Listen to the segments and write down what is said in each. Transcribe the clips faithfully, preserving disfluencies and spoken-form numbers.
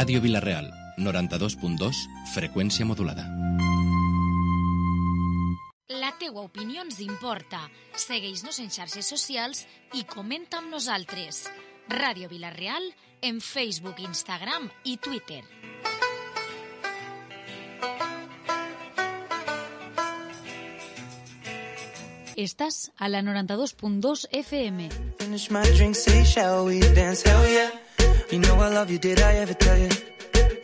Ràdio Vila-real, noranta-dos punt dos, freqüència modulada. La teua opinió ens importa. Segueix-nos en xarxes socials i comenta amb nosaltres. Ràdio Vila-real en Facebook, Instagram i Twitter. Estàs a la noranta-dos punt dos F M. Finish my drink, say shall we dance? Hell yeah. You know I love you, did I ever tell you?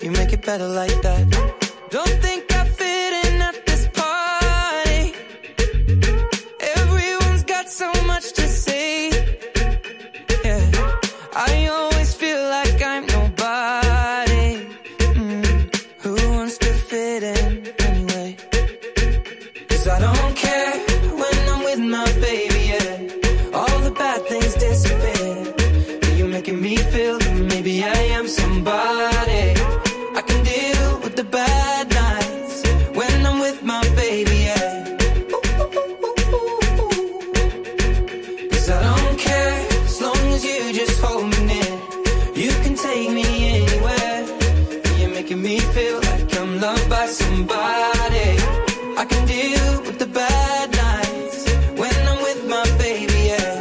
You make it better like that. Don't think I fit in at this party. Everyone's got so much to say. Yeah, I always feel like I'm nobody. Mm. Who wants to fit in anyway? 'Cause I don't care when I'm with my baby, yeah. All the bad things disappear. You're making me feel that maybe I am somebody. I can deal with the bad nights when I'm with my baby, yeah. Cause I don't care as long as you just hold me near. You can take me anywhere. You're making me feel like I'm loved by somebody. I can deal with the bad nights when I'm with my baby, yeah.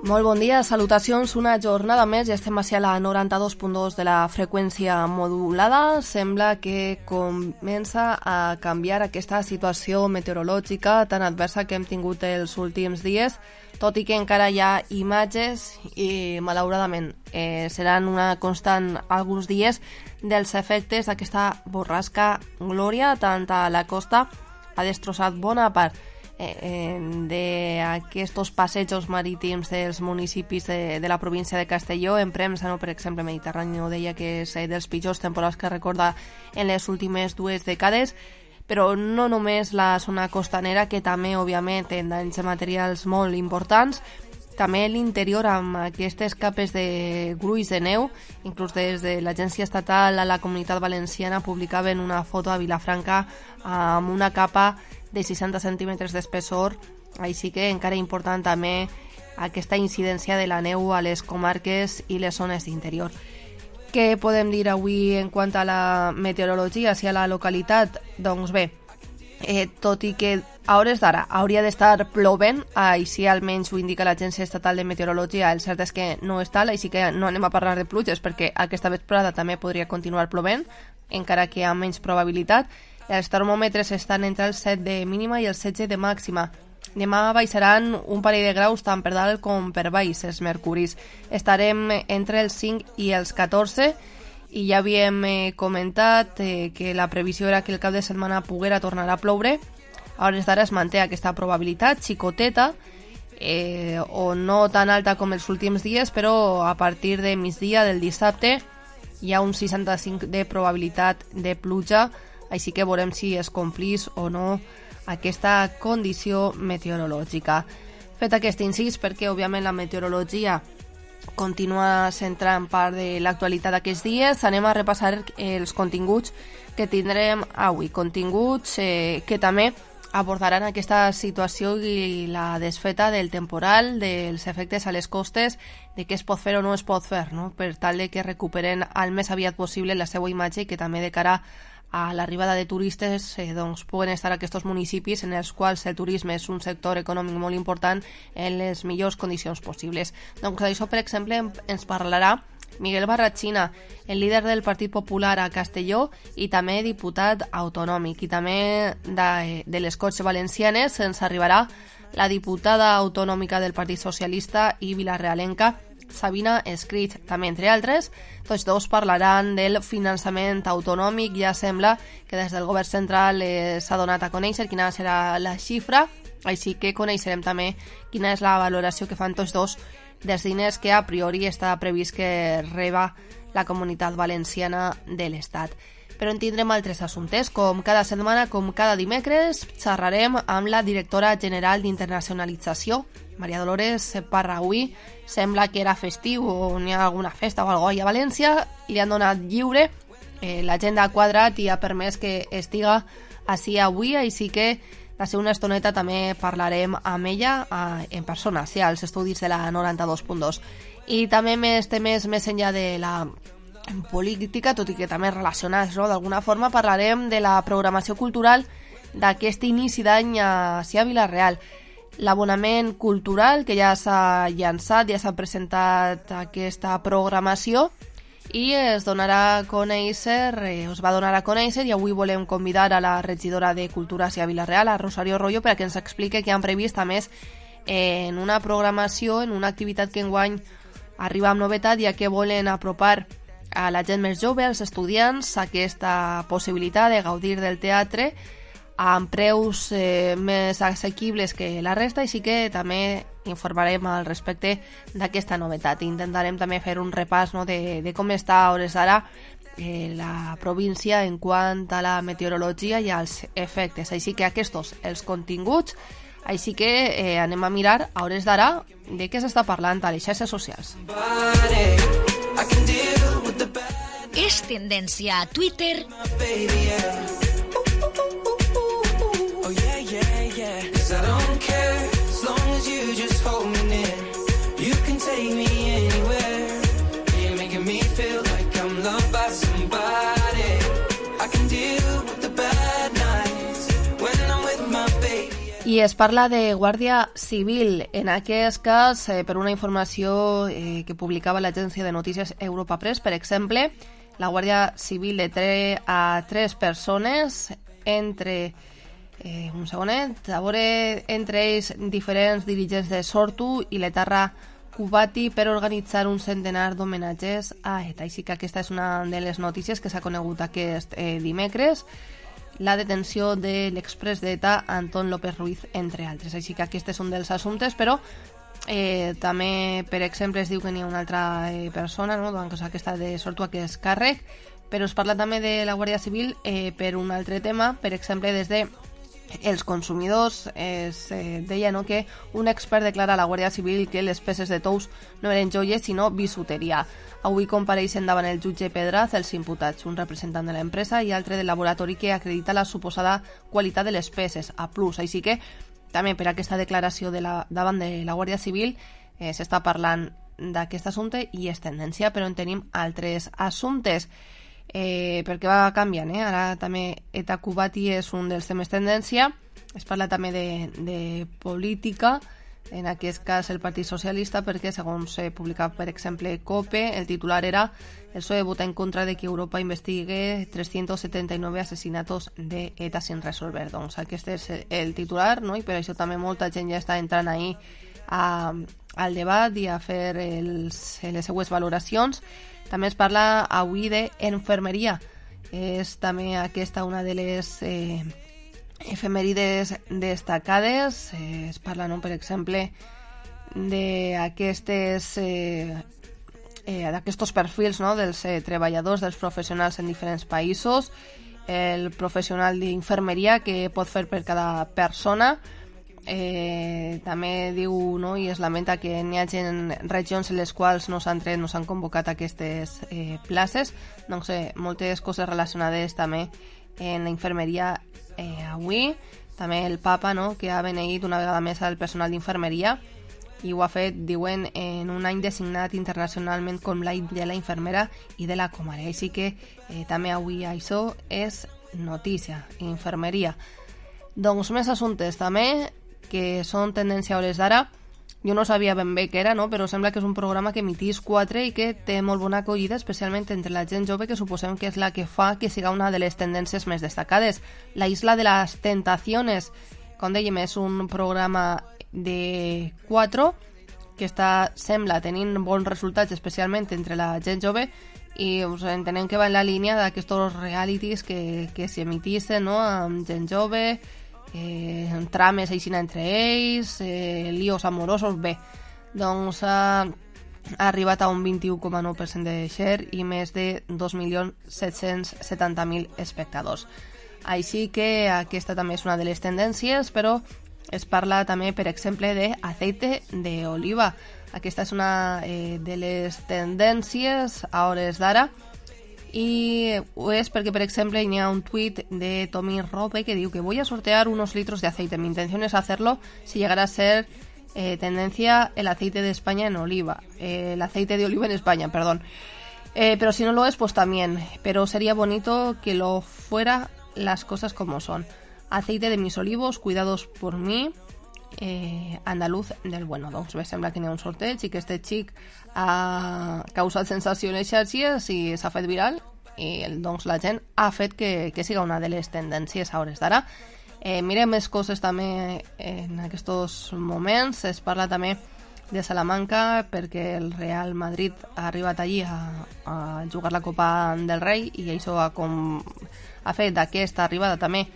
Molt bon dia, salutacions, una jornada més i estem així a la noranta-dos punt dos de la freqüència modulada. Sembla que comença a canviar aquesta situació meteorològica tan adversa que hem tingut els últims dies, tot i que encara hi ha imatges i, malauradament, eh, seran una constant alguns dies dels efectes d'aquesta borrasca Glòria, tant a la costa ha destrossat bona part d'aquests passejos marítims dels municipis de, de la província de Castelló. En Premsa, no, per exemple, Mediterrani no deia que és dels pitjors temporals que recorda en les últimes dues dècades, però no només la zona costanera, que també, òbviament, té danys materials molt importants, també l'interior amb aquestes capes de gruix de neu. Inclús des de l'Agència Estatal a la Comunitat Valenciana publicaven una foto a Vilafranca amb una capa de seixanta centímetres d'espessor, així que encara important també aquesta incidència de la neu a les comarques i les zones d'interior. Què podem dir avui en quant a la meteorologia, si a la localitat? Doncs bé, eh, tot i que a hores d'ara hauria d'estar plovent, així almenys ho indica l'Agència Estatal de Meteorologia, el cert és que no és tal, així que no anem a parlar de pluges perquè aquesta vesprada també podria continuar plovent, encara que amb menys probabilitat. Els termòmetres estan entre els set de mínima i els setze de màxima. Demà baixaran un parell de graus tant per dalt com per baix els mercuris. Estarem entre els cinc i els catorze i ja havíem eh, comentat eh, que la previsió era que el cap de setmana poguera tornar a ploure. A hores d'ara es manté aquesta probabilitat xicoteta, eh, o no tan alta com els últims dies, però a partir de migdia del dissabte hi ha un seixanta-cinc de probabilitat de pluja, així que veurem si es complís o no aquesta condició meteorològica. Fet aquest incís, perquè òbviament la meteorologia continua centrant part de l'actualitat d'aquests dies, anem a repassar els continguts que tindrem avui. Continguts eh, que també abordaran aquesta situació i la desfeta del temporal, dels efectes a les costes, de què es pot fer o no es pot fer, no? Per tal de que recuperen al més aviat possible la seva imatge i que també de cara a l'arribada de turistes eh, doncs, puguen estar aquests municipis en els quals el turisme és un sector econòmic molt important en les millors condicions possibles. Doncs d'això, per exemple, ens parlarà Miguel Barrachina, el líder del Partit Popular a Castelló i també diputat autonòmic. I també de, de les Corts Valencianes ens arribarà la diputada autonòmica del Partit Socialista i vilarealenca, Sabina Escrit, també entre altres. Tots dos parlaran del finançament autonòmic. Ja sembla que des del govern central eh, s'ha donat a conèixer quina serà la xifra, així que coneixerem també quina és la valoració que fan tots dos dels diners que a priori està previst que reba la Comunitat Valenciana de l'Estat. Però en tindrem altres assumptes. Com cada setmana, com cada dimecres, xerrarem amb la directora general d'Internacionalització, Maria Dolores Parrahui. Sembla que era festiu o n'hi ha alguna festa o alguna cosa a València i li han donat lliure. Eh, L'agenda ha quadrat i ha permès que estiga així avui, així que d'ací una estoneta també parlarem amb ella eh, en persona, sí, als estudis de la noranta-dos punt dos. I també més temes més enllà de la en política, tot i que també relacionats, no? D'alguna forma parlarem de la programació cultural d'aquest inici d'any a Cia Vila-real. L'abonament cultural, que ja s'ha llançat, ja s'ha presentat aquesta programació i es donarà a conèixer, eh, us va donar a conèixer, i avui volem convidar a la regidora de Cultura a Cia Vila-real, a Rosario Rollo, perquè ens explique què han previst, a més, en una programació, en una activitat que enguany arriba amb novetat, ja que volen apropar a la gent més jove, als estudiants, aquesta possibilitat de gaudir del teatre amb preus eh, més assequibles que la resta, i sí que també informarem al respecte d'aquesta novetat. Intentarem també fer un repàs, no, de, de com està a hores d'ara eh, la província en quant a la meteorologia i als efectes. Així que aquests els continguts, així que eh, anem a mirar a hores d'ara de què s'està parlant a les xarxes socials. És tendència a Twitter I don't care as long as you just hold me near. You can take me anywhere. You're making me feel like I'm loved by somebody. I can deal with the bad nights when I'm with my baby. I es parla de Guàrdia Civil, en aquest cas, eh, per una informació eh, que publicava l'agència de notícies Europa Press, per exemple, la Guàrdia Civil deté a tres persones, entre Eh, un segonet, a veure, entre ells diferents dirigents de Sortu i l'Etarra Cubati, per organitzar un centenar d'homenatges a ETA. Així que aquesta és una de les notícies que s'ha conegut aquest eh, dimecres, la detenció de l'exprés d'ETA Antón López Ruiz, entre altres. Així que aquest és un dels assumptes, però eh, també, per exemple, es diu que n'hi ha una altra eh, persona, no?, doncs aquesta de Sortu, que és càrrec, però es parla també de la Guàrdia Civil eh, per un altre tema, per exemple, des de els consumidors. Es eh, deia, no, que un expert declara a la Guàrdia Civil que les peces de tous no eren joies sinó bisuteria. Avui compareixen davant el jutge Pedraz els imputats, un representant de l'empresa i altre del laboratori que acredita la suposada qualitat de les peces, A plus. Així que també per aquesta declaració de la, davant de la Guàrdia Civil eh, s'està parlant d'aquest assumpte i és tendència, però en tenim altres assumptes. Eh, perquè va canviant, eh? Ara també ETA Cubati és un dels temes tendència. Es parla també de, de política, en aquest cas el Partit Socialista, perquè segons s'ha publicat, per exemple, COPE, el titular era: el P S O E vota en contra de que Europa investigue trescientos setenta y nueve asesinatos de ETA sin resolver. Doncs aquest és el titular, no? I per això també molta gent ja està entrant ahí a, al debat i a fer els, les seues valoracions. També es parla avui d'enfermeria. És també aquesta una de les eh, efemèrides destacades. Eh, es parla, no, per exemple, d'aquestes eh, eh, d'aquests perfils, no, dels eh, treballadors, dels professionals en diferents països. El professional d'infermeria que pot fer per cada persona. Eh, també diu, no, i es lamenta que n'hi hagi regions en les quals no s'han tret, no s'han convocat aquestes eh, places. Doncs eh, moltes coses relacionades també en la infermeria eh, avui. També el papa, no, que ha beneït una vegada més al personal d'infermeria, i ho ha fet, diuen, en un any designat internacionalment com l'any de la infermera i de la comare. Així que eh, també avui això és notícia, infermeria. Doncs més assumptes també que són tendència a hores d'ara. Jo no sabia ben bé què era, no? Però sembla que és un programa que emitís quatre i que té molt bona acollida, especialment entre la gent jove, que suposem que és la que fa que siga una de les tendències més destacades. La Isla de las Tentaciones, com dèiem, és un programa de quatre que està, sembla, tenint bons resultats, especialment entre la gent jove, i us entenem que va en la línia d'aquests realities que, que s'emitissin, no?, amb gent jove, eh, trames així entre ells, eh, líos amorosos. Bé, doncs ha, ha arribat a un vint-i-u coma nou per cent de share i més de dos milions set-cents setanta mil espectadors. Així que aquesta també és una de les tendències, però es parla també, per exemple, d'aceite d'oliva. Aquesta és una eh, de les tendències a hores d'ara, y es porque, por ejemplo, hay un tweet de Tommy Rope que dice que voy a sortear unos litros de aceite. Mi intención es hacerlo si llegara a ser eh, tendencia el aceite de España en oliva. Eh, el aceite de oliva en España, perdón. Eh, pero si no lo es, pues también. Pero sería bonito que lo fuera las cosas como son. Aceite de mis olivos, cuidados por mí, eh, andaluz del bueno. Doncs bé, sembla que n'hi ha un sorteig i que este xic ha causat sensació en les xarxes i s'ha fet viral i doncs la gent ha fet que, que siga una de les tendències a hores d'ara. Eh, mirem més coses també en aquests moments. Es parla també de Salamanca perquè el Real Madrid ha arribat allí a, a jugar la Copa del Rei i això ha, com, ha fet d'aquesta arribada també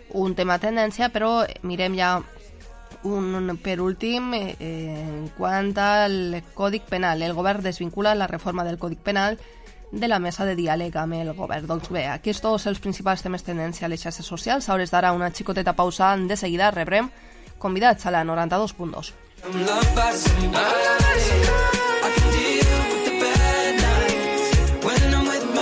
un tema tendència, però mirem ja un, per últim eh, en quant al Còdic Penal. El govern desvincula la reforma del Còdic Penal de la mesa de diàleg amb el govern. Doncs bé, aquests són els principals temes tendència a les xarxes socials. A hores d'ara una xicoteta pausa, de seguida rebrem convidats a la noranta-dos punt dos.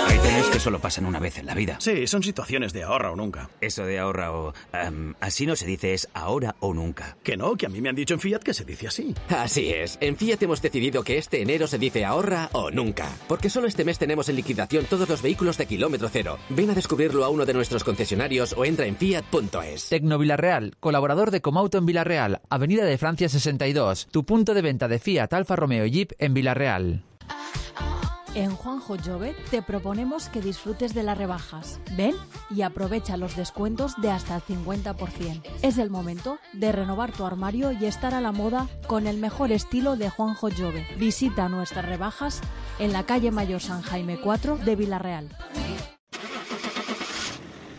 Hay temas que solo pasan una vez en la vida. Sí, son situaciones de ahorra o nunca. Eso de ahorra o... Um, así no se dice, es ahora o nunca. Que no, que a mí me han dicho en Fiat que se dice así. Así es. En Fiat hemos decidido que este enero se dice ahorra o nunca. Porque solo este mes tenemos en liquidación todos los vehículos de kilómetro cero. Ven a descubrirlo a uno de nuestros concesionarios o entra en fiat punto es. Tecno Villarreal, colaborador de Comauto en Villarreal, Avenida de Francia sesenta y dos. Tu punto de venta de Fiat, Alfa Romeo y Jeep en Villarreal. En Juanjo Jove te proponemos que disfrutes de las rebajas. Ven y aprovecha los descuentos de hasta el cincuenta por ciento. Es el momento de renovar tu armario y estar a la moda con el mejor estilo de Juanjo Jove. Visita nuestras rebajas en la calle Mayor San Jaime cuatro de Villarreal.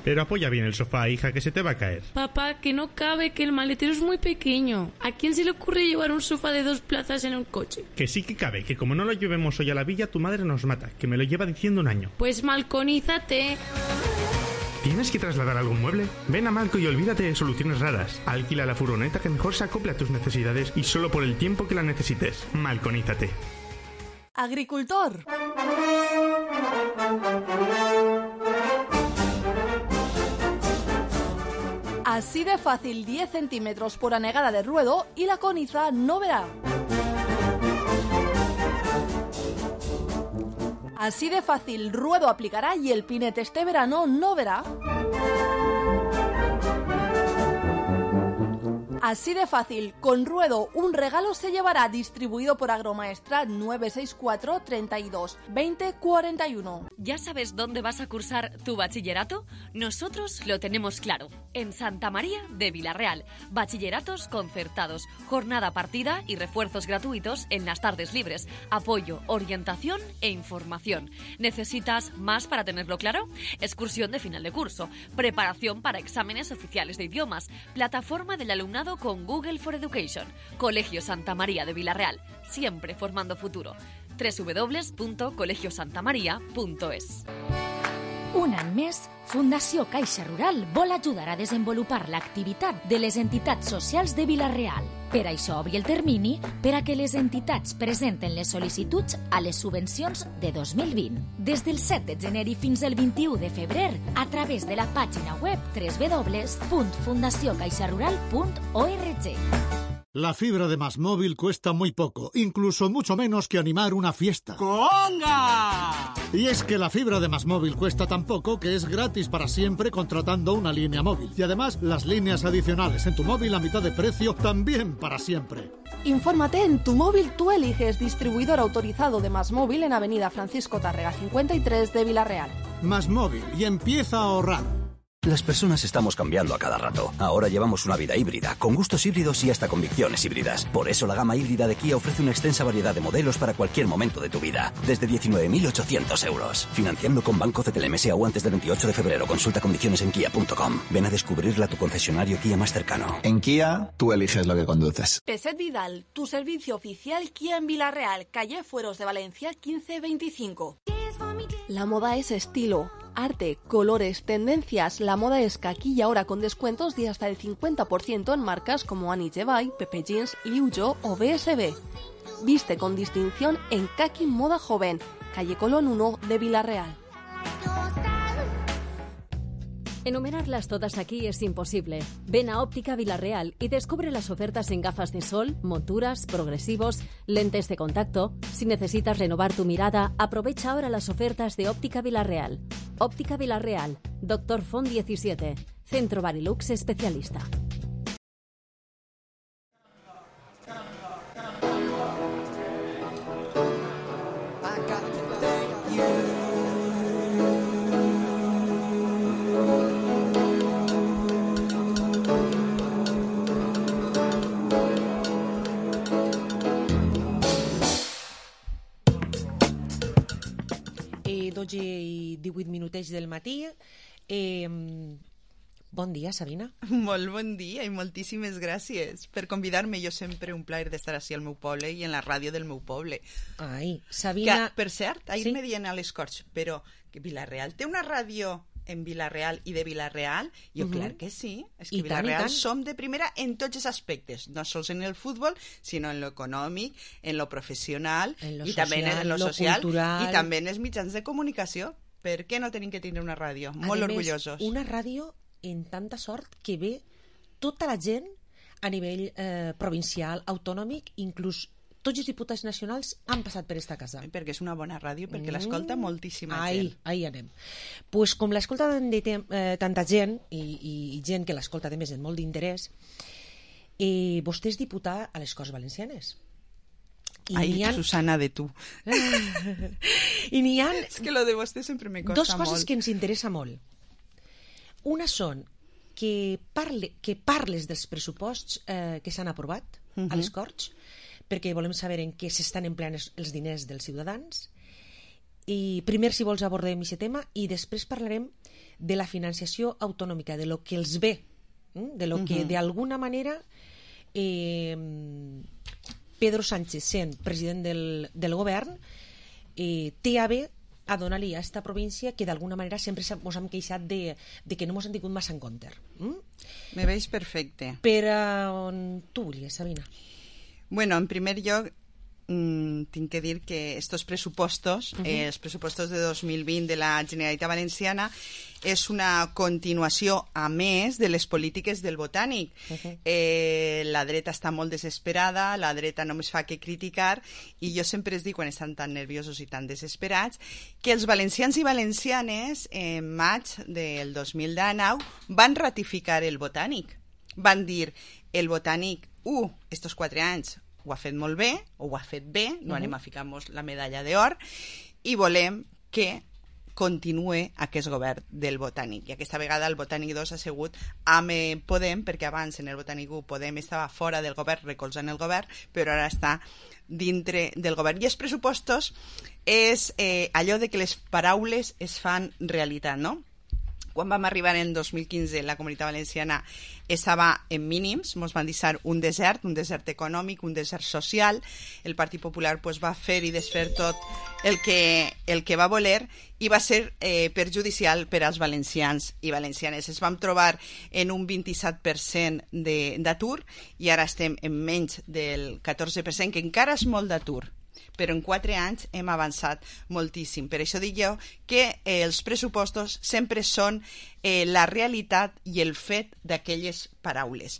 Pero apoya bien el sofá, hija, que se te va a caer. Papá, que no cabe, que el maletero es muy pequeño. ¿A quién se le ocurre llevar un sofá de dos plazas en un coche? Que sí que cabe, que como no lo llevemos hoy a la villa, tu madre nos mata, que me lo lleva diciendo un año. Pues malconízate. ¿Tienes que trasladar algún mueble? Ven a Malco y olvídate de soluciones raras. Alquila la furgoneta que mejor se acople a tus necesidades y solo por el tiempo que la necesites. Malconízate. Agricultor. Así de fácil, diez centímetros por anegada de ruedo y la coniza no verá. Así de fácil, ruedo aplicará y el pinete este verano no verá. Así de fácil, con ruedo un regalo se llevará, distribuido por Agromaestrat nueve seis cuatro, treinta y dos, veinte, cuarenta y uno. ¿Ya sabes dónde vas a cursar tu bachillerato? Nosotros lo tenemos claro, en Santa María de Villarreal. Bachilleratos concertados, jornada partida y refuerzos gratuitos en las tardes libres, apoyo, orientación e información. ¿Necesitas más para tenerlo claro? Excursión de final de curso, preparación para exámenes oficiales de idiomas, plataforma del alumnado con Google for Education. Colegio Santa María de Villarreal, siempre formando futuro. doble u doble u doble u punto colegio santa maria punto es. Un any més, Fundació Caixa Rural vol ajudar a desenvolupar l'activitat de les entitats socials de Vila-real. Per això obri el termini per a que les entitats presenten les sol·licituds a les subvencions de dos mil vint. Des del set de gener i fins al vint-i-u de febrer, a través de la pàgina web doble u doble u doble u punt fundació caixa rural punt org. La fibra de Más Móvil cuesta muy poco, incluso mucho menos que animar una fiesta. ¡Conga! Y es que la fibra de Más Móvil cuesta tan poco que es gratis para siempre contratando una línea móvil. Y además, las líneas adicionales en tu móvil a mitad de precio también para siempre. Infórmate en Tu Móvil Tú Eliges, distribuidor autorizado de Más Móvil en Avenida Francisco Tárrega cincuenta y tres de Vila-real. Más Móvil, y empieza a ahorrar. Las personas estamos cambiando a cada rato. Ahora llevamos una vida híbrida, con gustos híbridos y hasta convicciones híbridas. Por eso la gama híbrida de Kia ofrece una extensa variedad de modelos para cualquier momento de tu vida. Desde diecinueve mil ochocientos euros. Financiando con Banco C T L M S A U antes del veintiocho de febrero. Consulta condiciones en kia punto com. Ven a descubrirla a tu concesionario Kia más cercano. En Kia, tú eliges lo que conduces. Peset Vidal, tu servicio oficial Kia en Vila-real, calle Fueros de Valencia quince veinticinco. La moda es estilo, arte, colores, tendencias. La moda es Kaki y ahora con descuentos de hasta el cincuenta por ciento en marcas como Annie Jevai, Pepe Jeans, Liu Yo o B S B. Viste con distinción en Kaki Moda Joven, calle Colón uno de Vila-real. Enumerarlas todas aquí es imposible. Ven a Óptica Vilarreal y descubre las ofertas en gafas de sol, monturas, progresivos, lentes de contacto. Si necesitas renovar tu mirada, aprovecha ahora las ofertas de Óptica Vilarreal. Óptica Vilarreal, Doctor Font diecisiete, Centro Barilux Especialista. dotze i divuit minutets del matí. Eh, bon dia, Sabina. Molt bon dia i moltíssimes gràcies per convidar-me. Jo sempre un plaer d'estar així al meu poble i en la ràdio del meu poble. Ai, Sabina... Que, per cert, ahir sí? me dient a les Corts, però que Vilareal té una ràdio en Vilareal i de Vilareal? Jo, uh-huh. clar que sí. És que I Vilareal tant, som de primera en tots els aspectes, no sols en el futbol, sinó en lo econòmic, en lo professional, en lo i social, també en lo lo social, cultural. I també en els mitjans de comunicació. Per què no tenim que tenir una ràdio? Molt a orgullosos. Més, una ràdio en tanta sort que ve tota la gent a nivell eh, provincial, autonòmic, inclús tots els diputats nacionals han passat per esta casa. Perquè és una bona ràdio, perquè mm. l'escolta moltíssima ai, gent. Ahí anem. Pues com l'escolta eh, tanta gent, i, i, i gent que l'escolta de més en molt d'interès, eh, vostè és diputada a les Corts Valencianes. I ai, ha... Susana, de tu. I n'hi ha... És que lo de vostè sempre me costa molt. Dos coses que ens interessa molt. Una són que, parle, que parles dels pressuposts eh, que s'han aprovat uh-huh. a les Corts, perquè volem saber en què s'estan empleant els diners dels ciutadans. I primer, si vols, abordem aquest tema i després parlarem de la financiació autonòmica, de lo que els ve, de lo que uh-huh. d'alguna manera eh, Pedro Sánchez, sent president del, del govern, eh, té a bé a donar-li a aquesta província que d'alguna manera sempre ens hem queixat de, de que no ens han tingut massa en compte. Mm? Me veig perfecte. Per on tu volies, Sabina? Bueno, en primer lloc, mmm, tinc que dir que estos pressupostos, uh-huh. eh, els pressupostos de dos mil vint de la Generalitat Valenciana, és una continuació, a més, de les polítiques del Botànic. Uh-huh. Eh, la dreta està molt desesperada, la dreta només fa que criticar, i jo sempre es dic, quan estan tan nerviosos i tan desesperats, que els valencians i valencianes, en maig del dos mil dinou, van ratificar el Botànic. Van dir, el Botànic, uh, estos quatre anys ho ha fet molt bé, o ho ha fet bé, no uh-huh. anem a ficar-nos la medalla d'or, i volem que continue aquest govern del Botànic. I aquesta vegada el Botànic dos ha sigut amb Podem, perquè abans en el Botànic u Podem estava fora del govern, recolzant el govern, però ara està dintre del govern. I els pressupostos és eh, allò de que les paraules es fan realitat, no? Quan vam arribar en dos mil quinze, la Comunitat Valenciana estava en mínims, ens van deixar un desert, un desert econòmic, un desert social. El Partit Popular pues, va fer i desfer tot el que, el que va voler i va ser eh, perjudicial per als valencians i valencianes. Es vam trobar en un vint-i-set per cent d'atur i ara estem en menys del catorze per cent, que encara és molt d'atur, però en quatre anys hem avançat moltíssim. Per això dic jo que eh, els pressupostos sempre són eh, la realitat i el fet d'aquelles paraules.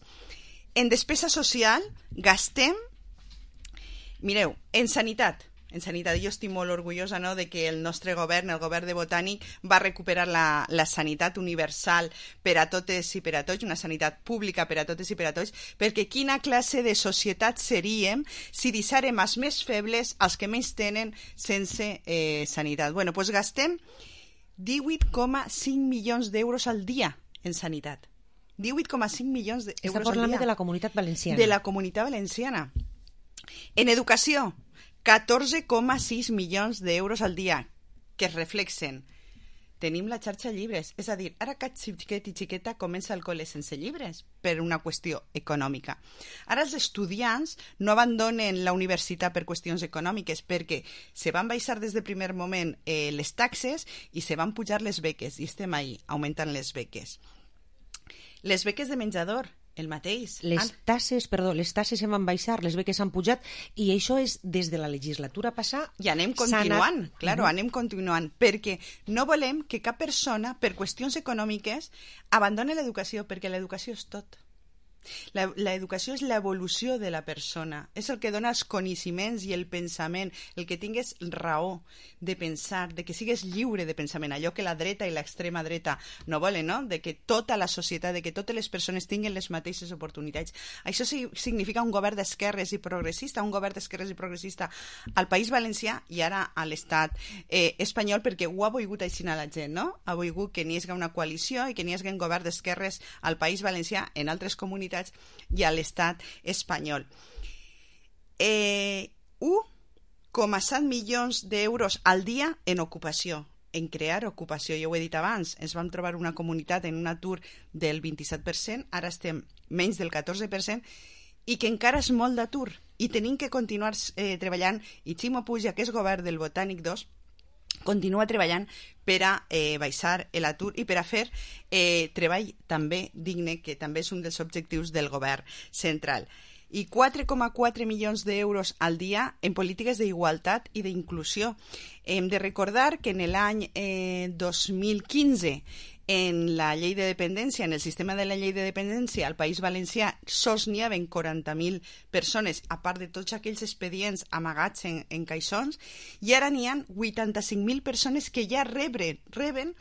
En despesa social gastem, mireu, en sanitat, en sanitat. Jo estic molt orgullosa, no?, de que el nostre govern, el govern de Botànic, va recuperar la, la sanitat universal per a totes i per a tots, una sanitat pública per a totes i per a tots, perquè quina classe de societat seríem si deixarem els més febles, els que menys tenen, sense eh, sanitat. Bueno, doncs gastem divuit coma cinc milions d'euros al dia en sanitat. divuit coma cinc milions d'euros al dia. Està parlant de la Comunitat Valenciana. De la Comunitat Valenciana. En educació, catorze coma sis milions d'euros al dia, que es reflexen. Tenim la xarxa llibres, és a dir, ara cap xiquet i xiqueta comença el col·le sense llibres per una qüestió econòmica. Ara els estudiants no abandonen la universitat per qüestions econòmiques, perquè se van baixar des del primer moment eh, les taxes i se van pujar les beques, i estem ahí, augmentant les beques. Les beques de menjador, el mateix. Les Han... tasses, perdó, les tasses em van baixar, les beques han pujat, i això és des de la legislatura passada. I anem continuant, anat... claro, uh -huh. anem continuant, perquè no volem que cap persona, per qüestions econòmiques, abandoni l'educació, perquè l'educació és tot. L'educació és l'evolució de la persona, és el que dona els coneixements i el pensament, el que tingues raó de pensar, de que sigues lliure de pensament, allò que la dreta i l'extrema dreta no volen, no? De que tota la societat, de que totes les persones tinguin les mateixes oportunitats. Això significa un govern d'esquerres i progressista, un govern d'esquerres i progressista al País Valencià i ara a l'estat eh, espanyol, perquè ho ha volgut així a la gent, no? Ha volgut que n'hi hagi una coalició i que n'hi hagi un govern d'esquerres al País Valencià, en altres comunitats i a l'estat espanyol. Eh, un coma set milions d'euros al dia en ocupació, en crear ocupació. Jo ho he dit abans, ens vam trobar una comunitat en un atur del vint-i-set per cent, ara estem menys del catorze per cent, i que encara és molt d'atur, i tenim que continuar eh, treballant, i Ximo Puig, que és govern del Botànic dos, continua treballant per a eh, baixar l'atur i per a fer eh, treball també digne, que també és un dels objectius del govern central. I quatre coma quatre milions d'euros al dia en polítiques d'igualtat i d'inclusió. Hem de recordar que en l'any eh, dos mil quinze, en la llei de dependència, en el sistema de la llei de dependència, al País Valencià sols n'hi havia quaranta mil persones, a part de tots aquells expedients amagats en, en caixons, i ara n'hi ha vuitanta-cinc mil persones que ja reben, reben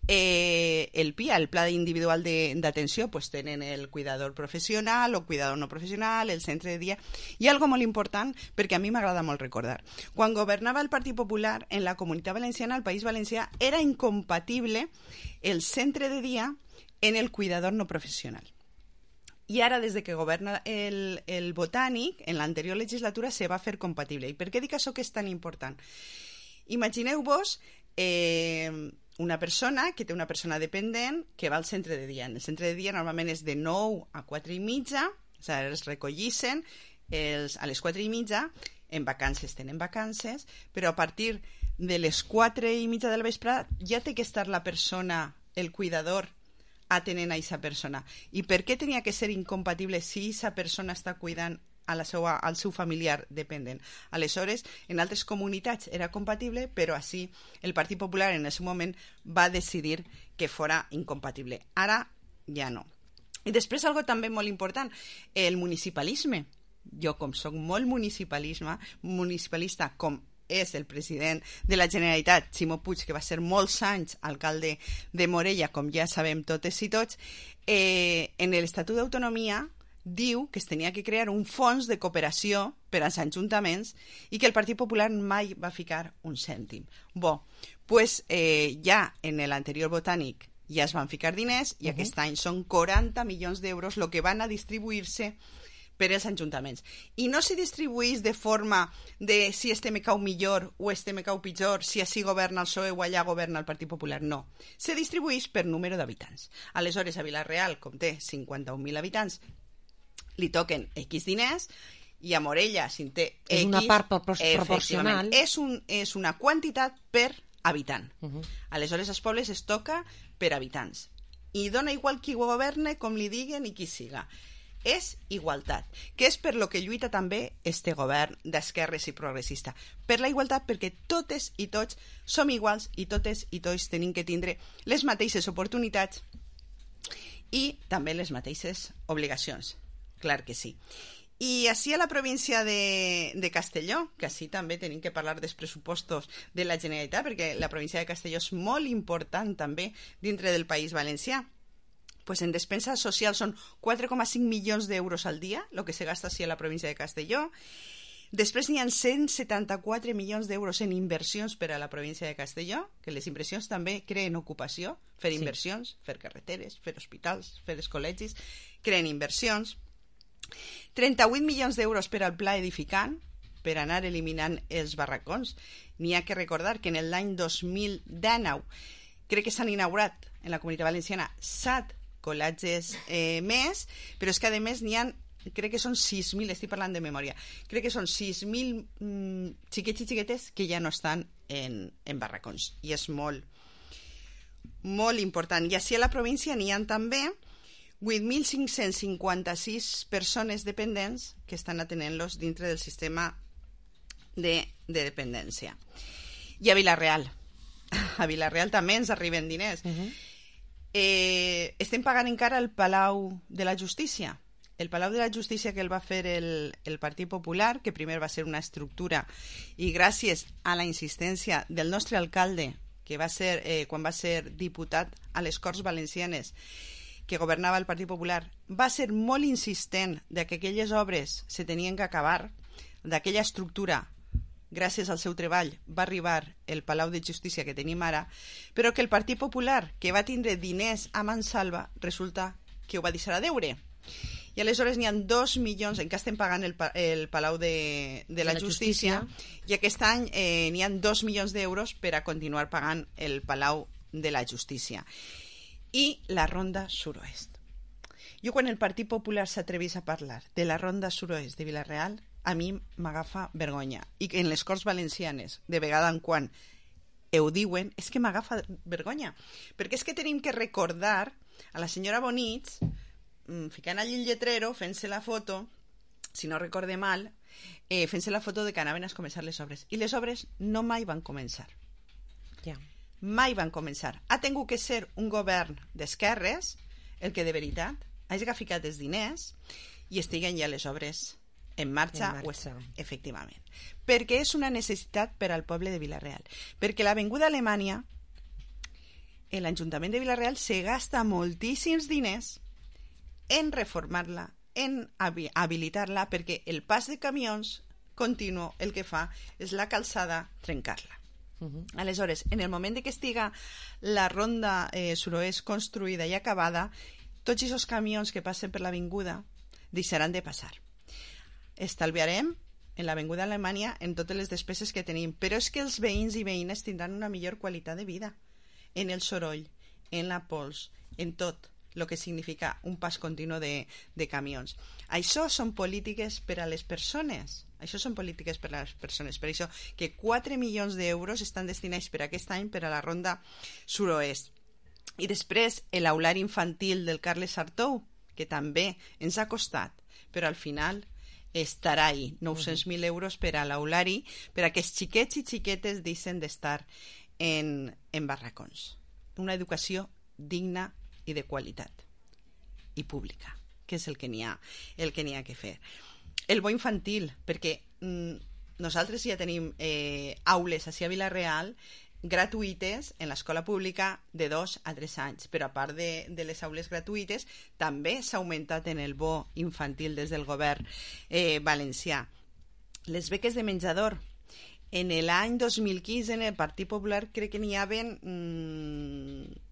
eh, el P I A, el Pla Individual d'Atenció, pues tenen el cuidador professional o cuidador no professional, el centre de dia, i algo molt important, perquè a mi m'agrada molt recordar. Quan governava el Partit Popular, en la Comunitat Valenciana, al País Valencià, era incompatible el centre de dia en el cuidador no professional. I ara, des de que governa el, el Botànic, en l'anterior legislatura se va fer compatible. I per què dic això que és tan important? Imagineu-vos eh, una persona que té una persona dependent que va al centre de dia. En el centre de dia normalment és de nou a quatre i mitja, o sigui, es recollissen els, a les quatre i mitja, en vacances tenen vacances, però a partir de les quatre i mitja del vespre ja té que estar la persona, el cuidador, atenent a aquesta persona. I per què tenia que ser incompatible si aquesta persona està cuidant a la seva, al seu familiar dependent? Aleshores, en altres comunitats era compatible, però així el Partit Popular en el seu moment va decidir que fora incompatible. Ara ja no. I després, algo també molt important, el municipalisme. Jo, com soc molt municipalisme, municipalista, com és el president de la Generalitat, Ximo Puig, que va ser molts anys alcalde de Morella, com ja sabem totes i tots, eh, en l'Estatut d'Autonomia diu que es tenia que crear un fons de cooperació per als ajuntaments i que el Partit Popular mai va ficar un cèntim. Bo, pues, eh, ja en l'anterior Botànic ja es van ficar diners i uh-huh. aquest any són quaranta milions d'euros el que van a distribuir-se per als ajuntaments. I no se distribueix de forma de si este me cau millor o este me cau pitjor, si així governa el P S O E o allà governa el Partit Popular. No. Se distribueix per número d'habitants. Aleshores, a Vila-real, com té cinquanta-un mil habitants, li toquen X diners, i a Morella, si té X... És una part proporcional. És, un, és una quantitat per habitant. Uh-huh. Aleshores, als pobles es toca per habitants. I dona igual qui governe, com li diguen i qui siga. És igualtat, que és per lo que lluita també este govern d'esquerres i progressista. Per la igualtat, perquè totes i tots som iguals i totes i tots tenim que tindre les mateixes oportunitats i també les mateixes obligacions. Clar que sí. I així a la província de, de Castelló, que així també tenim que parlar dels pressupostos de la Generalitat, perquè la província de Castelló és molt important també dintre del País Valencià. Pues en despensa social són quatre coma cinc milions d'euros al dia, el que se gasta així a la província de Castelló. Després n'hi ha cent setanta-quatre milions d'euros en inversions per a la província de Castelló, que les inversions també creen ocupació, fer sí. inversions, fer carreteres, fer hospitals, fer els col·legis, creen inversions. trenta-vuit milions d'euros per al pla edificant, per anar eliminant els barracons. N'hi ha que recordar que en l'any dos mil dinou crec que s'han inaugurat en la Comunitat Valenciana set col·latges eh, més, però és que a més n'hi ha, crec que són sis mil, estic parlant de memòria, crec que són sis mil mm, xiquets i xiquetes que ja no estan en, en barracons, i és molt molt important. I així a la província n'hi ha també vuit mil cinc-cents cinquanta-sis persones dependents que estan atenent-los dintre del sistema de, de dependència. I a Vila-real. A Vila-real també ens arriben diners. Uh-huh. eh, estem pagant encara el Palau de la Justícia. El Palau de la Justícia que el va fer el, el Partit Popular, que primer va ser una estructura, i gràcies a la insistència del nostre alcalde, que va ser, eh, quan va ser diputat a les Corts Valencianes, que governava el Partit Popular, va ser molt insistent de que aquelles obres se tenien que acabar, d'aquella estructura, gràcies al seu treball, va arribar el Palau de Justícia que tenim ara, però que el Partit Popular, que va tindre diners a mansalva, resulta que ho va deixar a deure. I aleshores n'hi ha dos milions, encara estem pagant el, el Palau de, de la, la Justícia, Justícia, i aquest any eh, n'hi ha dos milions d'euros per a continuar pagant el Palau de la Justícia. I la Ronda Suroest. Jo quan el Partit Popular s'atrevís a parlar de la Ronda Suroest de Vila-real, a mi m'agafa vergonya. I en les Corts Valencianes, de vegada en quan ho diuen, és que m'agafa vergonya. Perquè és que tenim que recordar a la senyora Bonich, ficant allí el lletrero, fent-se la foto, si no recorde mal, eh, fent-se la foto de que anaven a començar les obres. I les obres no mai van començar. Ja. Mai van començar. Ha tingut que ser un govern d'esquerres el que de veritat hagi ficat els diners i estiguen ja les obres en marxa, en marxa. O, efectivament. Perquè és una necessitat per al poble de Vila-real. Perquè l'Avinguda Alemanya, l'Ajuntament de Vila-real se gasta moltíssims diners en reformar-la, en habilitar-la, perquè el pas de camions continu el que fa és la calçada trencar-la. Uh-huh. Aleshores, en el moment de que estiga la ronda eh, suroest construïda i acabada, tots aquests camions que passen per l'avinguda deixaran de passar. Estalviarem en l'avinguda Alemanya en totes les despeses que tenim, però és que els veïns i veïnes tindran una millor qualitat de vida en el soroll, en la pols, en tot el que significa un pas continu de, de camions. Això són polítiques per a les persones. Això són polítiques per a les persones. Per això que quatre milions d'euros estan destinats per aquest any per a la Ronda Suroest. I després l'aulari infantil del Carles Sartou, que també ens ha costat, però al final estarà ahí, nou-cents mil euros per a l'aulari, per a que els xiquets i xiquetes deixen d'estar en, en barracons. Una educació digna i de qualitat i pública, que és el que n'hi ha, el que n'hi ha que fer. El bo infantil, perquè mm, nosaltres ja tenim eh, aules així a Vila-real gratuïtes en l'escola pública de dos a tres anys, però a part de, de les aules gratuïtes també s'ha augmentat en el bo infantil des del govern eh, valencià. Les beques de menjador, en l'any dos mil quinze en el Partit Popular crec que n'hi havien mmm,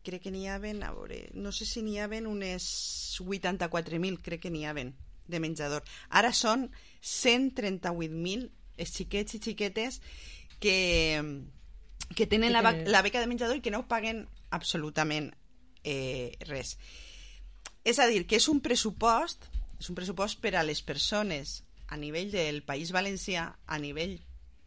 crec que n'hi havien, a veure, no sé si n'hi havien unes vuitanta-quatre mil, crec que n'hi havien de menjador. Ara són cent trenta-vuit mil els xiquets i xiquetes que, que tenen la, la beca de menjador i que no paguen absolutament eh, res. És a dir, que és un pressupost, és un pressupost per a les persones a nivell del País Valencià, a nivell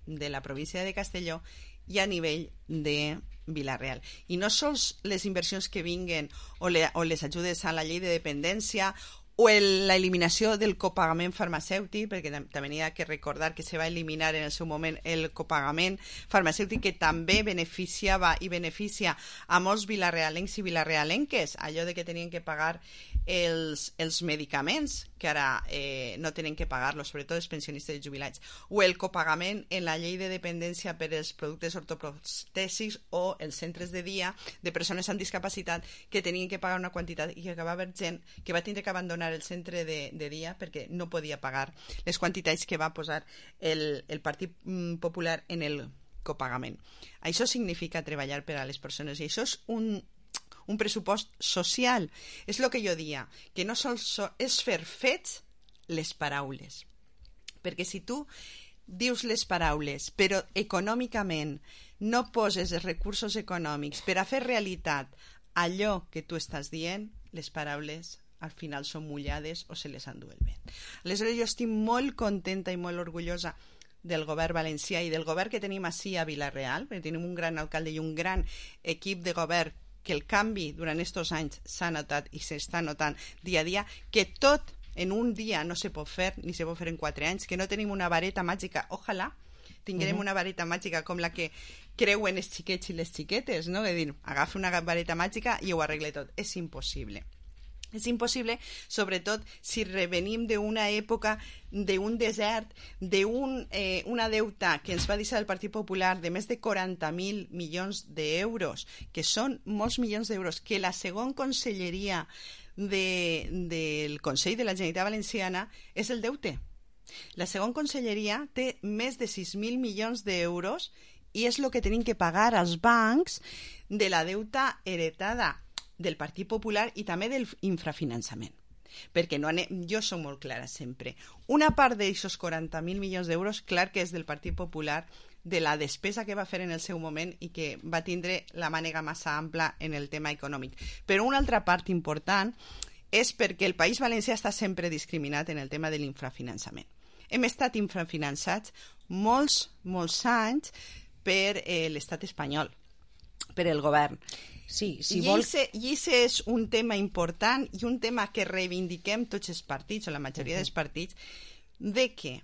de la província de Castelló i a nivell de Vila-real. I no sols les inversions que vinguen o, le, o les ajudes a la llei de dependència o l'eliminació del copagament farmacèutic, perquè també n'hi ha que recordar que se va eliminar en el seu moment el copagament farmacèutic, que també beneficiava i beneficia a molts vilarealencs i vilarealenques, allò de que tenien que pagar els, els medicaments, que ara eh, no tenen que pagar-los, sobretot els pensionistes i jubilats, o el copagament en la llei de dependència per als productes ortoprostèsics o els centres de dia de persones amb discapacitat que tenien que pagar una quantitat i que va haver gent que va tindre que abandonar el centre de, de dia perquè no podia pagar les quantitats que va posar el, el Partit Popular en el copagament. Això significa treballar per a les persones i això és un, un pressupost social. És el que jo dia, que no sols so, és fer fets les paraules. Perquè si tu dius les paraules però econòmicament no poses els recursos econòmics per a fer realitat allò que tu estàs dient, les paraules al final són mullades o se les endú el vent. Aleshores jo estic molt contenta i molt orgullosa del govern valencià i del govern que tenim ací a Vila-real, perquè tenim un gran alcalde i un gran equip de govern que el canvi durant aquests anys s'ha notat i s'està notant dia a dia, que tot en un dia no se pot fer, ni se pot fer en quatre anys, que no tenim una vareta màgica. Ojalà tinguem uh-huh. una vareta màgica com la que creuen els xiquets i les xiquetes, no? De dir, agafa una vareta màgica i ho arregle tot. És impossible. És impossible, sobretot si revenim d'una època, d'un desert, d'una eh, deuta que ens va deixar el Partit Popular de més de quaranta mil milions d'euros, que són molts milions d'euros, que la segona conselleria de, del Consell de la Generalitat Valenciana és el deute. La segona conselleria té més de sis mil milions d'euros i és el que tenim que pagar als bancs de la deuta heretada del Partit Popular i també del infrafinançament. Perquè no anem, jo soc molt clara sempre. Una part d'aquests quaranta mil milions d'euros, clar que és del Partit Popular, de la despesa que va fer en el seu moment i que va tindre la mànega massa ampla en el tema econòmic. Però una altra part important és perquè el País Valencià està sempre discriminat en el tema de l'infrafinançament. Hem estat infrafinançats molts, molts anys per eh, l'estat espanyol, per el govern. Sí, si I vol... aquest és un tema important i un tema que reivindiquem tots els partits, o la majoria uh-huh. dels partits, de que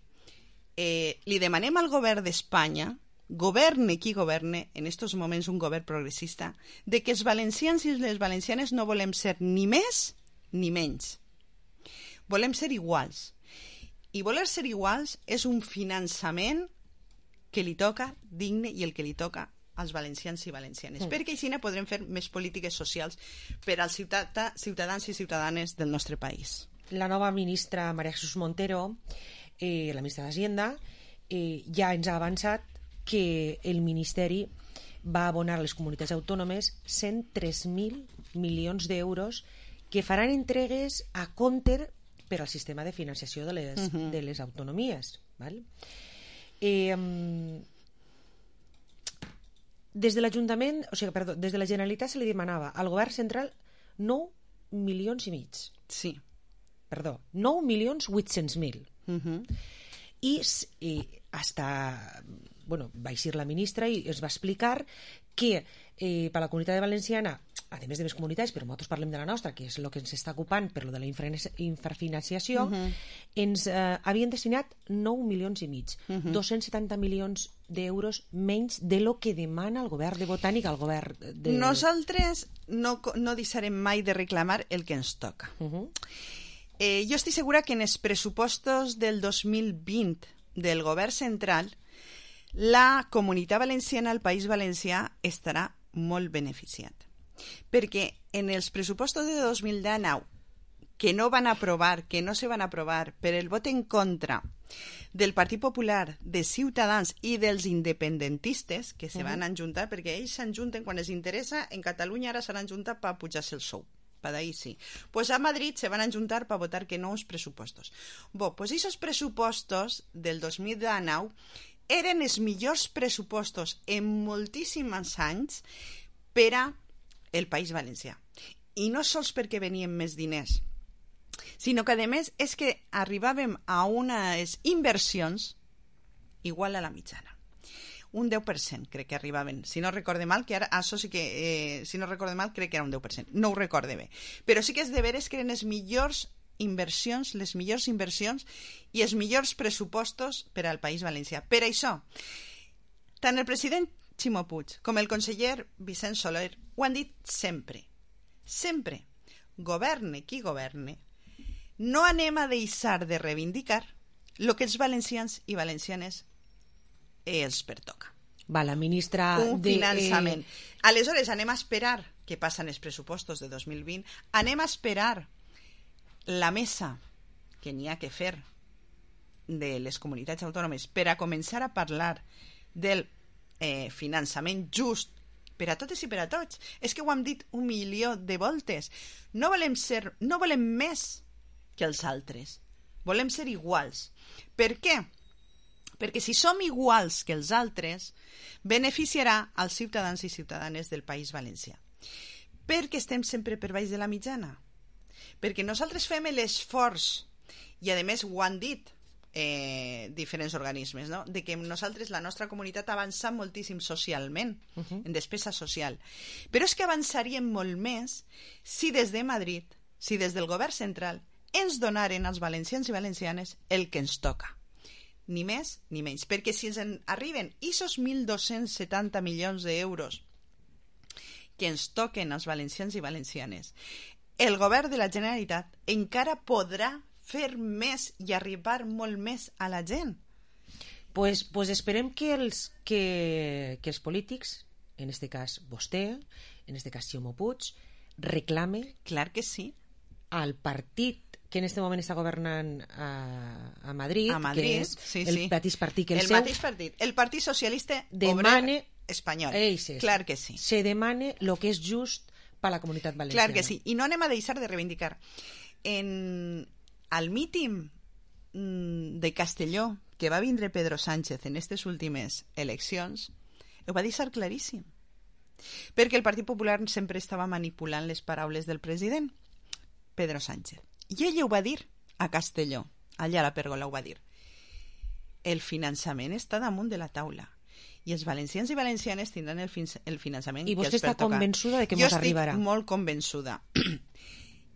eh, li demanem al govern d'Espanya, governe qui governe, en aquests moments un govern progressista, de que els valencians i les valencianes no volem ser ni més ni menys. Volem ser iguals. I voler ser iguals és un finançament que li toca digne i el que li toca als valencians i valencianes, mm. perquè així podrem fer més polítiques socials per als ciutadà, ciutadans i ciutadanes del nostre país. La nova ministra María Jesús Montero, eh, la ministra d'Hacienda, eh, ja ens ha avançat que el Ministeri va abonar a les comunitats autònomes cent tres mil milions d'euros que faran entregues a compte per al sistema de financiació de les, uh-huh. de les autonomies. Val? Eh, des de l'Ajuntament, o sigui, perdó, des de la Generalitat se li demanava al govern central nou milions i mig. Sí. Perdó, nou milions vuit-cents mil. Uh-huh. I, i hasta, bueno, va eixir la ministra i es va explicar que eh, per la comunitat valenciana, a més de més comunitats, però nosaltres parlem de la nostra, que és el que ens està ocupant per lo de la infrafinanciació, uh-huh. ens eh, havien destinat nou milions i mig, uh-huh. dos-cents setanta milions d'euros menys de lo que demana el govern de Botànic al govern de... Nosaltres no, no deixarem mai de reclamar el que ens toca. Uh-huh. eh, jo estic segura que en els pressupostos del dos mil vint del govern central la comunitat valenciana, el País Valencià, estarà molt beneficiat. Perquè en els pressupostos de dos mil dinou, que no van aprovar, que no se van aprovar per el vot en contra del Partit Popular, de Ciutadans i dels independentistes, que se van ajuntar, perquè ells s'ajunten quan els interessa, en Catalunya ara s'han ajuntat per pujar-se el sou. Per ahí sí. Pues a Madrid se van ajuntar per votar que no els pressupostos. Bo, pues esos pressupostos del dos mil dinou eren els millors pressupostos en moltíssims anys per a el País Valencià. I no sols perquè venien més diners, sinó que, a més, és que arribàvem a unes inversions igual a la mitjana. Un deu per cent crec que arribaven. Si no recorde mal, que ara, això sí que, eh, si no recorde mal, crec que era un deu per cent. No ho recorde bé. Però sí que és de veres que eren les millors inversions, les millors inversions i els millors pressupostos per al País Valencià. Per això, tant el president Ximo Puig com el conseller Vicent Soler ho han dit sempre. Sempre. Governe qui governe, no anem a deixar de reivindicar el que els valencians i valencianes els pertoca. Va, la ministra... Un de, finançament. Eh... Aleshores, anem a esperar que passen els pressupostos de dos mil vint, anem a esperar la mesa que n'hi ha que fer de les comunitats autònomes per a començar a parlar del eh, finançament just per a totes i per a tots. És que ho hem dit un milió de voltes. No volem ser, no volem més que els altres. Volem ser iguals. Per què? Perquè si som iguals que els altres, beneficiarà als ciutadans i ciutadanes del País Valencià. Perquè estem sempre per baix de la mitjana. Perquè nosaltres fem l'esforç, i a més ho han dit eh, diferents organismes, no? De que nosaltres, la nostra comunitat, ha avançat moltíssim socialment, uh-huh. en despesa social. Però és que avançaríem molt més si des de Madrid, si des del govern central, ens donaren als valencians i valencianes el que ens toca. Ni més ni menys. Perquè si ens en arriben aquests mil dos-cents setanta milions d'euros que ens toquen als valencians i valencianes, el govern de la Generalitat encara podrà fer més i arribar molt més a la gent. Pues, pues esperem que els, que, que els polítics, en este cas vostè, en este cas Ximo Puig, reclame clar que sí. al partit que en este moment està governant a, a Madrid, a Madrid que és sí, el sí. mateix partit que el, el seu, mateix partit, el Partit Socialista demane, Obrer Espanyol. Eixes, clar que sí. Se demane lo que és just per a la comunitat valenciana. Clar que sí, i no anem a deixar de reivindicar. En, al míting de Castelló, que va vindre Pedro Sánchez en aquestes últimes eleccions, ho va deixar claríssim. Perquè el Partit Popular sempre estava manipulant les paraules del president, Pedro Sánchez. I ell ho va dir a Castelló, allà a la Pèrgola ho va dir. El finançament està damunt de la taula i els valencians i valencianes tindran el, fin el finançament I que els vostè està pertoca. convençuda de que mos arribarà? Jo estic molt convençuda.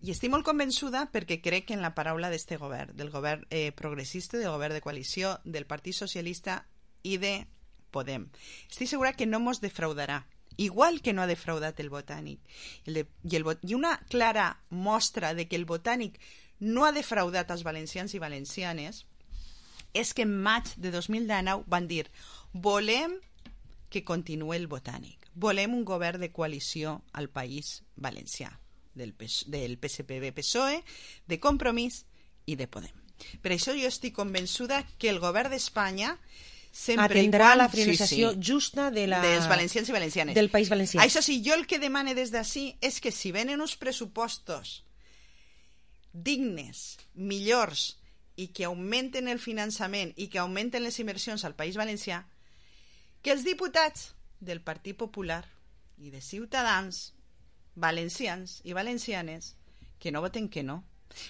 I estic molt convençuda perquè crec en la paraula d'este govern, del govern eh, progressista, del govern de coalició, del Partit Socialista i de Podem. Estic segura que no mos defraudarà, igual que no ha defraudat el Botànic. El de, i, el, I una clara mostra de que el Botànic no ha defraudat als valencians i valencianes és que en maig de dos mil dinou van dir volem que continuï el Botànic, volem un govern de coalició al País Valencià, del, del P S P B P S O E, de Compromís i de Podem. Per això jo estic convençuda que el govern d'Espanya sempre atendrà quan, la finançació sí, sí, justa de la... dels valencians i valencianes. Del País Valencià. Això sí, jo el que demane des d'ací és que si venen uns pressupostos dignes, millors, i que augmenten el finançament i que augmenten les inversions al País Valencià, que els diputats del Partit Popular i de Ciutadans, valencians i valencianes, que no voten que no,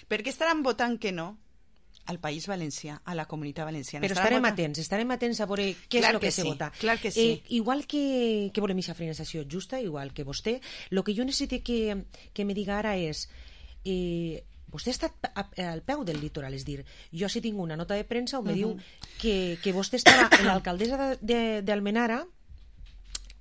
perquè estaran votant que no al País Valencià, a la comunitat valenciana. Però estarem votant... atents, estarem atents a veure què clar és el que, que sí, se vota. Clar que sí. Eh, igual que, que volem aquesta finançació justa, igual que vostè, el que jo necessito que, que me diga ara és... Eh, vostè ha estat al peu del litoral, és dir, jo sí tinc una nota de premsa on me uh-huh. diu que, que vostè estava en l'alcaldessa d'Almenara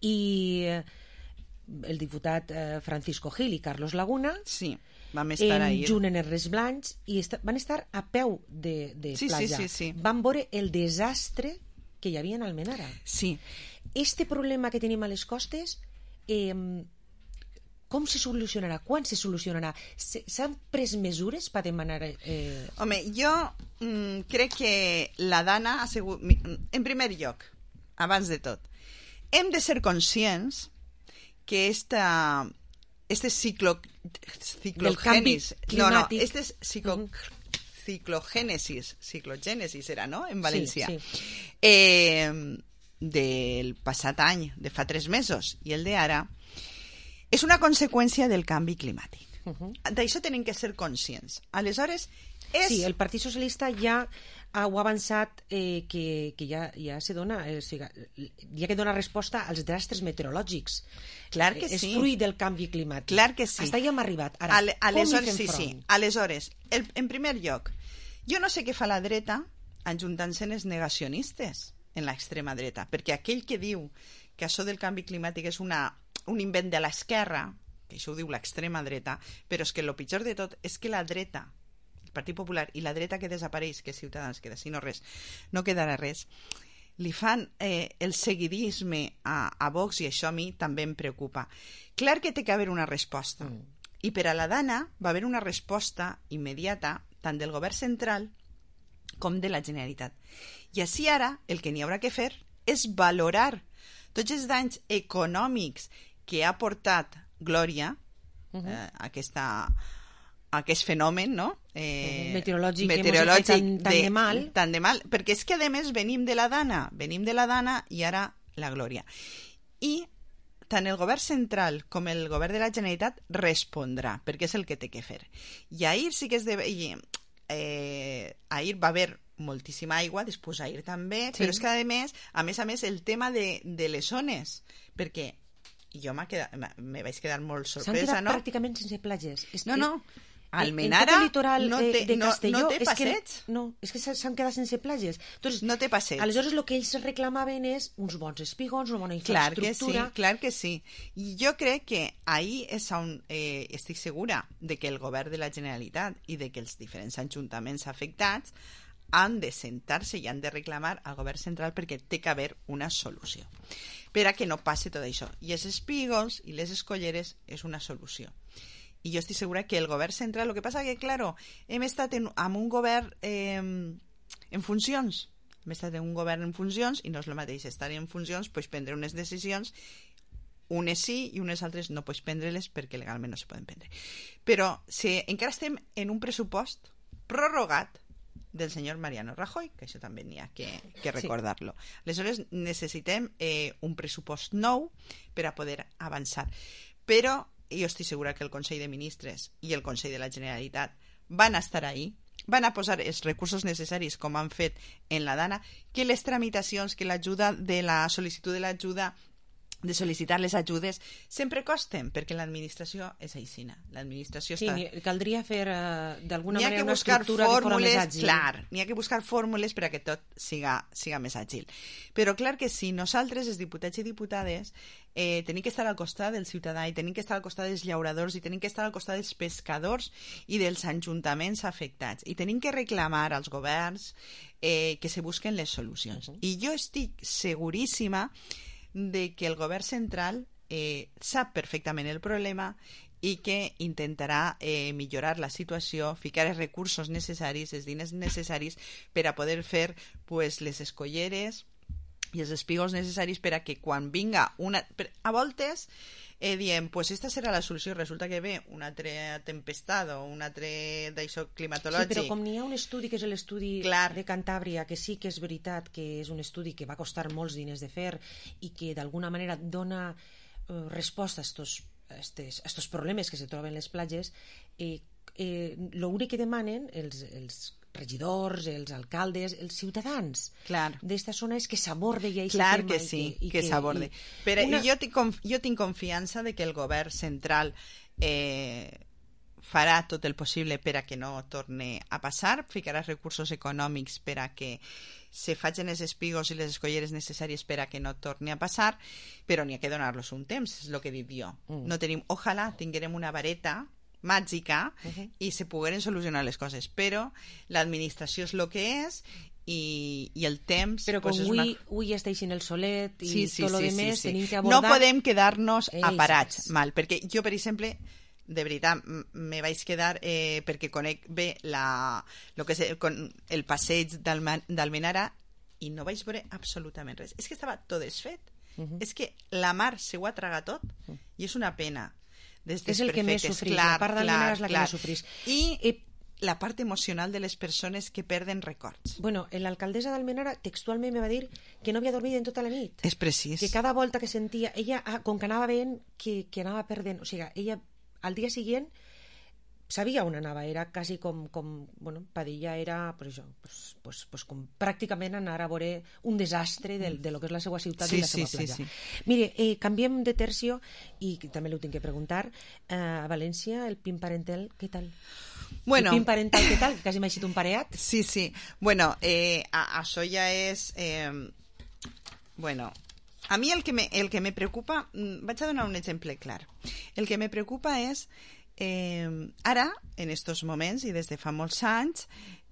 i el diputat eh, Francisco Gil i Carlos Laguna sí, vam estar ahir junt en els Res Blancs i est van estar a peu de, de sí, platja. Sí, sí, sí. Van veure el desastre que hi havia en Almenara. Sí. Este problema que tenim a les costes... Eh, com se solucionarà? Quan se solucionarà? S'han pres mesures per demanar... Eh... Home, jo mm, crec que la Dana ha sigut... En primer lloc, abans de tot, hem de ser conscients que esta, este ciclo... ciclogènesis... No, no, este es ciclo, uh-huh. ciclogènesis, ciclogènesis era, no?, en València. Sí, sí. Eh, del passat any, de fa tres mesos, i el d'ara... És una conseqüència del canvi climàtic. Uh-huh. D'això tenim que ser conscients. Aleshores, és... Sí, el Partit Socialista ja ha avançat eh, que, que ja, ja se dona, eh, o sigui, ja que dona resposta als desastres meteorològics. Clar que eh, sí. És fruit del canvi climàtic. Clar que sí. Hasta ja hem arribat. Ara, Ale, aleshores, com hi fem sí, front? sí. Aleshores, el, en primer lloc, jo no sé què fa la dreta ajuntant-se els negacionistes en l'extrema dreta, perquè aquell que diu que això del canvi climàtic és una un invent de l'esquerra, que això ho diu l'extrema dreta, però és que el pitjor de tot és que la dreta, el Partit Popular i la dreta que desapareix, que Ciutadans queda, si no res, no quedarà res, li fan eh, el seguidisme a, a Vox i això a mi també em preocupa. Clar que té que haver una resposta. Mm. I per a la Dana va haver una resposta immediata tant del govern central com de la Generalitat. I així ara el que n'hi haurà que fer és valorar tots els danys econòmics que ha portat Glòria, uh-huh. eh, aquesta, aquest fenomen, no? Eh, uh-huh. Meteorològic, meteorològic que tan, tan de, de mal. Tan de mal, perquè és que a més venim de la Dana, venim de la Dana i ara la Glòria. I tant el govern central com el govern de la Generalitat respondrà, perquè és el que té que fer. I ahir sí que es de... I, eh, ahir va haver moltíssima aigua, després aire també, Sí. però és que a més, a més a més, el tema de, de les zones, perquè jo m'ha quedat, me vaig quedar molt S'han sorpresa, quedat no? pràcticament sense platges. És No, que- no. En Almenara tot el litoral no de, té, de no, Castelló no té és que, passeig. no, és que s'han quedat sense platges. Entonces, no té passeig. Aleshores, el que ells reclamaven és uns bons espigons, una bona Clar que sí, infraestructura. clar que sí. I jo crec que ahí és on eh, estic segura de que el govern de la Generalitat i de que els diferents ajuntaments afectats han de sentar-se i han de reclamar al govern central perquè té que haver una solució per a que no passi tot això. I els espígols i les escolleres és una solució. I jo estic segura que el govern central, el que passa que, claro, hem estat en, amb un govern eh, en funcions, hem estat en un govern en funcions i no és el mateix estar en funcions, pues prendre unes decisions, unes sí i unes altres no pots prendre-les perquè legalment no se poden prendre. Però si encara estem en un pressupost prorrogat del senyor Mariano Rajoy, que això també n'hi ha que, que recordar-lo. Sí. Aleshores necessitem eh, un pressupost nou per a poder avançar. Però jo estic segura que el Consell de Ministres i el Consell de la Generalitat van estar ahí, van a posar els recursos necessaris com han fet en la Dana, que les tramitacions, que l'ajuda de la sol·licitud de l'ajuda de sol·licitar les ajudes sempre costen, perquè l'administració és aixina. L'administració Sí, està... ni- caldria fer uh, d'alguna N'hi ha manera que una buscar estructura que fora més fórmules, àgil. clar, n'hi ha que buscar fórmules per a que tot siga, siga més àgil. Però clar que sí, nosaltres, els diputats i diputades, eh, tenim que estar al costat del ciutadà i tenim que estar al costat dels llauradors i tenim que estar al costat dels pescadors i dels ajuntaments afectats. I tenim que reclamar als governs eh, que se busquen les solucions. Uh -huh. I jo estic seguríssima de que el govern central eh, sap perfectament el problema i que intentarà eh, millorar la situació, ficar els recursos necessaris, els diners necessaris per a poder fer pues, les escolleres i els espigos necessaris per a que quan vinga una... Per, a voltes eh, diem, pues esta serà la solució, resulta que ve una altra tempestat o un altre d'això climatològic. Sí, però com n'hi ha un estudi que és l'estudi de Cantàbria, que sí que és veritat que és un estudi que va costar molts diners de fer i que d'alguna manera dona eh, resposta a estos, a estes, a estos problemes que se troben les platges, eh, eh, l'únic que demanen els, els regidors, els alcaldes, els ciutadans d'esta zona és que s'aborde i clar que sí, que, que s'aborde. Però una... jo, tinc, jo tinc confiança de que el govern central eh, farà tot el possible per a que no torni a passar, ficarà recursos econòmics per a que se facin els espigos i les escolleres necessàries per a que no torni a passar, però n'hi ha que donar-los un temps, és el que he dit jo. Mm. No tenim, ojalà tinguem una vareta màgica uh-huh. i se pogueren solucionar les coses, però l'administració és el que és i, i el temps però com pues, és avui, una... avui es deixin el solet i sí, sí, tot el sí, que més sí, sí. tenim que abordar... no podem quedar-nos Ells. aparats mal, perquè jo per exemple de veritat me vaig quedar eh, perquè conec bé la, lo que és el, el passeig d'Almenara i no vaig veure absolutament res, és que estava tot desfet, uh-huh. és que la mar se ho ha tragat tot uh-huh. i és una pena. És el que més sofrís, clar, la part d'Almenara és la clar. que més sofrís. I eh, la part emocional de les persones que perden records. Bueno, l'alcaldessa d'Almenara textualment me va dir que no havia dormit en tota la nit. És precís. Que cada volta que sentia... Ella, com que anava veient que, que anava perdent... O sigui, ella al dia següent sabia on anava, era quasi com, com bueno, Padilla era, pues això, pues, pues, pues com pràcticament anar a veure un desastre de, de lo que és la seva ciutat sí, i la seva sí, platja. Sí, sí. Mire, eh, canviem de tercio i també l'ho tinc que preguntar, eh, a València el PIN parental, què tal? Bueno, el PIN parental, què tal? Quasi m'ha eixit un pareat. Sí, sí. Bueno, eh, a, això ja és... Eh, bueno... A mi el que me, el que me preocupa... Vaig a donar un exemple clar. El que me preocupa és... Eh, ara, en estos moments i des de fa molts anys,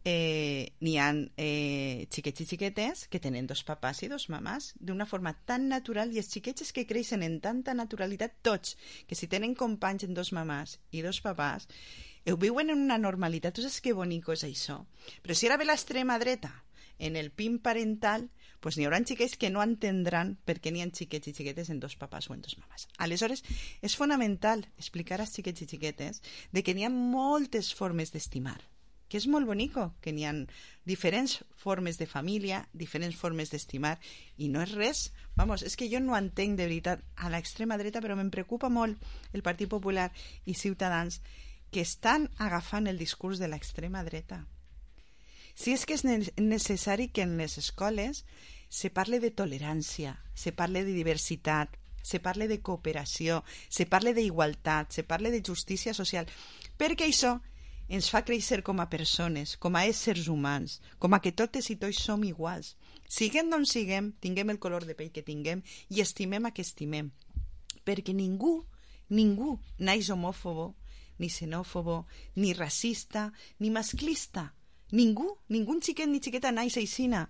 eh, n'hi ha eh, xiquets i xiquetes que tenen dos papàs i dos mamàs d'una forma tan natural, i els xiquets que creixen en tanta naturalitat tots, que si tenen companys en dos mamàs i dos papàs, ho viuen en una normalitat. Tu saps que bonico és això? Però si ara ve l'extrema dreta en el PIN parental, pues n'hi haurà xiquets que no entendran per què n'hi ha xiquets i xiquetes en dos papàs o en dos mamàs. Aleshores, és fonamental explicar als xiquets i xiquetes de que n'hi ha moltes formes d'estimar, que és molt bonico, que n'hi ha diferents formes de família, diferents formes d'estimar, i no és res. Vamos, és que jo no entenc de veritat a l'extrema dreta, però me'n preocupa molt el Partit Popular i Ciutadans, que estan agafant el discurs de l'extrema dreta. Sí, és que és necessari que en les escoles se parle de tolerància, se parle de diversitat, se parle de cooperació, se parle d'igualtat, se parle de justícia social, perquè això ens fa créixer com a persones, com a éssers humans, com a que totes i tots som iguals. Siguem d'on siguem, tinguem el color de pell que tinguem i estimem a que estimem. Perquè ningú, ningú naix homòfobo, ni xenòfobo, ni racista, ni masclista. Ningú, ningú xiquet ni xiqueta naix aixina,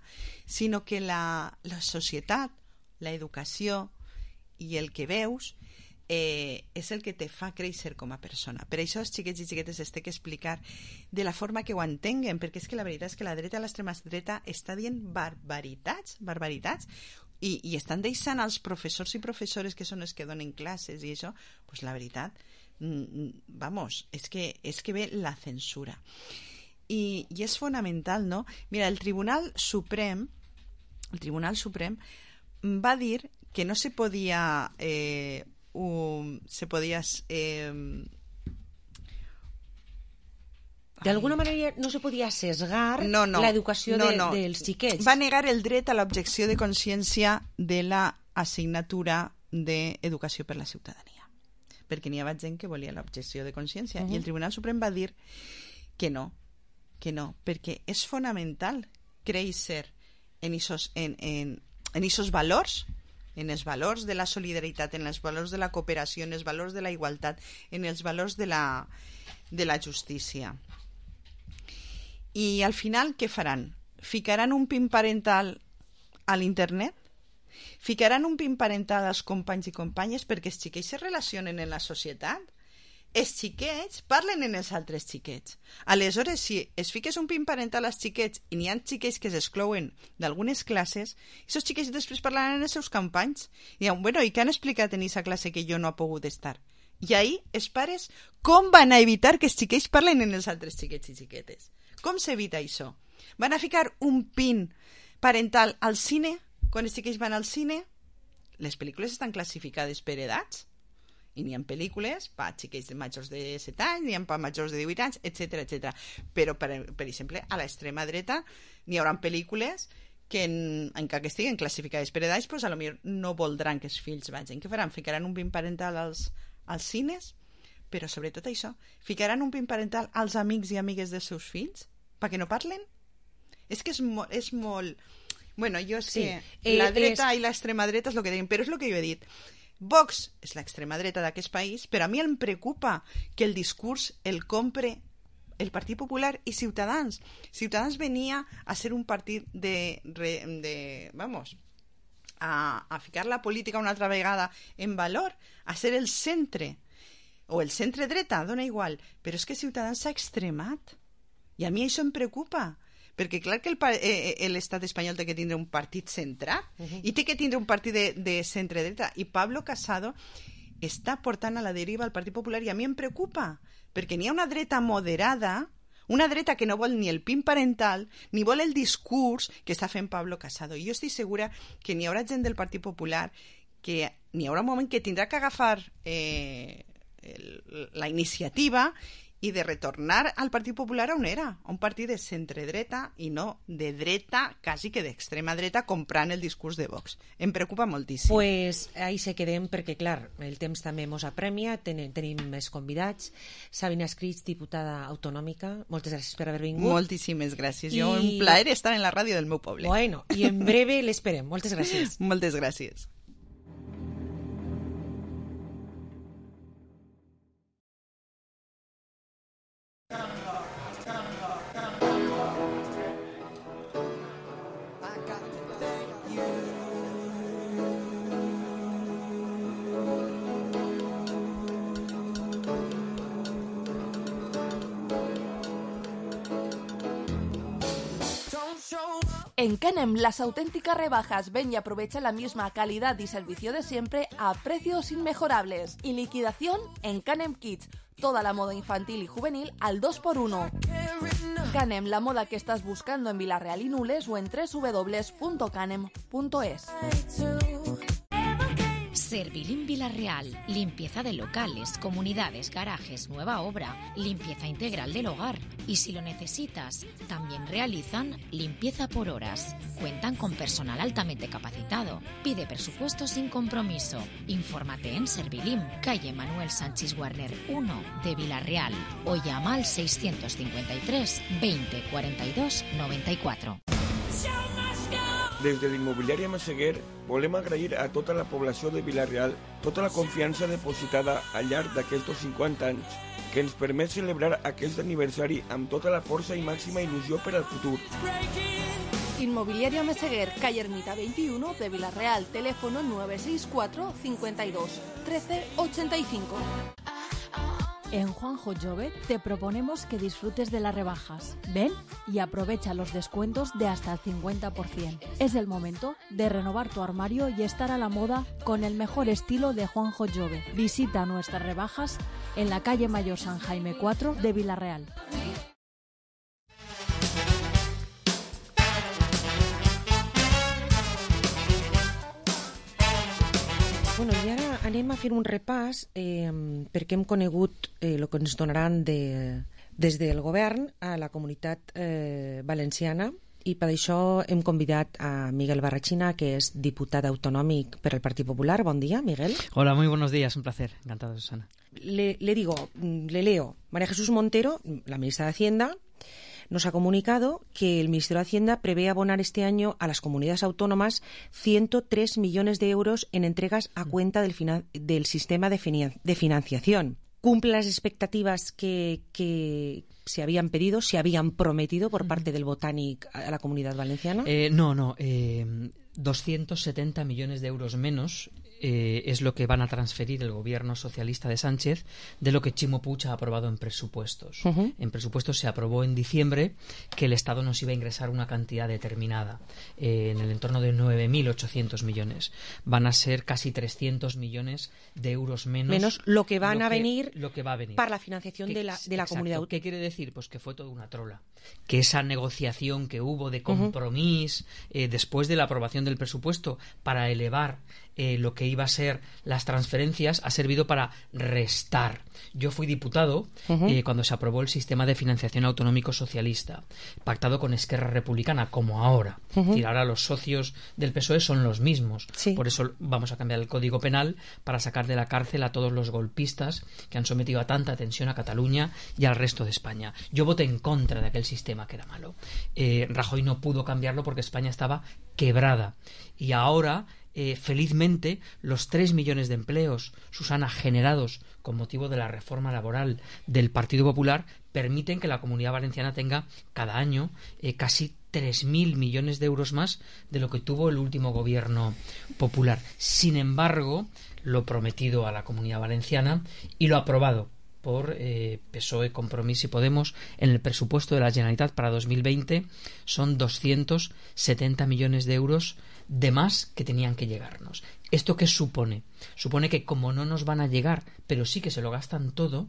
sinó que la, la societat, la educació i el que veus eh, és el que te fa créixer com a persona. Per això els xiquets i xiquetes es té que explicar de la forma que ho entenguen, perquè és que la veritat és que la dreta, l'extrema dreta, està dient barbaritats, barbaritats, i, i estan deixant als professors i professores que són els que donen classes i això, pues la veritat, vamos, és que, és que ve la censura. I, i és fonamental, no? Mira, el Tribunal Suprem, el Tribunal Suprem va dir que no se podia eh, un, se podia eh, d'alguna manera no se podia sesgar no, no, l'educació no, de, no. dels xiquets. Va negar el dret a l'objecció de consciència de la assignatura d'Educació per la Ciutadania, perquè n'hi havia gent que volia l'objecció de consciència, uh-huh. i el Tribunal Suprem va dir que no, que no, perquè és fonamental créixer en esos, en, en, en esos valors, en els valors de la solidaritat, en els valors de la cooperació, en els valors de la igualtat, en els valors de la, de la justícia. I al final, què faran? Ficaran un pin parental a l'internet? Ficaran un pin parental als companys i companyes perquè els xiquets se relacionen en la societat? Els xiquets parlen en els altres xiquets. Aleshores, si es fiques un pin parental als xiquets i n'hi ha xiquets que s'exclouen d'algunes classes, aquests xiquets després parlaran en els seus companys i diuen, bueno, i què han explicat en aquesta classe que jo no he pogut estar? I ahí els pares com van a evitar que els xiquets parlen en els altres xiquets i xiquetes? Com s'evita això? Van a ficar un pin parental al cine? Quan els xiquets van al cine, les pel·lícules estan classificades per edats, i n'hi ha pel·lícules per xiquets de majors de set anys, n'hi ha per majors de divuit anys, etcètera, etcètera. Però, per, per exemple, a l'extrema dreta n'hi haurà pel·lícules que, en, encara que estiguen classificades per edats, pues, a lo millor no voldran que els fills vagin. Què faran? Ficaran un pin parental als, als cines? Però, sobretot això, ficaran un pin parental als amics i amigues dels seus fills? Perquè no parlen? És que és, mo és molt... Bueno, jo és sí. que la dreta és... i l'extrema dreta és el que deien, però és el que jo he dit. Vox és l'extrema dreta d'aquest país, però a mi em preocupa que el discurs el compre el Partit Popular i Ciutadans. Ciutadans venia a ser un partit de... de vamos, a, a ficar la política una altra vegada en valor, a ser el centre, o el centre dreta, dona igual, però és que Ciutadans s'ha extremat. I a mi això em preocupa, perquè clar que l'estat espanyol té que tindre un partit centrat uh-huh. i té que tindre un partit de, de centre-dreta, i Pablo Casado està portant a la deriva el Partit Popular i a mi em preocupa, perquè n'hi ha una dreta moderada, una dreta que no vol ni el pin parental ni vol el discurs que està fent Pablo Casado, i jo estic segura que n'hi haurà gent del Partit Popular que n'hi haurà un moment que tindrà que agafar eh, el, la iniciativa i de retornar al Partit Popular on era, un partit de centre-dreta i no de dreta, quasi que d'extrema dreta, comprant el discurs de Vox. Em preocupa moltíssim. Pues ahí se quedem perquè, clar, el temps també mos apremia, ten tenim més convidats. Sabina Escrits, diputada autonòmica, moltes gràcies per haver vingut. Moltíssimes gràcies. I... Jo, un plaer estar en la ràdio del meu poble. Bueno, i en breve l'esperem. Moltes gràcies. Moltes gràcies. En Canem, las auténticas rebajas. Ven y aprovecha la misma calidad y servicio de siempre a precios inmejorables. Y liquidación en Canem Kids. Toda la moda infantil y juvenil al dos por uno. Canem, la moda que estás buscando en Vilareal y Nules o en doble u doble u doble u punto canem punto es. Servilim Villarreal, limpieza de locales, comunidades, garajes, nueva obra, limpieza integral del hogar. Y si lo necesitas, también realizan limpieza por horas. Cuentan con personal altamente capacitado. Pide presupuesto sin compromiso. Infórmate en Servilim, calle Manuel Sánchez Warner uno de Villarreal, o llama al seiscientos cincuenta y tres veinte cuarenta y dos noventa y cuatro. Des de l'immobiliària Massaguer volem agrair a tota la població de Vila-real tota la confiança depositada al llarg d'aquests cinquanta anys, que ens permet celebrar aquest aniversari amb tota la força i màxima il·lusió per al futur. Inmobiliaria Meseguer, calle Ermita veintiuno de Vila-real, teléfono nueve seis cuatro cincuenta y dos trece ochenta y cinco. En Juanjo Jove te proponemos que disfrutes de las rebajas. Ven y aprovecha los descuentos de hasta el cincuenta por ciento. Es el momento de renovar tu armario y estar a la moda con el mejor estilo de Juanjo Jove. Visita nuestras rebajas en la calle Mayor San Jaime cuatro de Vila-real. Bueno, i ara anem a fer un repàs eh, perquè hem conegut eh, el que ens donaran de, des del govern a la comunitat eh, valenciana, i per això hem convidat a Miguel Barrachina, que és diputat autonòmic per al Partit Popular. Bon dia, Miguel. Hola, muy buenos días, un placer. Encantado, Susana. Le, le digo, le leo. María Jesús Montero, la ministra de Hacienda, nos ha comunicado que el Ministerio de Hacienda prevé abonar este año a las comunidades autónomas ciento tres millones de euros en entregas a cuenta del, finan- del sistema de, finan- de financiación. ¿Cumple las expectativas que, que se habían pedido, se habían prometido por parte del Botanic a la Comunidad Valenciana? Eh, no, no. Eh, doscientos setenta millones de euros menos eh, es lo que van a transferir el gobierno socialista de Sánchez de lo que Chimo Puig ha aprobado en presupuestos. Uh-huh. En presupuestos se aprobó en diciembre que el Estado nos iba a ingresar una cantidad determinada, eh, en el entorno de nueve mil ochocientos millones. Van a ser casi trescientos millones de euros menos. Menos lo que van lo a que, venir lo que va a venir para la financiación ¿Qué, de la, de la exacto, comunidad. ¿Qué quiere decir? Pues que fue toda una trola. Que esa negociación que hubo de compromiso uh-huh. eh, después de la aprobación del presupuesto para elevar eh, lo que iba a ser las transferencias ha servido para restar. Yo fui diputado uh-huh. eh, cuando se aprobó el sistema de financiación autonómico socialista, pactado con Esquerra Republicana, como ahora. Uh-huh. Es decir, ahora los socios del P S O E son los mismos. Sí. Por eso vamos a cambiar el Código Penal para sacar de la cárcel a todos los golpistas que han sometido a tanta tensión a Cataluña y al resto de España. Yo voté en contra de aquel sistema que era malo. Eh, Rajoy no pudo cambiarlo porque España estaba quebrada. Y ahora, eh, felizmente, los tres millones de empleos, Susana, generados con motivo de la reforma laboral del Partido Popular, permiten que la Comunidad Valenciana tenga cada año eh, casi tres mil millones de euros más de lo que tuvo el último gobierno popular. Sin embargo, lo prometido a la Comunidad Valenciana y lo aprobado por eh, P S O E, Compromís y Podemos en el presupuesto de la Generalitat para dos mil veinte son doscientos setenta millones de euros de más que tenían que llegarnos. ¿Esto qué supone? Supone que como no nos van a llegar, pero sí que se lo gastan todo,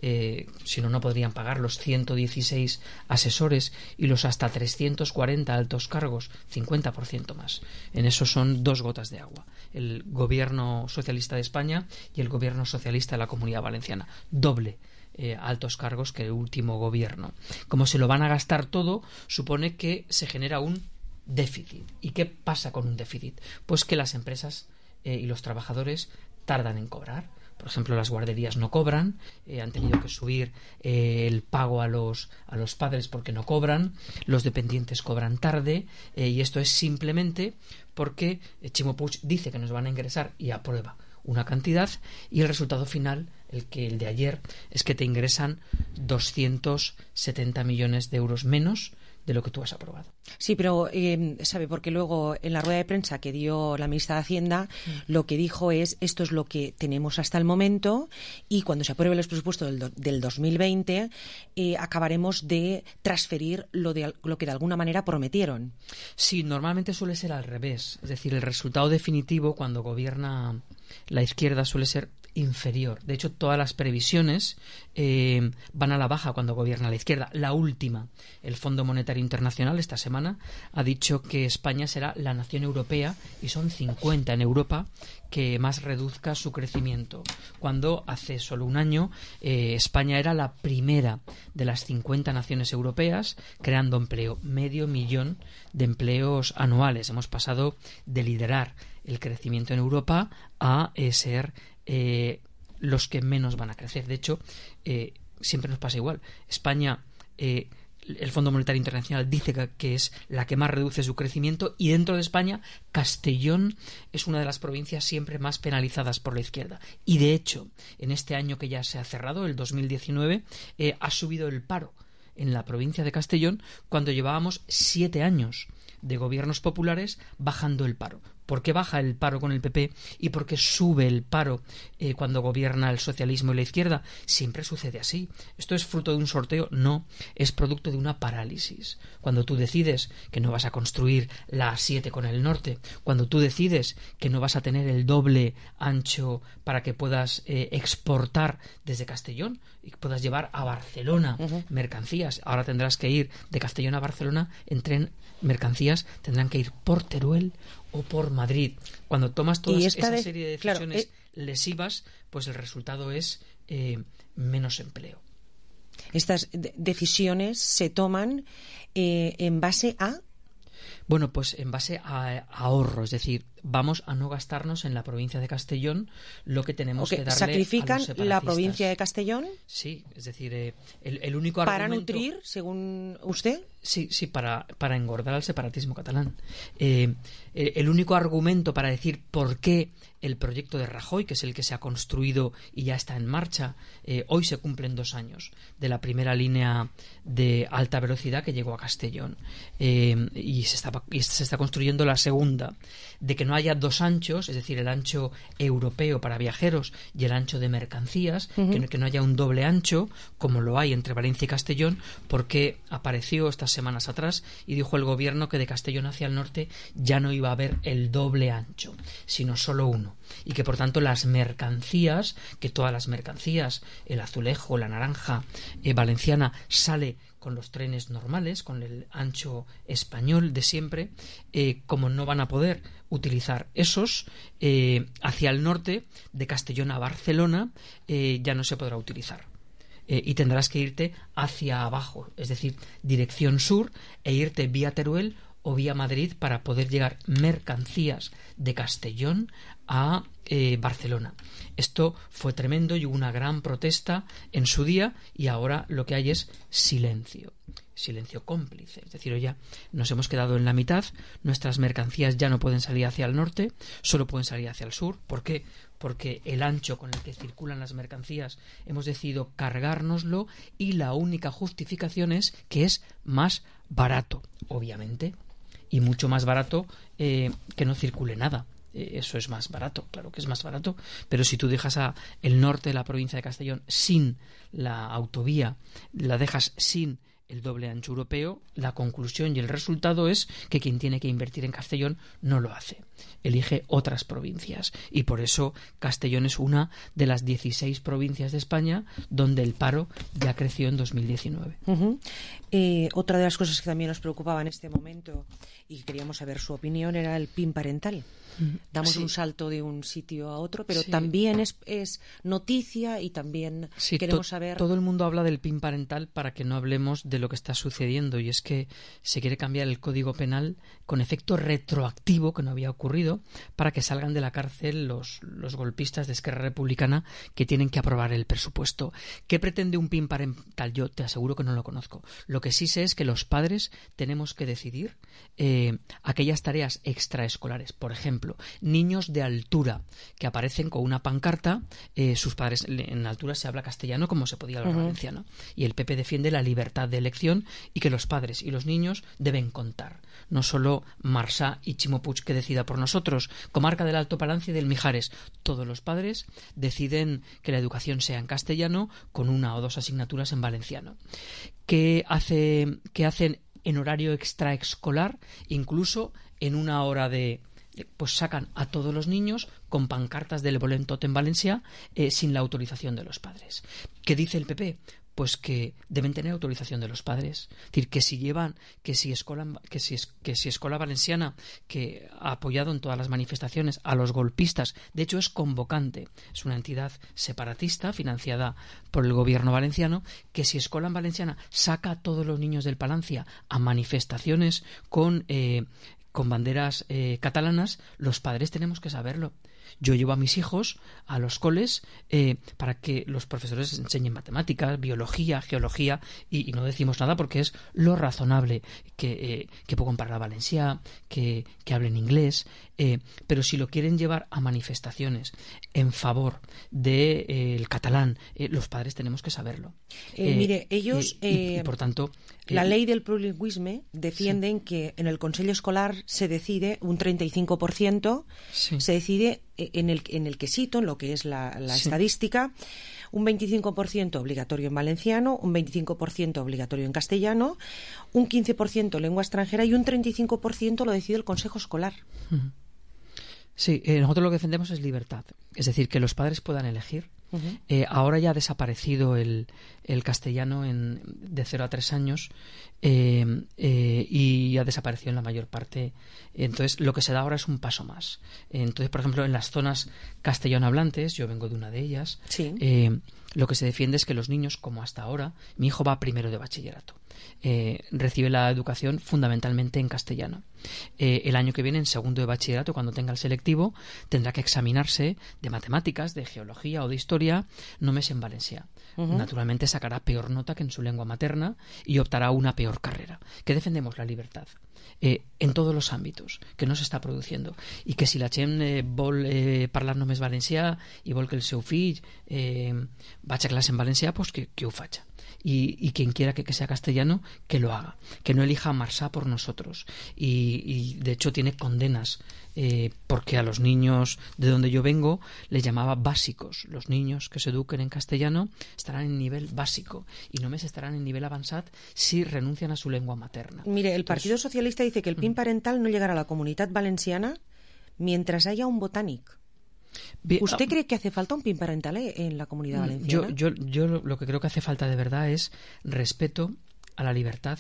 eh, si no, no podrían pagar los ciento dieciséis asesores y los hasta trescientos cuarenta altos cargos, cincuenta por ciento más. En eso son dos gotas de agua. El gobierno socialista de España y el gobierno socialista de la Comunidad Valenciana. Doble eh, altos cargos que el último gobierno. Como se lo van a gastar todo, supone que se genera un déficit. ¿Y qué pasa con un déficit? Pues que las empresas eh, y los trabajadores tardan en cobrar. Por ejemplo, las guarderías no cobran, eh, han tenido que subir eh, el pago a los, a los padres porque no cobran, los dependientes cobran tarde, eh, y esto es simplemente porque eh, Chimo Puig dice que nos van a ingresar y aprueba una cantidad, y el resultado final, el que el de ayer, es que te ingresan doscientos setenta millones de euros menos de lo que tú has aprobado. Sí, pero eh, sabe, porque luego en la rueda de prensa que dio la ministra de Hacienda, mm. lo que dijo es, esto es lo que tenemos hasta el momento, y cuando se aprueben los presupuestos del, do, del dos mil veinte eh, acabaremos de transferir lo, de, lo que de alguna manera prometieron. Sí, normalmente suele ser al revés. Es decir, el resultado definitivo cuando gobierna la izquierda suele ser inferior. De hecho, todas las previsiones eh, van a la baja cuando gobierna la izquierda. La última, el Fondo Monetario Internacional, esta semana, ha dicho que España será la nación europea, y son cincuenta en Europa, que más reduzca su crecimiento. Cuando hace solo un año eh, España era la primera de las cincuenta naciones europeas creando empleo, medio millón de empleos anuales. Hemos pasado de liderar el crecimiento en Europa a eh, ser eh, los que menos van a crecer. De hecho, eh, siempre nos pasa igual. España, eh, el Fondo Monetario Internacional dice que, que es la que más reduce su crecimiento, y dentro de España, Castellón es una de las provincias siempre más penalizadas por la izquierda. Y de hecho, en este año que ya se ha cerrado, el dos mil diecinueve, eh, ha subido el paro en la provincia de Castellón cuando llevábamos siete años de gobiernos populares bajando el paro. ¿Por qué baja el paro con el P P y por qué sube el paro eh, cuando gobierna el socialismo y la izquierda? Siempre sucede así. ¿Esto es fruto de un sorteo? No, es producto de una parálisis. Cuando tú decides que no vas a construir la A siete con el norte, cuando tú decides que no vas a tener el doble ancho para que puedas eh, exportar desde Castellón y que puedas llevar a Barcelona uh-huh. mercancías. Ahora tendrás que ir de Castellón a Barcelona en tren. Mercancías tendrán que ir por Teruel o por Madrid. Cuando tomas toda esa de, serie de decisiones claro, eh, lesivas, pues el resultado es eh, menos empleo. Estas de- decisiones se toman eh, en base a... Bueno, pues en base a, a ahorro, es decir, vamos a no gastarnos en la provincia de Castellón lo que tenemos okay, que darle ¿sacrifican a los separatistas. La provincia de Castellón? Sí, es decir, eh, el, el único ¿Para argumento... nutrir, según usted? Sí, sí, para, para engordar al separatismo catalán. Eh, el, el único argumento para decir por qué el proyecto de Rajoy, que es el que se ha construido y ya está en marcha, eh, hoy se cumplen dos años de la primera línea de alta velocidad que llegó a Castellón, eh, y, se está, y se está construyendo la segunda, de que no haya dos anchos, es decir, el ancho europeo para viajeros y el ancho de mercancías, uh-huh. que, que no haya un doble ancho como lo hay entre Valencia y Castellón, porque apareció estas semanas atrás y dijo el gobierno que de Castellón hacia el norte ya no iba a haber el doble ancho, sino solo uno, y que por tanto las mercancías, que todas las mercancías, el azulejo, la naranja eh, valenciana, sale con los trenes normales, con el ancho español de siempre, eh, como no van a poder utilizar esos, eh, hacia el norte, de Castellón a Barcelona, eh, ya no se podrá utilizar. Eh, y tendrás que irte hacia abajo, es decir, dirección sur, e irte vía Teruel o vía Madrid para poder llegar mercancías de Castellón a eh, Barcelona. Esto fue tremendo y hubo una gran protesta en su día, y ahora lo que hay es silencio. Silencio cómplice, es decir, ya nos hemos quedado en la mitad, nuestras mercancías ya no pueden salir hacia el norte, solo pueden salir hacia el sur. ¿Por qué? Porque el ancho con el que circulan las mercancías hemos decidido cargárnoslo, y la única justificación es que es más barato, obviamente, y mucho más barato eh, que no circule nada. Eso es más barato, claro que es más barato, pero si tú dejas a el norte de la provincia de Castellón sin la autovía, la dejas sin el doble ancho europeo, la conclusión y el resultado es que quien tiene que invertir en Castellón no lo hace, elige otras provincias, y por eso Castellón es una de las dieciséis provincias de España donde el paro ya creció en dos mil diecinueve. Uh-huh. Eh, otra de las cosas que también nos preocupaba en este momento y queríamos saber su opinión era el P I N parental. Damos sí. un salto de un sitio a otro, pero sí. también es, es noticia, y también sí, queremos to- saber... Todo el mundo habla del P I N parental para que no hablemos de lo que está sucediendo, y es que se quiere cambiar el Código Penal con efecto retroactivo, que no había ocurrido, para que salgan de la cárcel los, los golpistas de Esquerra Republicana que tienen que aprobar el presupuesto. ¿Qué pretende un P I N parental? Yo te aseguro que no lo conozco. Lo que sí sé es que los padres tenemos que decidir eh, aquellas tareas extraescolares, por ejemplo, niños de altura que aparecen con una pancarta, eh, sus padres, en altura se habla castellano como se podía hablar uh-huh. valenciano, y el P P defiende la libertad de elección y que los padres y los niños deben contar, no solo Marsá y Ximo Puig que decida por nosotros, comarca del Alto Palancia y del Mijares, todos los padres deciden que la educación sea en castellano con una o dos asignaturas en valenciano. ¿Qué hace, qué hacen en horario extraescolar, incluso en una hora de pues sacan a todos los niños con pancartas del Volem tot en valencià eh, sin la autorización de los padres. ¿Qué dice el P P? Pues que deben tener autorización de los padres. Es decir, que si llevan, que si Escola, que si, que si Escola Valenciana, que ha apoyado en todas las manifestaciones a los golpistas, de hecho es convocante, es una entidad separatista financiada por el gobierno valenciano, que si Escola Valenciana saca a todos los niños del Palancia a manifestaciones con, eh, con banderas eh, catalanas, los padres tenemos que saberlo. Yo llevo a mis hijos a los coles eh, para que los profesores enseñen matemáticas, biología, geología, y, y no decimos nada porque es lo razonable, que, eh, que puedan hablar valencià, que, que hablen inglés, eh, pero si lo quieren llevar a manifestaciones en favor del de, eh, catalán, eh, los padres tenemos que saberlo. Eh, eh, mire, ellos, eh, y, eh, y por tanto... La eh, ley del plurilingüisme defienden sí. que en el Consejo Escolar se decide un treinta y cinco por ciento, sí. se decide en el, en el quesito, en lo que es la, la sí. estadística, un veinticinco por ciento obligatorio en valenciano, un veinticinco por ciento obligatorio en castellano, un quince por ciento lengua extranjera y un treinta y cinco por ciento lo decide el Consejo Escolar. Sí, eh, nosotros lo que defendemos es libertad, es decir, que los padres puedan elegir. Uh-huh. Eh, ahora ya ha desaparecido el, el castellano en, de cero a tres años eh, eh, y ha desaparecido en la mayor parte. Entonces lo que se da ahora es un paso más. Entonces, por ejemplo, en las zonas castellano hablantes, yo vengo de una de ellas, sí. eh, lo que se defiende es que los niños, como hasta ahora, mi hijo va primero de bachillerato, eh, recibe la educación fundamentalmente en castellano. Eh, el año que viene, en segundo de bachillerato, cuando tenga el selectivo, tendrá que examinarse de matemáticas, de geología o de historia, només en valencià. Uh-huh. Naturalmente sacará peor nota que en su lengua materna y optará a una peor carrera. Que defendemos la libertad eh, en todos los ámbitos, que no se está produciendo, i que si la gent eh, vol eh, parlar només valencià i vol que el seu fill eh, vagi a clase en valencià, pues que, que ho faci. Y, y quien quiera que, que sea castellano, que lo haga, que no elija Marsá por nosotros. Y, y de hecho tiene condenas, eh, porque a los niños de donde yo vengo les llamaba básicos. Los niños que se eduquen en castellano estarán en nivel básico y només estarán en nivel avanzat si renuncian a su lengua materna. Mire, el Entonces, Partido Socialista dice que el P I N parental no llegará a la Comunidad Valenciana mientras haya un botánic. Bien, ¿Usted cree que hace falta un P I N parental en la Comunidad Valenciana? Yo, yo, yo lo que creo que hace falta de verdad es respeto a la libertad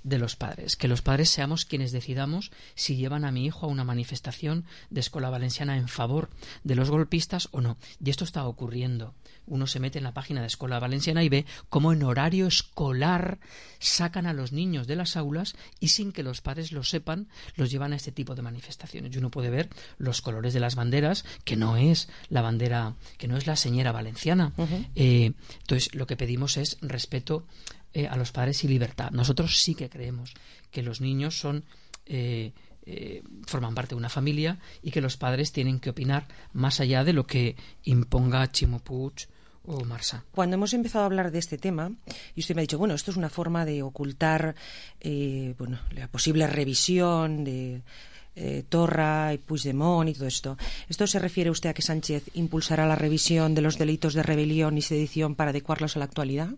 de los padres, que los padres seamos quienes decidamos si llevan a mi hijo a una manifestación de Escola Valenciana en favor de los golpistas o no. Y esto está ocurriendo. Uno se mete en la página de Escola Valenciana y ve cómo en horario escolar sacan a los niños de las aulas y sin que los padres lo sepan los llevan a este tipo de manifestaciones. Y uno puede ver los colores de las banderas, que no es la bandera, que no es la señera valenciana. Uh-huh. Eh, entonces lo que pedimos es respeto Eh, a los padres y libertad. Nosotros sí que creemos que los niños son eh, eh, forman parte de una familia y que los padres tienen que opinar más allá de lo que imponga Ximo Puig o Marsá. Cuando hemos empezado a hablar de este tema, y usted me ha dicho, bueno, esto es una forma de ocultar eh, bueno, la posible revisión de Eh, Torra y Puigdemont y todo esto. ¿Esto se refiere usted a que Sánchez impulsará la revisión de los delitos de rebelión y sedición para adecuarlos a la actualidad?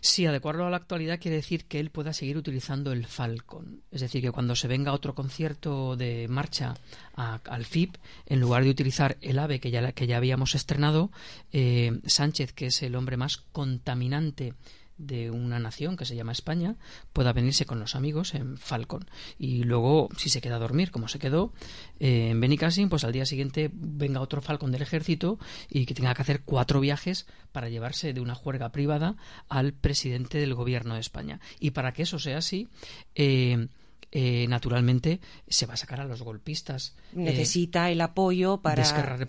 Sí, adecuarlo a la actualidad quiere decir que él pueda seguir utilizando el Falcon. Es decir, que cuando se venga otro concierto de marcha a, al F I P, en lugar de utilizar el AVE que ya, que ya habíamos estrenado, eh, Sánchez, que es el hombre más contaminante de una nación que se llama España, pueda venirse con los amigos en Falcon y luego, si se queda a dormir como se quedó eh, en Benicàssim, pues al día siguiente venga otro Falcon del ejército y que tenga que hacer cuatro viajes para llevarse de una juerga privada al presidente del gobierno de España. Y para que eso sea así, eh, Eh, naturalmente se va a sacar a los golpistas. Necesita eh, el apoyo para, para,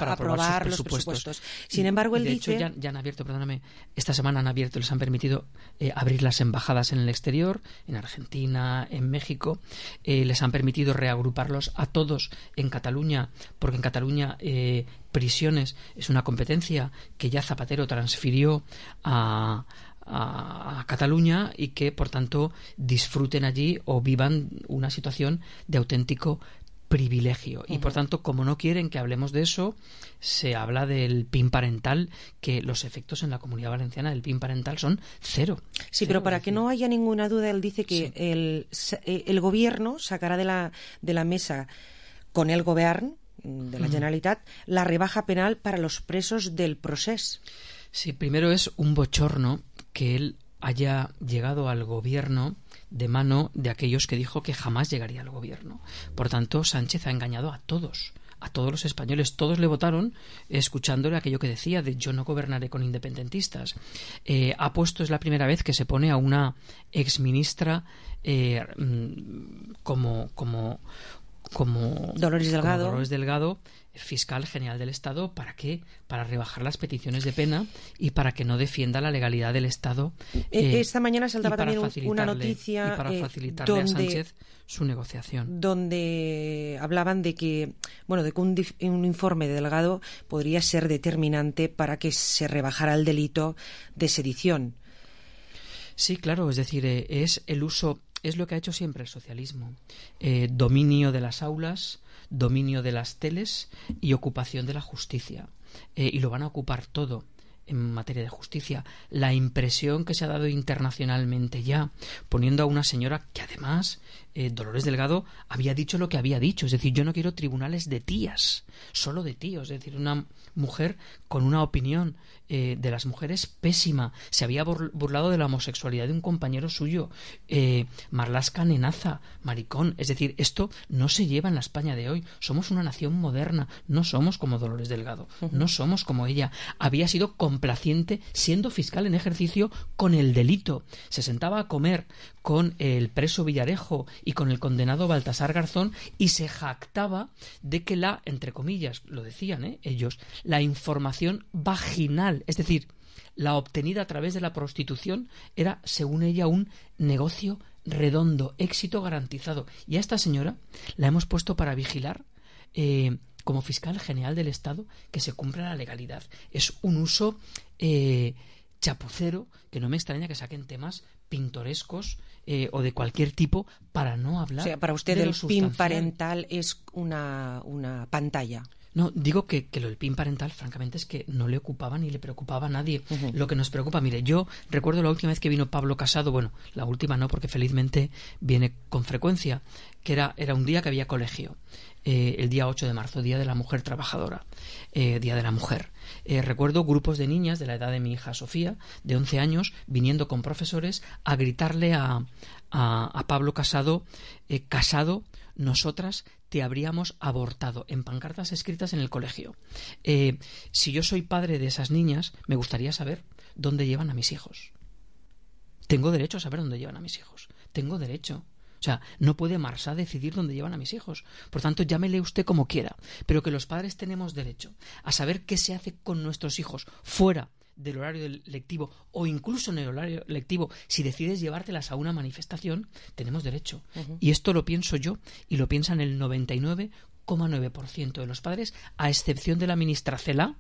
para aprobar, aprobar sus presupuestos. Los presupuestos. Sin embargo, él de dice... hecho, ya, ya han abierto, perdóname, esta semana han abierto, les han permitido eh, abrir las embajadas en el exterior, en Argentina, en México, eh, les han permitido reagruparlos a todos en Cataluña, porque en Cataluña eh, prisiones es una competencia que ya Zapatero transfirió a... a Cataluña y que por tanto disfruten allí o vivan una situación de auténtico privilegio. Uh-huh. Y por tanto, como no quieren que hablemos de eso, se habla del P I N parental, que los efectos en la Comunidad Valenciana del P I N parental son cero. Sí, cero, pero para que no haya ninguna duda, él dice que sí. el, el gobierno sacará de la, de la mesa con el govern de la Generalitat la rebaja penal para los presos del procés. Sí, primero es un bochorno que él haya llegado al gobierno de mano de aquellos que dijo que jamás llegaría al gobierno. Por tanto, Sánchez ha engañado a todos, a todos los españoles. Todos le votaron escuchándole aquello que decía de yo no gobernaré con independentistas. Eh, ha puesto, es la primera vez que se pone a una exministra eh, como... como como Dolores Delgado. como Dolores Delgado, fiscal general del Estado. ¿Para qué? Para rebajar las peticiones de pena y para que no defienda la legalidad del Estado. Eh, Esta mañana saltaba también una facilitarle- noticia y para eh, facilitarle donde, a Sánchez su negociación. donde hablaban de que, bueno, de que un, dif- un informe de Delgado podría ser determinante para que se rebajara el delito de sedición. Sí, claro, es decir, eh, es el uso, es lo que ha hecho siempre el socialismo. Eh, dominio de las aulas, dominio de las teles y ocupación de la justicia. Eh, y lo van a ocupar todo en materia de justicia. La impresión que se ha dado internacionalmente ya, poniendo a una señora que además, eh, Dolores Delgado, había dicho lo que había dicho. Es decir, yo no quiero tribunales de tías, solo de tíos. Es decir, una mujer con una opinión eh, de las mujeres pésima. Se había bur- burlado de la homosexualidad de un compañero suyo. Eh, Marlaska Nenaza, maricón. Es decir, esto no se lleva en la España de hoy. Somos una nación moderna. No somos como Dolores Delgado. No somos como ella. Había sido complaciente siendo fiscal en ejercicio con el delito. Se sentaba a comer con el preso Villarejo y con el condenado Baltasar Garzón y se jactaba de que la, entre comillas, lo decían ¿eh? ellos, la información vaginal, es decir, la obtenida a través de la prostitución, era, según ella, un negocio redondo, éxito garantizado. Y a esta señora la hemos puesto para vigilar eh, como fiscal general del Estado que se cumpla la legalidad. Es un uso eh, chapucero que no me extraña que saquen temas pintorescos eh, o de cualquier tipo para no hablar. O sea, para usted de el lo P I sustancial. M parental es una, una pantalla. No, digo que, que lo del P I M parental, francamente, es que no le ocupaba ni le preocupaba a nadie. Uh-huh. Lo que nos preocupa, mire, yo recuerdo la última vez que vino Pablo Casado, bueno, la última no, porque felizmente viene con frecuencia, que era, era un día que había colegio, eh, el día ocho de marzo, Día de la Mujer Trabajadora, eh, Día de la Mujer. Eh, recuerdo grupos de niñas de la edad de mi hija Sofía, de once años, viniendo con profesores a gritarle a, a, a Pablo Casado, eh, Casado, nosotras te habríamos abortado, en pancartas escritas en el colegio. Eh, si yo soy padre de esas niñas, me gustaría saber dónde llevan a mis hijos. Tengo derecho a saber dónde llevan a mis hijos. Tengo derecho. O sea, no puede Marsá decidir dónde llevan a mis hijos. Por tanto, llámele usted como quiera. Pero que los padres tenemos derecho a saber qué se hace con nuestros hijos fuera del horario lectivo o incluso en el horario lectivo. Si decides llevártelas a una manifestación, tenemos derecho. Uh-huh. Y esto lo pienso yo y lo piensan el noventa y nueve coma nueve por ciento de los padres, a excepción de la ministra Cela,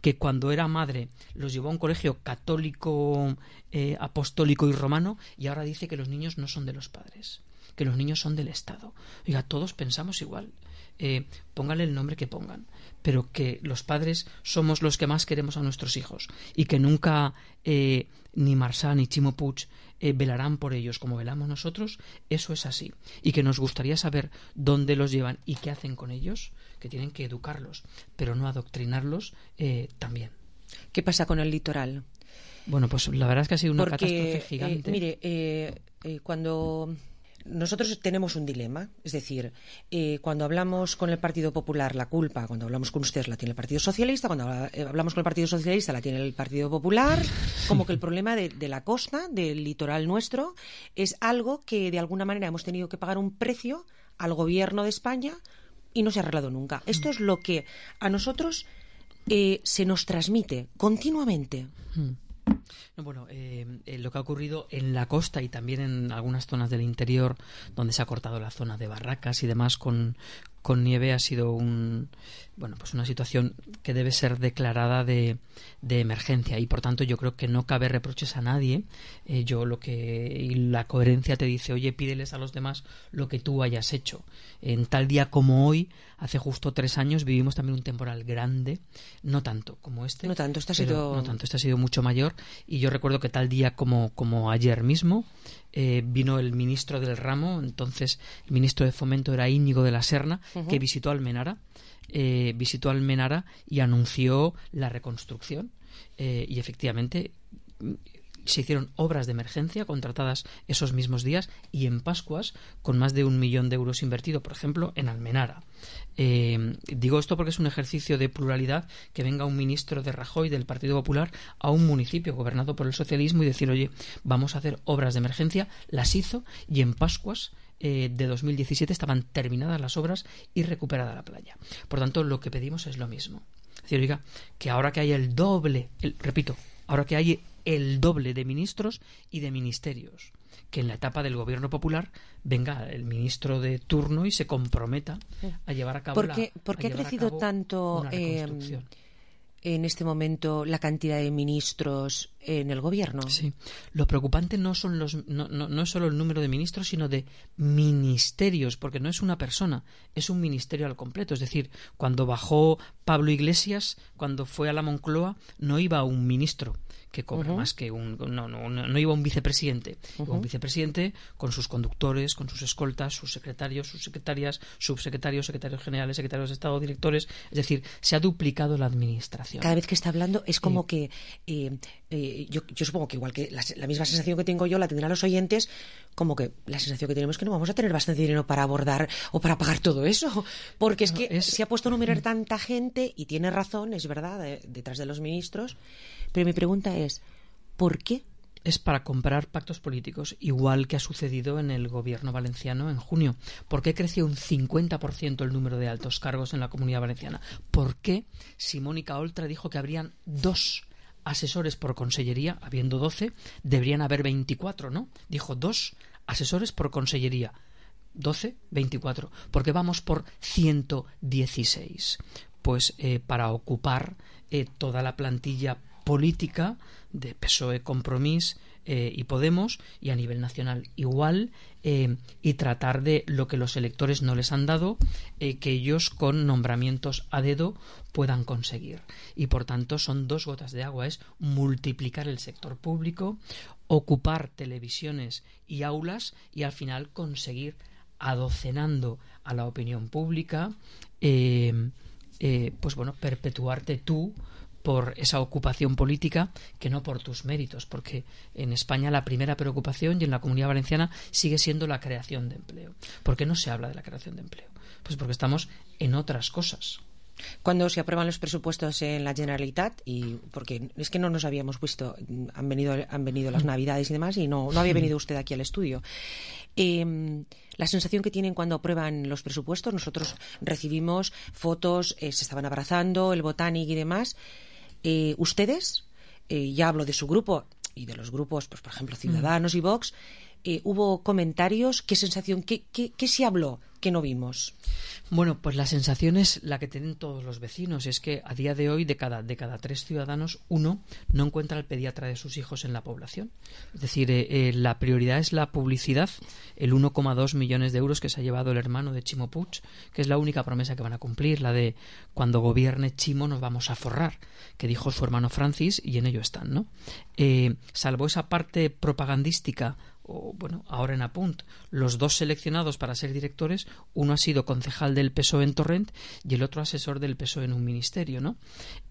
que cuando era madre los llevó a un colegio católico, eh, apostólico y romano, y ahora dice que los niños no son de los padres, que los niños son del Estado. Oiga, todos pensamos igual. Eh, póngale el nombre que pongan, pero que los padres somos los que más queremos a nuestros hijos y que nunca eh, ni Marsá ni Chimo Puig eh, velarán por ellos como velamos nosotros, eso es así. Y que nos gustaría saber dónde los llevan y qué hacen con ellos, que tienen que educarlos, pero no adoctrinarlos eh, también. ¿Qué pasa con el litoral? Bueno, pues la verdad es que ha sido una Porque, catástrofe gigante. Eh, mire, eh, eh, cuando... Nosotros tenemos un dilema, es decir, eh, cuando hablamos con el Partido Popular la culpa, cuando hablamos con ustedes la tiene el Partido Socialista, cuando hablamos con el Partido Socialista la tiene el Partido Popular, como que el problema de, de la costa, del litoral nuestro, es algo que de alguna manera hemos tenido que pagar un precio al gobierno de España y no se ha arreglado nunca. Esto es lo que a nosotros eh, se nos transmite continuamente. No, bueno, eh, eh, lo que ha ocurrido en la costa y también en algunas zonas del interior donde se ha cortado la zona de barracas y demás con, con nieve ha sido un, bueno, pues una situación que debe ser declarada de, de emergencia y por tanto yo creo que no cabe reproches a nadie. Eh, yo lo que y la coherencia te dice, oye, pídeles a los demás lo que tú hayas hecho. En tal día como hoy, hace justo tres años, vivimos también un temporal grande, no tanto como este. No tanto, este ha pero, sido... no tanto, este ha sido mucho mayor. Y yo recuerdo que tal día como, como ayer mismo eh, vino el ministro del ramo, entonces el ministro de Fomento era Íñigo de la Serna, uh-huh. que visitó Almenara, eh, visitó Almenara y anunció la reconstrucción. Eh, y efectivamente se hicieron obras de emergencia contratadas esos mismos días y en Pascuas con más de un millón de euros invertido, por ejemplo, en Almenara. Eh, digo esto porque es un ejercicio de pluralidad que venga un ministro de Rajoy del Partido Popular a un municipio gobernado por el socialismo y decir, oye, vamos a hacer obras de emergencia. Las hizo y en Pascuas eh, de dos mil diecisiete estaban terminadas las obras y recuperada la playa. Por tanto, lo que pedimos es lo mismo. Es decir, oiga, que ahora que hay el doble, el, repito, ahora que hay el doble de ministros y de ministerios, que en la etapa del gobierno popular venga el ministro de turno y se comprometa a llevar a cabo ¿Por qué, la, ¿por qué ha crecido tanto eh, en este momento la cantidad de ministros en el gobierno? Sí, lo preocupante no son los no, no, no es solo el número de ministros, sino de ministerios, porque no es una persona, es un ministerio al completo. Es decir, cuando bajó Pablo Iglesias, cuando fue a la Moncloa, no iba un ministro que cobra uh-huh. más que un... No, no, no, no iba un vicepresidente. Uh-huh. Iba un vicepresidente con sus conductores, con sus escoltas, sus secretarios, sus secretarias, subsecretarios, secretarios generales, secretarios de Estado, directores. Es decir, se ha duplicado la administración. Cada vez que está hablando es como sí. que... Eh, eh, yo, yo supongo que igual que la, la misma sensación que tengo yo la tendrán los oyentes, como que la sensación que tenemos es que no vamos a tener bastante dinero para abordar o para pagar todo eso. Porque es que es... se ha puesto a numerar tanta gente y tiene razón, es verdad, de, detrás de los ministros. Pero mi pregunta es, ¿por qué? Es para comprar pactos políticos, igual que ha sucedido en el gobierno valenciano en junio. ¿Por qué creció un cincuenta por ciento el número de altos cargos en la Comunidad Valenciana? ¿Por qué si Mónica Oltra dijo que habrían dos asesores por consellería, habiendo doce, deberían haber veinticuatro, ¿no? Dijo dos asesores por consellería, doce, veinticuatro. ¿Por qué vamos por ciento dieciséis? Pues eh, para ocupar eh, toda la plantilla política de P S O E, Compromís eh, y Podemos, y a nivel nacional igual, eh, y tratar de lo que los electores no les han dado, eh, que ellos con nombramientos a dedo puedan conseguir. Y por tanto son dos gotas de agua, es multiplicar el sector público, ocupar televisiones y aulas y al final conseguir, adocenando a la opinión pública, eh, eh, pues bueno, perpetuarte tú por esa ocupación política que no por tus méritos, porque en España la primera preocupación y en la Comunidad Valenciana sigue siendo la creación de empleo. ¿Por qué no se habla de la creación de empleo? Pues porque estamos en otras cosas. Cuando se aprueban los presupuestos en la Generalitat, y porque es que no nos habíamos visto, han venido han venido las Navidades y demás, y no, no había venido usted aquí al estudio. Eh, la sensación que tienen cuando aprueban los presupuestos, nosotros recibimos fotos, eh, se estaban abrazando, el Botanic y demás. Eh, ustedes, eh, ya hablo de su grupo y de los grupos, pues por ejemplo Ciudadanos mm. y Vox, eh, hubo comentarios, ¿qué sensación, qué, qué, qué se habló que no vimos? Bueno, pues la sensación es la que tienen todos los vecinos, es que a día de hoy de cada, de cada tres ciudadanos, uno no encuentra al pediatra de sus hijos en la población. Es decir, eh, eh, la prioridad es la publicidad, el uno coma dos millones de euros que se ha llevado el hermano de Chimo Puig, que es la única promesa que van a cumplir, la de cuando gobierne Chimo nos vamos a forrar, que dijo su hermano Francis, y en ello están, ¿no? Eh, salvo esa parte propagandística, o bueno, ahora en Apunt, los dos seleccionados para ser directores, uno ha sido concejal del P S O E en Torrent y el otro asesor del P S O E en un ministerio, ¿no?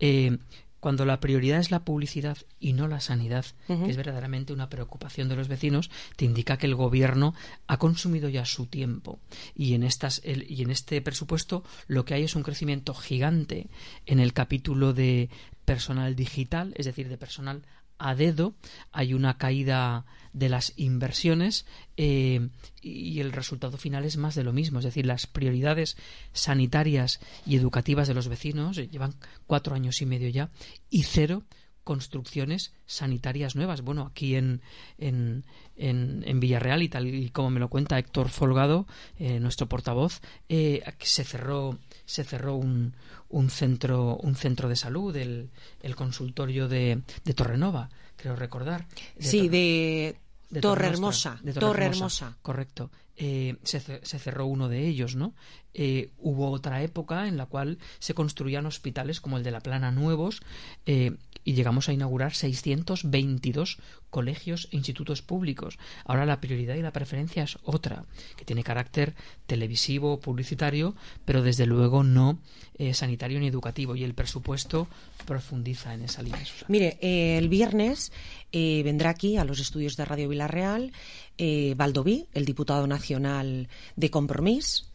Eh, cuando la prioridad es la publicidad y no la sanidad, uh-huh. que es verdaderamente una preocupación de los vecinos, te indica que el gobierno ha consumido ya su tiempo. Y en estas el, y en este presupuesto lo que hay es un crecimiento gigante en el capítulo de personal digital, es decir, de personal a dedo. Hay una caída de las inversiones eh, y el resultado final es más de lo mismo. Es decir, las prioridades sanitarias y educativas de los vecinos eh, llevan cuatro años y medio ya y cero construcciones sanitarias nuevas. Bueno, aquí en, en, en, en Villarreal, y tal y como me lo cuenta Héctor Folgado, eh, nuestro portavoz, eh, se cerró se cerró un, un centro un centro de salud, el, el consultorio de, de Torrenova, creo recordar. De sí, Tor- de, de Torre Hermosa. De Torre, Torre Hermosa, Hermosa. Correcto. Eh, se, se cerró uno de ellos, ¿no? eh, hubo otra época en la cual se construían hospitales como el de La Plana nuevos, eh, y llegamos a inaugurar seiscientos veintidós colegios e institutos públicos. Ahora la prioridad y la preferencia es otra, que tiene carácter televisivo, publicitario, pero desde luego no eh, sanitario ni educativo, y el presupuesto profundiza en esa línea, Susana. Mire, eh, el viernes eh, vendrá aquí a los estudios de Radio Vilarreal eh, Baldoví, el diputado nacional de Compromís,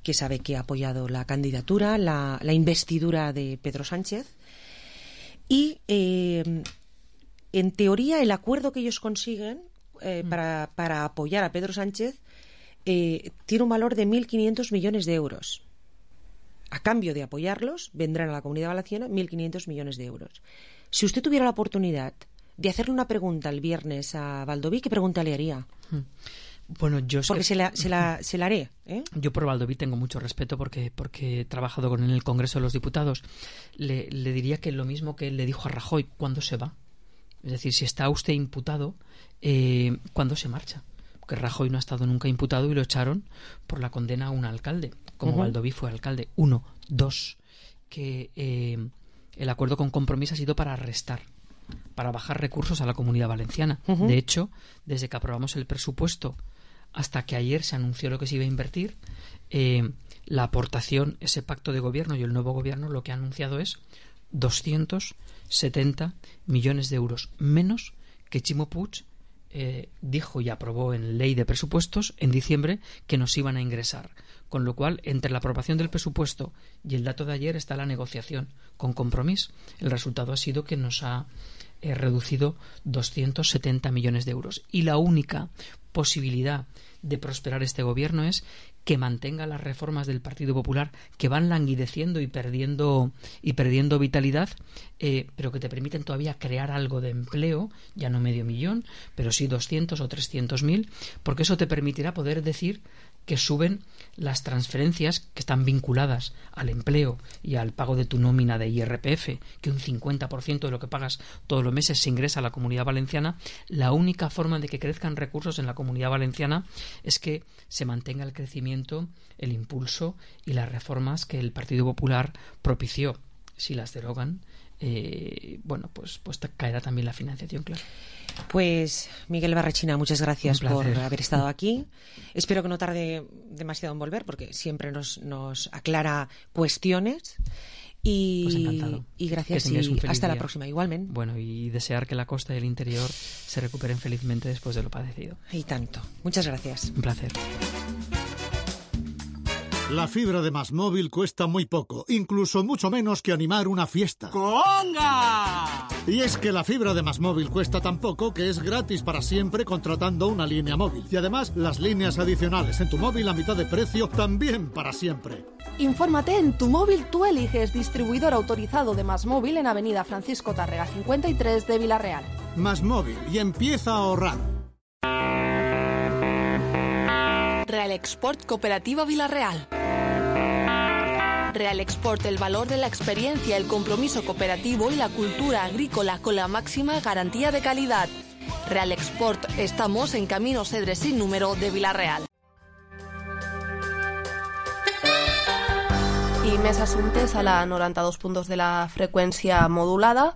que sabe que ha apoyado la candidatura, la, la investidura de Pedro Sánchez. Y eh, en teoría el acuerdo que ellos consiguen eh, mm. para, para apoyar a Pedro Sánchez eh, tiene un valor de mil quinientos millones de euros. A cambio de apoyarlos vendrán a la Comunidad Valenciana mil quinientos millones de euros. Si usted tuviera la oportunidad de hacerle una pregunta el viernes a Baldoví, ¿qué pregunta le haría? Mm. Bueno, yo es porque que... se, la, se, la, se la haré. ¿eh? Yo por Baldoví tengo mucho respeto porque, porque he trabajado con él en el Congreso de los Diputados. Le, le diría que lo mismo que él le dijo a Rajoy, ¿cuándo se va? Es decir, si está usted imputado, eh, ¿cuándo se marcha? Porque Rajoy no ha estado nunca imputado y lo echaron por la condena a un alcalde, como uh-huh. Baldoví fue alcalde. Uno. Dos, que eh, el acuerdo con Compromís ha sido para restar, para bajar recursos a la Comunidad Valenciana. Uh-huh. De hecho, desde que aprobamos el presupuesto hasta que ayer se anunció lo que se iba a invertir, eh, la aportación, ese pacto de gobierno y el nuevo gobierno lo que ha anunciado es doscientos setenta millones de euros, menos que Chimo Puig eh, dijo y aprobó en ley de presupuestos en diciembre que nos iban a ingresar. Con lo cual, entre la aprobación del presupuesto y el dato de ayer está la negociación con Compromís. El resultado ha sido que nos ha eh, reducido doscientos setenta millones de euros. Y la única posibilidad de prosperar este gobierno es que mantenga las reformas del Partido Popular, que van languideciendo y perdiendo y perdiendo vitalidad, eh, pero que te permiten todavía crear algo de empleo, ya no medio millón, pero sí doscientos o trescientos mil, porque eso te permitirá poder decir que suben las transferencias que están vinculadas al empleo y al pago de tu nómina de I R P F, que un cincuenta por ciento de lo que pagas todos los meses se ingresa a la Comunidad Valenciana. La única forma de que crezcan recursos en la Comunidad Valenciana es que se mantenga el crecimiento, el impulso y las reformas que el Partido Popular propició. Si las derogan, eh, bueno, pues, pues caerá también la financiación, claro. Pues Miguel Barrachina, muchas gracias por haber estado aquí. Espero que no tarde demasiado en volver, porque siempre nos, nos aclara cuestiones. Y, pues encantado. Y gracias y hasta día. La próxima, igualmente. Bueno, y desear que la costa y el interior se recuperen felizmente después de lo padecido. Y tanto. Muchas gracias. Un placer. La fibra de Más Móvil cuesta muy poco, incluso mucho menos que animar una fiesta. ¡Conga! Y es que la fibra de Más Móvil cuesta tan poco que es gratis para siempre contratando una línea móvil. Y además, las líneas adicionales en tu móvil a mitad de precio también para siempre. Infórmate en Tu Móvil Tú Eliges, distribuidor autorizado de Más Móvil en Avenida Francisco Tárrega cincuenta y tres de Vilarreal. Más Móvil, y empieza a ahorrar. Real Export Cooperativa Vilarreal. Real Export, el valor de la experiencia, el compromiso cooperativo y la cultura agrícola con la máxima garantía de calidad. Real Export, estamos en Camino Cedre sin número de Vilarreal. I més assumptes a la noranta-dos punt dos de la freqüència modulada.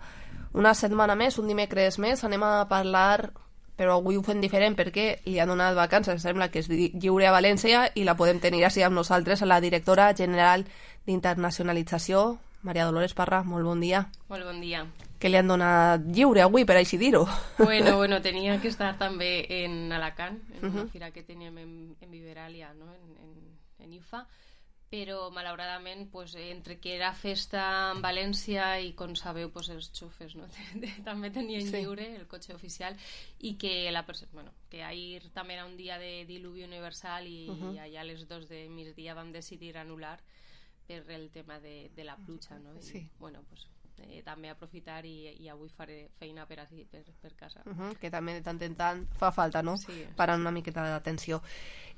Una setmana més, un dimecres més, anem a parlar, però avui ho fem diferent perquè li han donat vacances, sembla que és lliure a València, i la podem tenir així amb nosaltres, a la directora general d'Internacionalització, Maria Dolores Parra. Molt bon dia. Molt bon dia. Que li han donat lliure avui, per així dir-ho. Bueno, bueno, tenia que estar també en Alacant, en uh-huh. una fira que teníem en, en Viveralia, no? en, en, en I F A, però malauradament pues, entre que era festa en València i com sabeu pues, els xofers no? també tenien sí. lliure el cotxe oficial, i que, la, bueno, que ahir també era un dia de diluvi universal i, uh-huh. i allà a les dos de migdia vam decidir anul·lar per el tema de, de la pluja, no? I, sí. bueno, pues, eh, també aprofitar i, i avui faré feina per, aquí, per, per casa. Uh -huh, que també de tant en tant fa falta, no? Sí. Parar una miqueta d'atenció.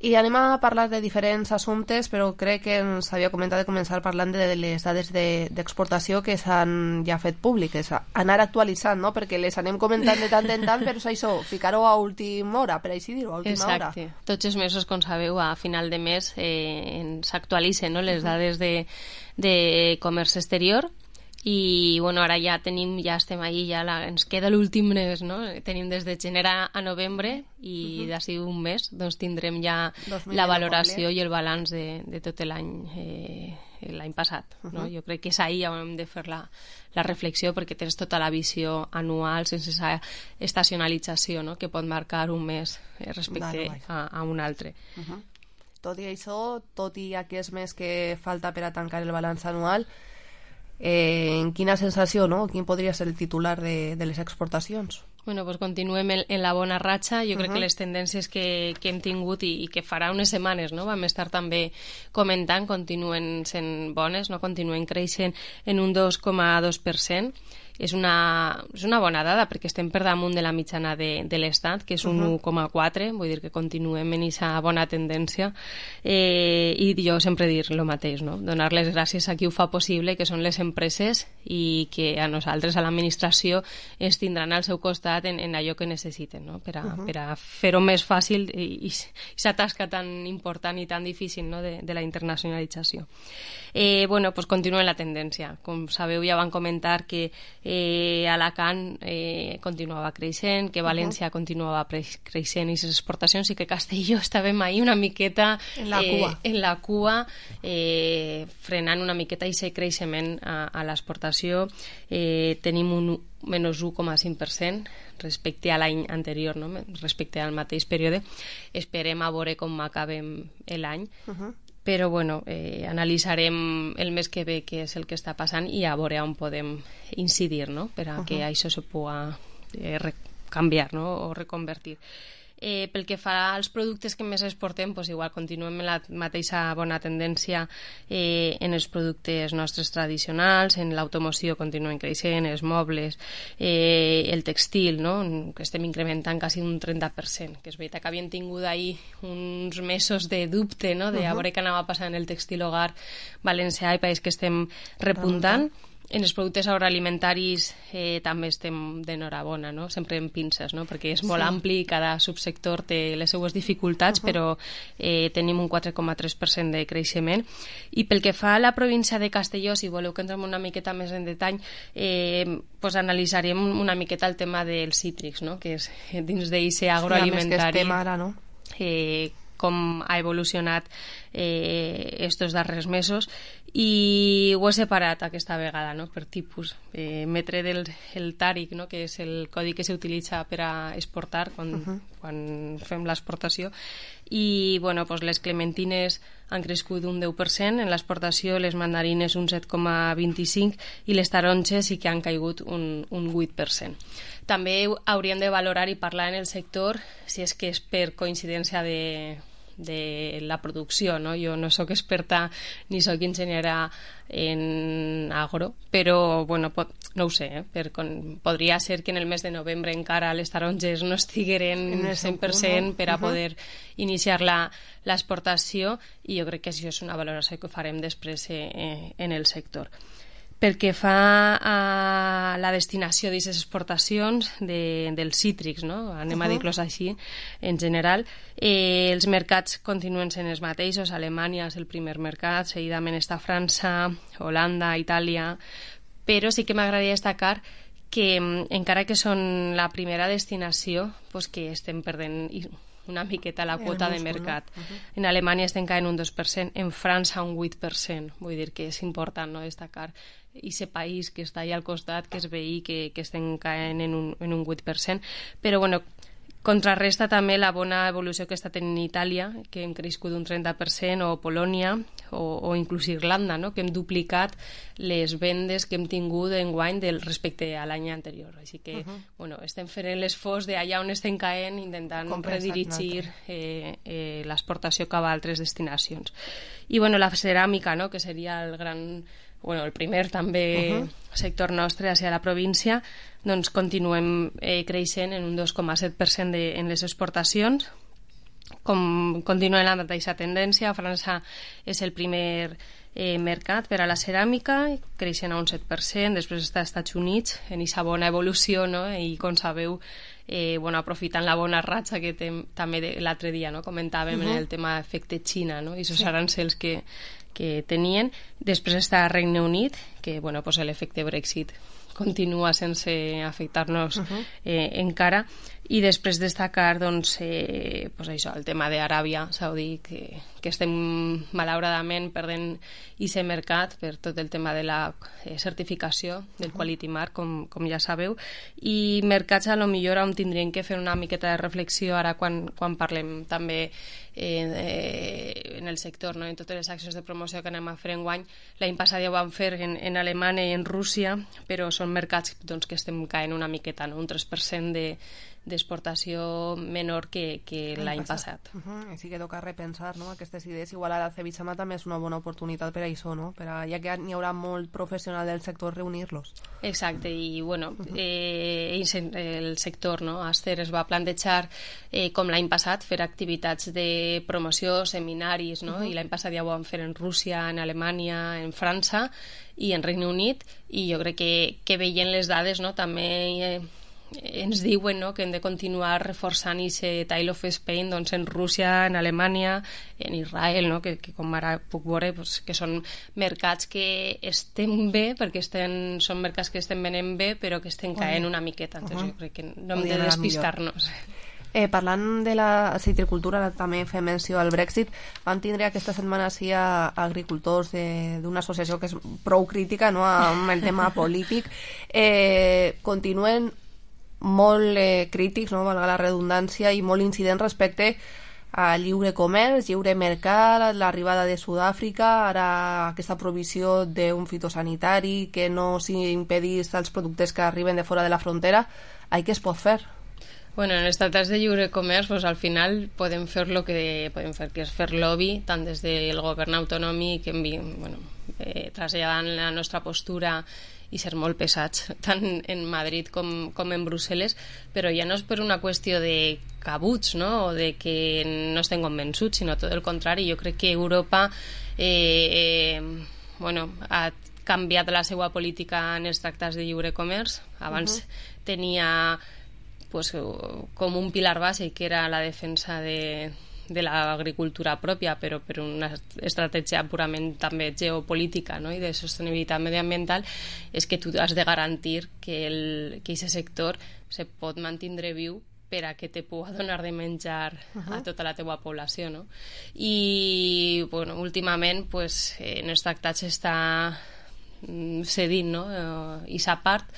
I anem a parlar de diferents assumptes, però crec que ens havia comentat de començar parlant de les dades d'exportació de, que s'han ja fet públiques, anar actualitzant, no? Perquè les anem comentant de tant en tant, però és això, ficar-ho a última hora, per així dir-ho, a última Exacte. hora. Tots els mesos, com sabeu, a final de mes eh, s'actualitzen, no?, les dades de, de comerç exterior. I bueno, ara ja tenim, ja estem ahí, ja la, ens queda l'últim mes, no? Tenim des de gener a novembre i uh-huh. d'ací un mes doncs tindrem ja la valoració i el balanç de, de tot l'any eh, l'any passat, uh-huh. no? Jo crec que és ahí on hem de fer la, la reflexió, perquè tens tota la visió anual sense esa estacionalització, no?, que pot marcar un mes respecte vale, a, a un altre. Uh-huh. Tot i això, tot i aquest mes que falta per a tancar el balanç anual, Eh, en quina sensació, no? Quin podria ser el titular de, de les exportacions? Bueno, pues continuem en, en la bona ratxa. Jo uh-huh. crec que les tendències que, que hem tingut i, i que farà unes setmanes, no?, vam estar també comentant, continuen sent bones, no?, continuen creixent en un dos coma dos per cent. És una, és una bona dada perquè estem per damunt de la mitjana de, de l'Estat, que és un uh-huh. u coma quatre, vull dir que continuem en aquesta bona tendència. Eh, I jo sempre dir el mateix, no?, donar les gràcies a qui ho fa possible, que són les empreses, i que a nosaltres, a l'administració, ens tindran al seu costat en, en allò que necessiten, no?, per a, uh-huh. per a fer-ho més fàcil i aquesta tasca tan important i tan difícil, no?, de, de la internacionalització. Eh, bueno, pues continua la tendència. Com sabeu, ja van comentar que eh, Alacant eh, continuava creixent, que València uh-huh. continuava creixent i les exportacions, i que Castelló estàvem ahí una miqueta en la cua, eh, en la cua eh, frenant una miqueta aquest creixement a, a l'exportació. Eh, tenim un menys u coma cinc per cent respecte a l'any anterior, no?, respecte al mateix període. Esperem a veure com acabem l'any. Uh-huh. Però bueno, eh, analitzarem el mes que ve què és el que està passant i a veure on podem incidir, no?, per a uh-huh. que això se pugui eh, canviar, no?, o reconvertir. Eh, pel que fa als productes que més exportem, doncs igual continuem en la mateixa bona tendència eh, en els productes nostres tradicionals, en l'automoció continuem creixent, els mobles, eh, el textil, no?, que estem incrementant quasi un trenta per cent, que és veritat que havíem tingut ahir uns mesos de dubte, no?, de a veure què anava passant en el textil hogar valencià i país que estem repuntant. En els productes agroalimentaris eh, també estem d'enhorabona, no?, sempre en pinces, no?, perquè és molt sí. ampli i cada subsector té les seues dificultats, uh-huh. però eh, tenim un quatre coma tres per cent de creixement. I pel que fa a la província de Castelló, si voleu que entrem una miqueta més en detall, eh, pues analitzarem una miqueta el tema dels cítrics, no?, que és dins d'aquest agroalimentari. Sí, a més que estem ara, no? Eh, com ha evolucionat eh, estos darrers mesos, i ho he separat aquesta vegada, no?, per tipus. Eh, metre del el tàric, no?, que és el codi que s'utilitza per a exportar quan, uh-huh. quan fem l'exportació, i bueno, pues les clementines han crescut un deu per cent en l'exportació, les mandarines un set coma vint-i-cinc i les taronges sí que han caigut un, un vuit per cent. També hauríem de valorar i parlar en el sector si és que és per coincidència de, de la producció, no? Jo no sóc experta ni sóc enginyera en agro, però bueno, pot, no ho sé, eh? per, con, podria ser que en el mes de novembre encara les taronges no estigueren cent per cent per a poder uh-huh. iniciar l'exportació, i jo crec que això és una valoració que farem després eh, en el sector. Pel que fa a la destinació d'aquestes exportacions de, dels cítrics, no?, anem uh-huh. a dir-los així, en general, eh, els mercats continuen sent els mateixos. Alemanya és el primer mercat, seguidament està França, Holanda, Itàlia, però sí que m'agradaria destacar que encara que són la primera destinació, pues que estem perdent una miqueta la quota de mercat. No? Uh-huh. En Alemanya estem caient un dos per cent, en França un vuit per cent. Vull dir que és important, no?, destacar aquest país que està allà al costat, que és veí, que, que estem caient en un, en un vuit per cent. Però, bueno, contrarresta també la bona evolució que està tenint Itàlia, que hem crescut un trenta per cent, o Polònia, o, o inclús Irlanda, no?, que hem duplicat les vendes que hem tingut enguany del respecte a l'any anterior. Així que, uh-huh. bueno, estem fent l'esforç d'allà on estem caent, intentant redirigir eh, eh, l'exportació cap a altres destinacions. I, bueno, la ceràmica, no?, que seria el gran bueno, el primer també uh-huh. sector nostre hacia la província, doncs continuem eh, creixent en un dos coma set per cent de, en les exportacions. Com continua la mateixa tendència, França és el primer eh, mercat per a la ceràmica, creixent a un set per cent, després està als Estats Units en aquesta bona evolució, no? I com sabeu, eh, bueno, aprofitant la bona ratxa que tem, també de, l'altre dia no? comentàvem uh-huh. en el tema efecte Xina, no? I aquests sí. arancels que, que tenien. Després està Regne Unit, que bueno, pues l'efecte Brexit continua sense afectar-nos uh-huh. eh, encara, i després destacar doncs, eh, pues això, el tema d'Aràbia Saudí, que, que estem malauradament perdent aquest mercat per tot el tema de la eh, certificació del uh-huh. Quality Mark, com, com ja sabeu, i mercats a lo millor on tindríem que fer una miqueta de reflexió ara quan, quan parlem també eh, eh, en el sector, no? En totes les accions de promoció que anem a fer enguany. L'any passat ja ho vam fer en, en Alemanya i en Rússia, però són mercats doncs, que estem caent una miqueta, no? Un tres per cent de d'exportació menor que, que l'any passat. Uh -huh. I sí que toca repensar, no?, aquestes idees. Igual ara Cevixama també és una bona oportunitat per a això, no?, per a, ja que n'hi haurà molt professional del sector, reunir-los. Exacte, i bueno, uh -huh. eh, el sector, no?, Aster es va plantejar, eh, com l'any passat, fer activitats de promoció, seminaris, no?, uh -huh. i l'any passat ja ho vam fer en Rússia, en Alemanya, en França i en Regne Unit, i jo crec que, que veient les dades, no?, també eh, ens diuen, no?, que hem de continuar reforçant aquest Tile of Spain doncs, en Rússia, en Alemanya, en Israel, no?, que, que com ara puc veure pues, que són mercats que estem bé, perquè estem, són mercats que estem venent bé, però que estem caent una miqueta. Entonces, uh-huh. jo crec que no hem de despistar-nos. Eh, parlant de la citricultura, també fem menció al Brexit. Vam tindre aquesta setmana sí a agricultors d'una associació que és prou crítica, no?, amb el tema polític. Eh, continuen molt eh, crítics, no?, valga la redundància, i molt incidents respecte a lliure comerç, lliure mercat, l'arribada de Sud-àfrica, ara aquesta provisió d'un fitosanitari, que no s'impedís als productes que arriben de fora de la frontera. Ai, què es pot fer? Bueno, en els tractats de lliure comerç, pues, al final podem fer el que podem fer, que és fer lobby, tant des del govern autonòmic, bueno, eh, traslladant la nostra postura i ser molt pesats, tant en Madrid com, com en Brussel·les, però ja no és per una qüestió de cabuts, no?, o de que no estem convençuts, sinó tot el contrari. Jo crec que Europa eh, eh, bueno, ha canviat la seva política en els tractats de lliure comerç. Abans uh-huh. tenia pues, com un pilar bàsic, que era la defensa de de l'agricultura pròpia, però per una estratègia purament també geopolítica, no?, i de sostenibilitat mediambiental, és que tu has de garantir que el, que aquest sector se pot mantindre viu per a que te pugui donar de menjar uh-huh. a tota la teua població, no? I, bueno, últimament, pues, en els tractats està cedint, no?, i aquesta part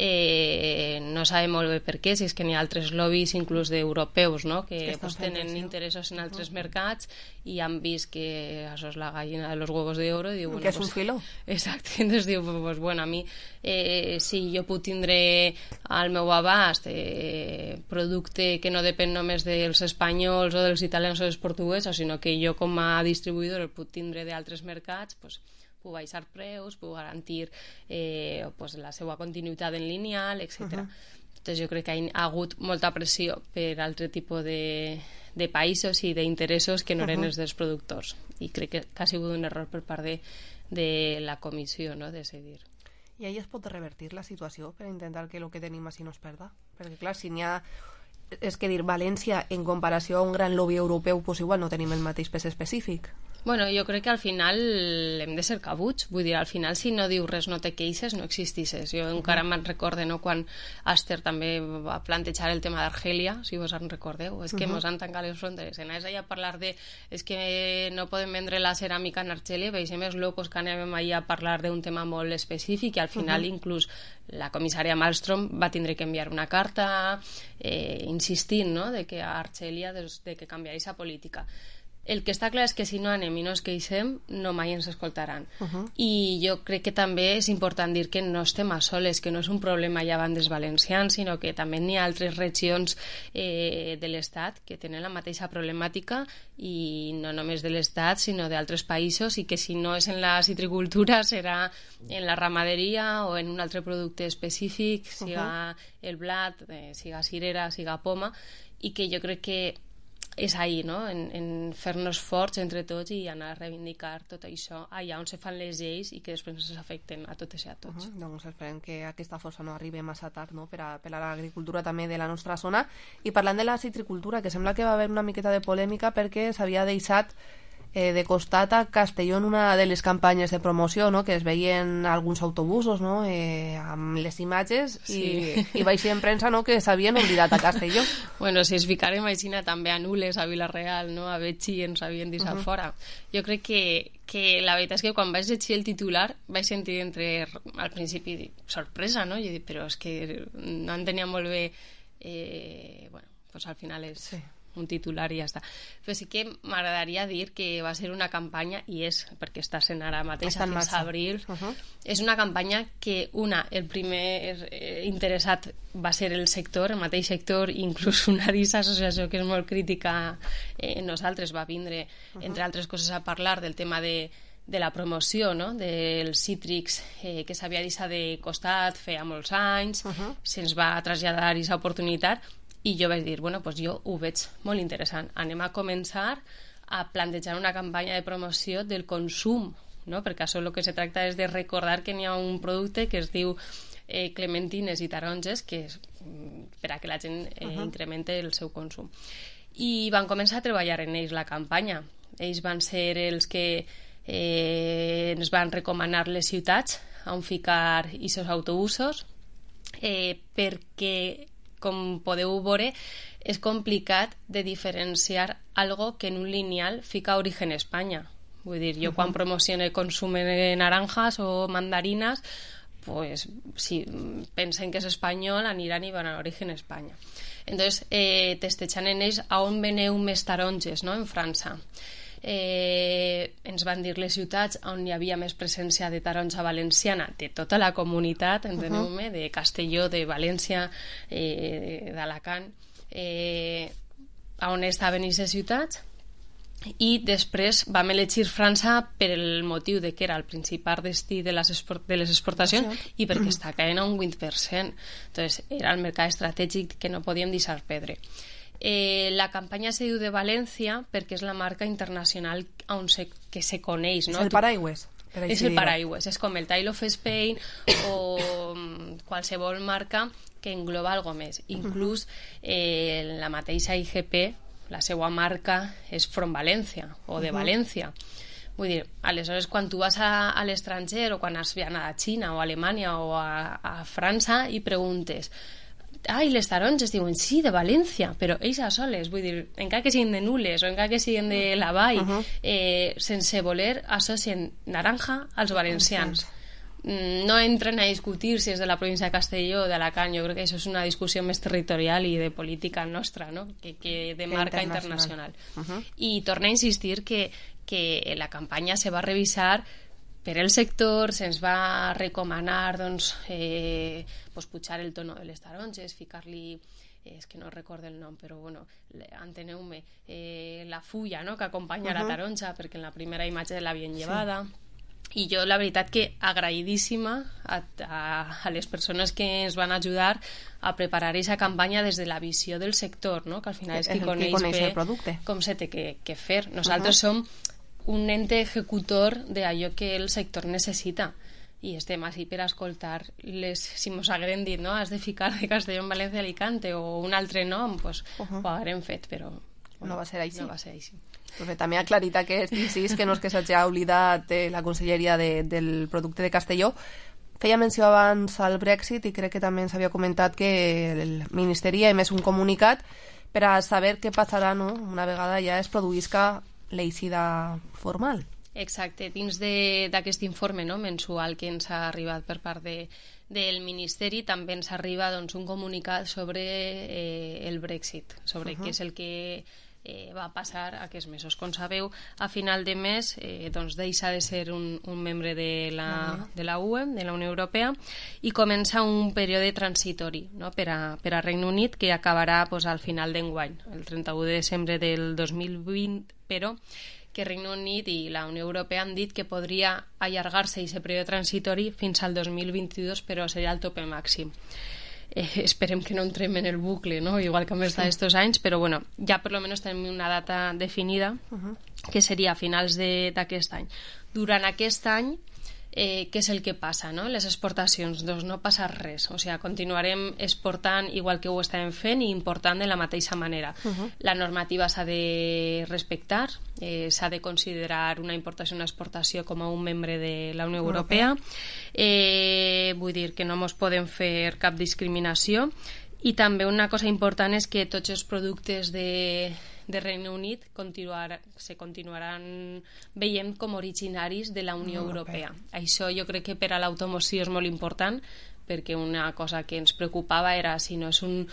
Eh, no sabem molt bé per què, si és que n'hi ha altres lobbies inclús d'europeus, no?, que pues, tenen interessos en altres uh-huh. mercats i han vist que això és la gallina de los huevos de oro i diu, bueno, que és pues, un filó. Exacte, entonces diu, pues, bueno, a mi eh, si jo puc tindre al meu abast eh, producte que no depèn només dels espanyols o dels italians o dels portuguesos, sinó que jo com a distribuïdor el puc tindre d'altres mercats, pues, puc baixar preus, puc garantir eh, pues, la seva continuïtat en lineal, etcètera. Uh-huh. Entonces jo crec que hi ha hagut molta pressió per altre tipus de, de països i d'interessos que no eren uh-huh. els dels productors, i crec que, que ha sigut un error per part de, de la comissió, no?, de decidir. I ahí es pot revertir la situació per intentar que el que tenim així no es perda? Perquè clar, si n'hi ha... És que dir, València, en comparació a un gran lobby europeu, pues igual no tenim el mateix pes específic. Bueno, jo crec que al final hem de ser cabuts, vull dir, al final si no dius res, no te queixes, no existisses. Jo encara me'n recorde, no?, quan Aster també va plantejar el tema d'Argèlia, si vos en recordeu, és que uh-huh. mos han tancat les fronteres. Anés allà a parlar de és que no podem vendre la ceràmica en Argèlia, veiem els locos que anem allà a parlar d'un tema molt específic, i al final uh-huh. inclús la comissària Malmström va tindre que enviar una carta eh, insistint, no?, de que a Argèlia de, de que canviar aquesta política. el que està clar és que si no anem i no es queixem, no mai ens escoltaran. Uh -huh. I jo crec que també és important dir que no estem a soles, que no és un problema ja van dels valencians, sinó que també n'hi ha altres regions eh, de l'Estat que tenen la mateixa problemàtica, i no només de l'Estat, sinó d'altres països, i que si no és en la citricultura serà en la ramaderia o en un altre producte específic, siga uh -huh. el blat, eh, siga cirera, siga poma, i que jo crec que és ahí, no? en, en fer-nos forts entre tots i anar a reivindicar tot això allà on se fan les lleis i que després ens afecten a totes i a tots. Uh -huh. Doncs esperem que aquesta força no arribi massa tard, no? per, a, per a l'agricultura també de la nostra zona. I parlant de la citricultura, que sembla que va haver una miqueta de polèmica perquè s'havia deixat eh, de costat a Castelló en una de les campanyes de promoció, no? Que es veien alguns autobusos, no? eh, amb les imatges, sí. i, i vaig en premsa, no? Que s'havien oblidat a Castelló. Bueno, si es ficarem així també a Nules, a Vila-real, no? A Betxí ens havien deixat uh -huh. fora. Jo crec que, que la veritat és que quan vaig llegir el titular vaig sentir entre, al principi, sorpresa, no? Jo dic, però és que no entenia molt bé, eh, bueno, pues al final és... Sí. un titular i ja està. Però sí que m'agradaria dir que va ser una campanya, i és, perquè està sent ara mateix, fins a abril, uh -huh. és una campanya que, una, el primer interessat va ser el sector, el mateix sector, inclús una disassociació que és molt crítica en nosaltres, va vindre, uh -huh. entre altres coses, a parlar del tema de de la promoció, no? Dels cítrics eh, que s'havia deixat de costat feia molts anys, uh -huh. se'ns va traslladar aquesta oportunitat. I jo vaig dir, bueno, pues jo ho veig molt interessant. Anem a començar a plantejar una campanya de promoció del consum, no? Perquè això el que se tracta és de recordar que n'hi ha un producte que es diu eh, clementines i taronges, que és per a que la gent eh, uh-huh. incremente el seu consum. I van començar a treballar en ells la campanya. Ells van ser els que eh, ens van recomanar les ciutats on ficar aquests autobusos, eh, perquè com podeu veure, és complicat de diferenciar algo que en un lineal fica origen Espanya. Vull dir, jo uh-huh. quan promocione consum de naranjas o mandarinas, pues si pensen que és espanyol, aniran i van a origen Espanya. Entonces, eh, testejant en ells a on veneu més taronges, no?, en França. Eh, ens van dir les ciutats on hi havia més presència de taronja valenciana de tota la comunitat, enteneu-me, uh-huh. de Castelló, de València, eh, d'Alacant, eh, on estaven aquestes ciutats, i després vam elegir França per el motiu de que era el principal destí de les, export de les exportacions i perquè està caient a un vint per cent. Entonces, era el mercat estratègic que no podíem deixar perdre. Eh, la campanya se diu de València perquè és la marca internacional on se, que se coneix, no? És el paraigües. És el paraigües, és com el Tile of Spain o qualsevol marca que engloba algo més. Inclús eh, la mateixa I G P, la seva marca és From València o de València. Vull dir, aleshores, quan tu vas a, a l'estranger o quan has anat a Xina o a Alemanya o a, a França i preguntes ah, i les taronges, diuen, sí, de València, però ells a soles, vull dir, encara que siguin de Nules o encara que siguin de la Vall, uh-huh. eh, sense voler associen naranja als valencians. Uh-huh. No entren a discutir si és de la província de Castelló o d'Alacant, jo crec que això és una discussió més territorial i de política nostra, no?, que, que de marca internacional. internacional. Uh-huh. I torno a insistir que, que la campanya se va revisar per el sector, se'ns va recomanar doncs, eh, pues, pujar el tono de les taronges, ficar-li, eh, és que no recordo el nom, però bueno, enteneu-me, eh, la fulla, no?, que acompanya uh-huh. la taronja, perquè en la primera imatge l'havien sí. llevada. I jo la veritat que agraïdíssima a, a, a les persones que ens van ajudar a preparar aquesta campanya des de la visió del sector, no?, que al final és qui coneix, coneix bé el producte. Com se té que, que fer. Nosaltres uh-huh. som un ente ejecutor d'allò que el sector necessita i estem així per escoltar les, si mos hagueren dit, no?, has de ficar de Castelló en València Alicante o un altre nom, pues, uh-huh. ho haguem fet, però bueno, no va ser així. No va ser així. Pues també ha aclarit aquest incís que no és que s'hagi oblidat eh, la conselleria de, del producte de Castelló. Feia menció abans al Brexit i crec que també ens havia comentat que el Ministeri ha emès un comunicat per a saber què passarà, no?, una vegada ja es produïsca l'eixida formal. Exacte, dins d'aquest informe, no?, mensual que ens ha arribat per part de, del Ministeri, també ens arriba doncs, un comunicat sobre eh, el Brexit, sobre uh-huh. què és el que eh, va passar aquests mesos. Com sabeu, a final de mes eh, doncs deixa de ser un, un membre de la, de la U E, de la Unió Europea, i comença un període transitori, no? per, a, per a Regne Unit, que acabarà pues, al final d'enguany, el trenta-u de desembre del dos mil vint, però que Regne Unit i la Unió Europea han dit que podria allargar-se aquest període transitori fins al dos mil vint-i-dos, però seria el tope màxim. Eh, esperem que no entrem en el bucle, no? Igual que hem estat estos anys, però bueno, ja per lo menos tenim una data definida, uh-huh. que seria a finals d'aquest any. Durant aquest any, eh, què és el que passa, no? Les exportacions, doncs no passa res, o sigui, continuarem exportant igual que ho estàvem fent i important de la mateixa manera. Uh-huh. La normativa s'ha de respectar, eh, s'ha de considerar una importació i una exportació com a un membre de la Unió Europea, eh, vull dir que no ens podem fer cap discriminació, i també una cosa important és que tots els productes de, de Regne Unit continuar, se continuaran veient com originaris de la Unió Europea. Això jo crec que per a l'automoció és molt important, perquè una cosa que ens preocupava era si no és un,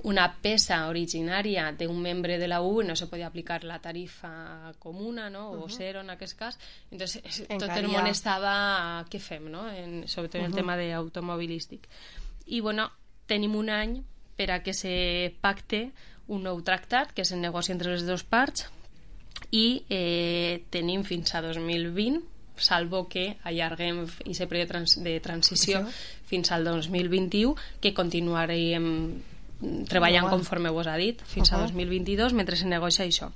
una peça originària d'un membre de la U E, no se podia aplicar la tarifa comuna, no? O uh-huh. zero en aquest cas. Entonces, tot el món estava què fem, no? En, sobretot en uh-huh. el tema d'automobilístic. I bueno, tenim un any per a que se pacte un nou tractat que se negocia entre les dues parts, i eh, tenim fins a dos mil vint, salvo que allarguem aquest període trans de transició fins al dos mil vint-i-u, que continuarem treballant conforme vos ha dit fins uh-huh. a dos mil vint-i-dos mentre se negocia això.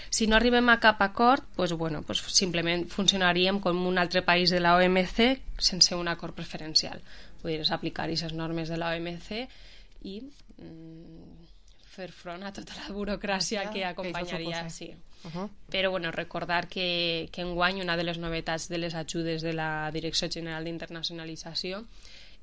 Si no arribem a cap acord, pues, bueno, pues, simplement funcionaríem com un altre país de la O M C sense un acord preferencial. Podries aplicar aquestes normes de la O M C i mm, fer front a tota la burocràcia que acompanyaria. Sí. Uh-huh. Però bueno, recordar que, que enguany una de les novetats de les ajudes de la Direcció General d'Internacionalització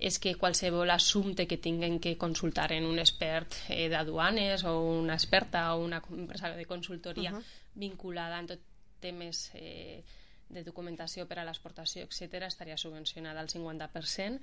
és que qualsevol assumpte que tinguen que consultar en un expert eh, d'aduanes o una experta o una empresa de consultoria uh-huh. vinculada en tot temes eh, de documentació per a l'exportació, etcètera, estaria subvencionada al cinquanta per cent.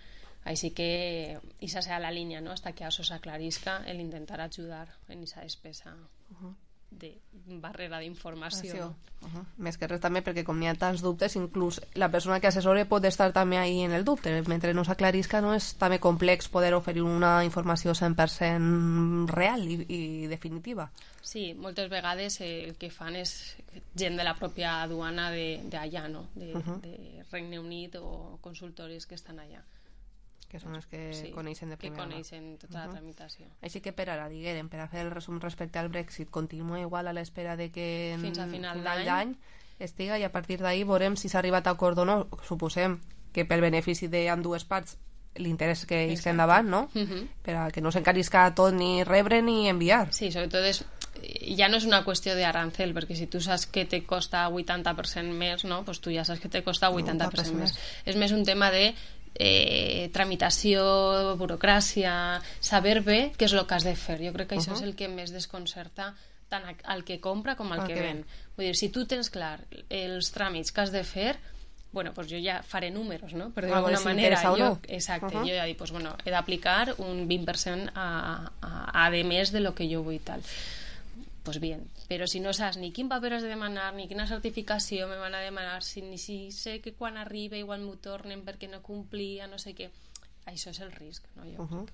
Així que esa serà la línia, no? Hasta que això s'aclarisca el intentar ajudar en aquesta despesa uh-huh. de barrera d'informació. No? Uh-huh. Més que res també perquè com n'hi ha tants dubtes, inclús la persona que assessora pot estar també ahí en el dubte. Mentre no s'aclarisca, no és també complex poder oferir una informació cent per cent real i, i definitiva. Sí, moltes vegades eh, el que fan és gent de la pròpia aduana d'allà, no? De, uh-huh. de Regne Unit o consultoris que estan allà. Que són els que sí, coneixen de primera mà. Que coneixen tota uh-huh. la tramitació. Així que per ara, diguem, per a fer el resum respecte al Brexit, continua igual a l'espera de que en fins a final d'any estiga, i a partir d'ahir veurem si s'ha arribat a acord o no. Suposem que pel benefici d'ambdues parts l'interès que isca endavant, no? Uh-huh. Per a que no s'encarisca tot ni rebre ni enviar. Sí, sobretot és ja no és una qüestió d'arancel, perquè si tu saps que te costa vuitanta per cent més, no? Pues tu ja saps que te costa vuitanta per cent més. És més un tema de eh, tramitació, burocràcia, saber bé què és el que has de fer. Jo crec que això uh-huh. és el que més desconcerta tant al que compra com al que ven. Vull dir, si tu tens clar els tràmits que has de fer, bueno, pues jo ja faré números, no? Per dir-ho d'alguna manera. Jo, exacte, uh-huh. jo ja dic, pues, bueno, he d'aplicar un vint per cent a, a, a de més de lo que jo vull tal. Pues bien, però si no saps ni quin paper has de demanar, ni quina certificació me van a demanar, si, ni si sé que quan arriba igual m'ho tornen perquè no complia, no sé què, això és el risc, no? Jo uh-huh.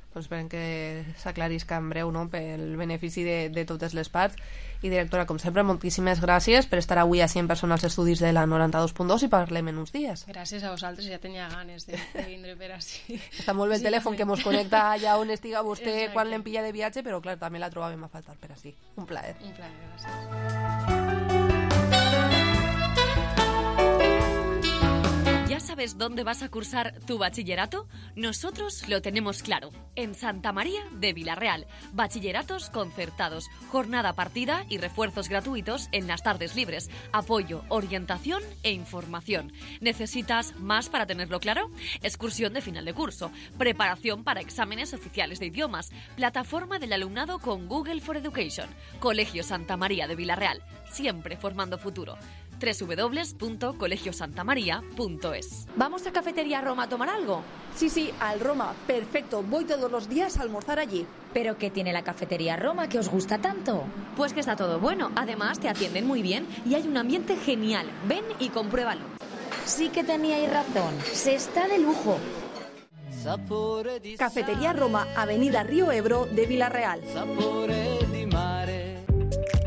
Doncs esperem que s'aclarisca en breu, no? Pel benefici de, de totes les parts. I directora, com sempre, moltíssimes gràcies per estar avui a cent persones als estudis de la noranta-dos punt dos i parlem en uns dies. Gràcies a vosaltres, ja tenia ganes de, de vindre per així. Està molt bé el sí, telèfon que mos connecta allà on estiga vostè. Exacte. Quan l'empilla de viatge, però clar, també la trobàvem a faltar per així. Un plaer. Un plaer, gràcies. ¿Ya sabes dónde vas a cursar tu bachillerato? Nosotros lo tenemos claro. En Santa María de Vilarreal. Bachilleratos concertados, jornada partida y refuerzos gratuitos en las tardes libres. Apoyo, orientación e información. ¿Necesitas más para tenerlo claro? Excursión de final de curso. Preparación para exámenes oficiales de idiomas. Plataforma del alumnado con Google for Education. Colegio Santa María de Vilarreal. Siempre formando futuro. doble u doble u doble u punto colegio santa maría punto es. ¿Vamos a Cafetería Roma a tomar algo? Sí, sí, al Roma. Perfecto. Voy todos los días a almorzar allí. ¿Pero qué tiene la Cafetería Roma que os gusta tanto? Pues que está todo bueno. Además, te atienden muy bien y hay un ambiente genial. Ven y compruébalo. Sí que teníais razón. Se está de lujo. Cafetería Roma, Avenida Río Ebro de Vila-real.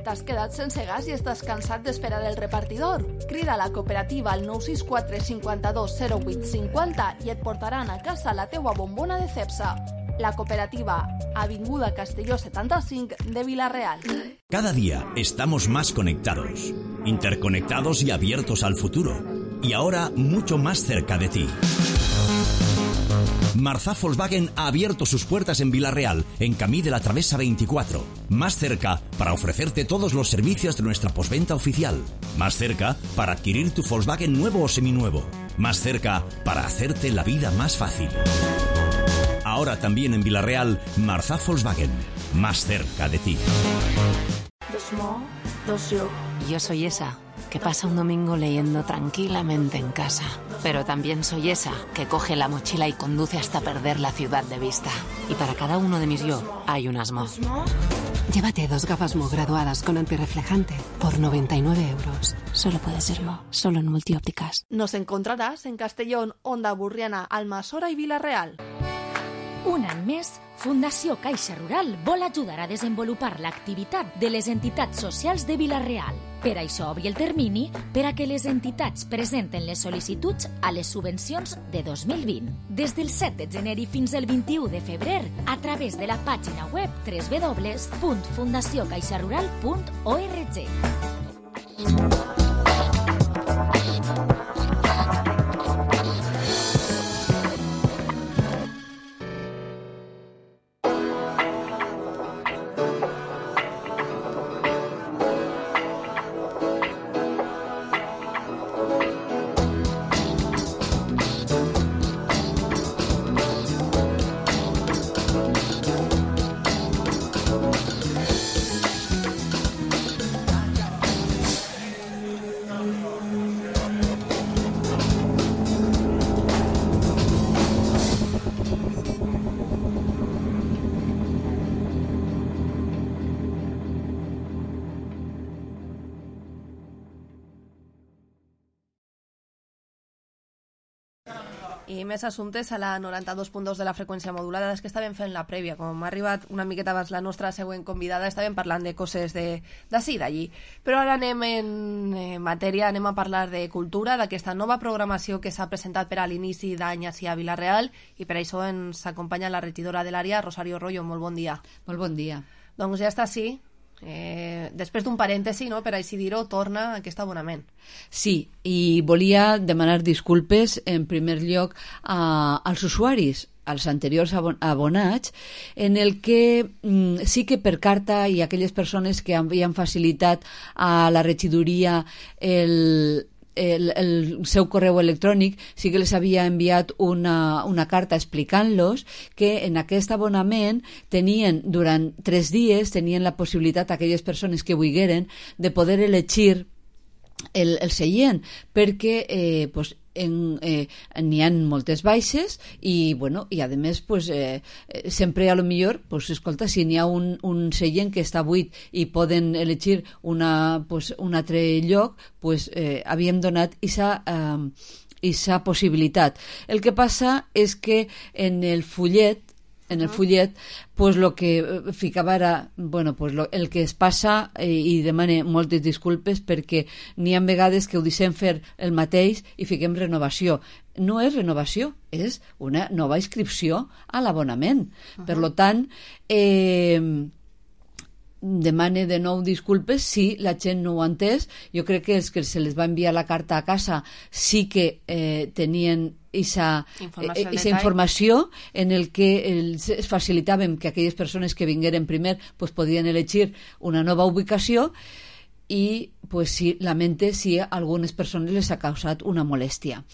T'has quedat sense gas i estàs cansat d'esperar el repartidor? Crida a la cooperativa al nou sis quatre cinquanta-dos zero vuit cinquanta i et portaran a casa la teua bombona de Cepsa. La cooperativa, Avinguda Castelló setanta-cinc de Vila-real. Cada día estamos más conectados, interconectados y abiertos al futuro. Y ahora mucho más cerca de ti. Marzá Volkswagen ha abierto sus puertas en Vila-real, en Camí de la Travesa veinticuatro. Más cerca para ofrecerte todos los servicios de nuestra postventa oficial. Más cerca para adquirir tu Volkswagen nuevo o seminuevo. Más cerca para hacerte la vida más fácil. Ahora también en Vila-real, Marzá Volkswagen. Más cerca de ti. Yo soy esa que pasa un domingo leyendo tranquilamente en casa. Pero también soy esa que coge la mochila y conduce hasta perder la ciudad de vista. Y para cada uno de mis yo hay un Asmo. Llévate dos gafas Mo graduadas con antirreflejante por noventa y nueve euros. Solo puede ser Mo, solo en Multiópticas. Nos encontrarás en Castellón, Onda Burriana, Almassora i Vila-real. Un any més, Fundació Caixa Rural vol ajudar a desenvolupar l'activitat de les entitats socials de Vila-real. Per això obri el termini per a que les entitats presenten les sol·licituds a les subvencions de dos mil vint. Des del set de gener i fins al vint-i-u de febrer, a través de la pàgina web doble u doble u doble u punt fundació caixa rural punt org. I més assumptes a la noranta-dos punt dos de la freqüència modulada. És que estàvem fent la prèvia, com m'ha arribat una miqueta abans la nostra següent convidada, estàvem parlant de coses d'ací, d'allí. Però ara anem en eh, matèria, anem a parlar de cultura, d'aquesta nova programació que s'ha presentat per a l'inici d'any ací a Vila-real, i per això ens acompanya la regidora de l'àrea, Rosario Rollo. Molt bon dia. Molt bon dia. Doncs ja està així. Eh, després d'un parèntesi, no, per així dir-ho, torna aquest abonament. Sí, i volia demanar disculpes en primer lloc a, als usuaris, als anteriors abonats, en el que mm, sí que per carta i aquelles persones que havien facilitat a la regidoria el El, el seu correu electrònic, sí que les havia enviat una, una carta explicant-los que en aquest abonament tenien durant tres dies tenien la possibilitat aquelles persones que volgueren de poder elegir el, el seient, perquè eh, pues, en, eh, n'hi ha moltes baixes i, bueno, i a més pues, eh, sempre a lo millor pues, escolta, si n'hi ha un, un seient que està buit i poden elegir una, pues, un altre lloc, pues, eh, havíem donat aquesta eh, possibilitat. El que passa és que en el fullet en el fullet, pues lo que ficava era, bueno, pues lo, el que es passa, eh, i demane moltes disculpes perquè n'hi ha vegades que ho deixem fer el mateix i fiquem renovació. No és renovació, és una nova inscripció a l'abonament. Uh-huh. Per lo tant, eh, demane de nou disculpes si la gent no ho ha entès. Jo crec que els que se les va enviar la carta a casa sí que eh, tenien Esa informació, eh, esa informació en el que els facilitàvem que aquelles persones que vingueren primer pues, podien elegir una nova ubicació i pues, sí, lamente si a algunes persones les ha causat una molèstia.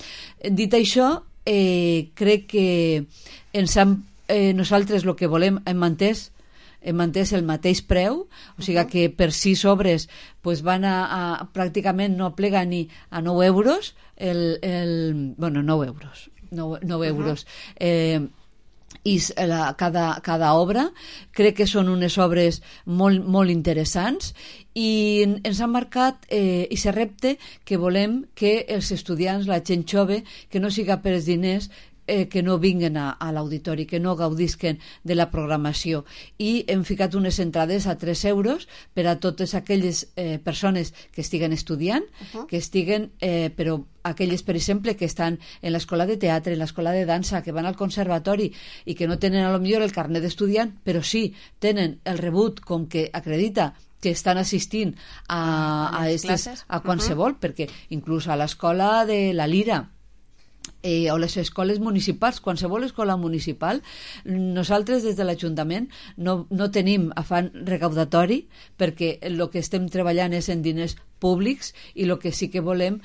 Dit això, eh, crec que ens han, eh, nosaltres el que volem hem entès hem entès el mateix preu, o sigui uh-huh. que per sis obres pues van a, a pràcticament no plega ni a nou euros, el, el, bueno, nou euros, nou, nou uh-huh. euros. Eh, i la, cada, cada obra crec que són unes obres molt, molt interessants i ens han marcat eh, i se repte que volem que els estudiants, la gent jove, que no siga per els diners, eh, que no vinguen a, a l'auditori, que no gaudisquen de la programació, i hem ficat unes entrades a tres euros per a totes aquelles eh, persones que estiguen estudiant, uh-huh. que estiguen, eh, però aquelles, per exemple, que estan en l'escola de teatre, en l'escola de dansa, que van al conservatori i que no tenen a lo millor el carnet d'estudiant, però sí tenen el rebut com que acredita que estan assistint a, a, estes, a qualsevol, uh-huh. perquè inclús a l'escola de la Lira, Eh, o les escoles municipals, qualsevol escola municipal, nosaltres des de l'Ajuntament no, no tenim afany recaudatori, perquè el que estem treballant és en diners públics i el que sí que volem,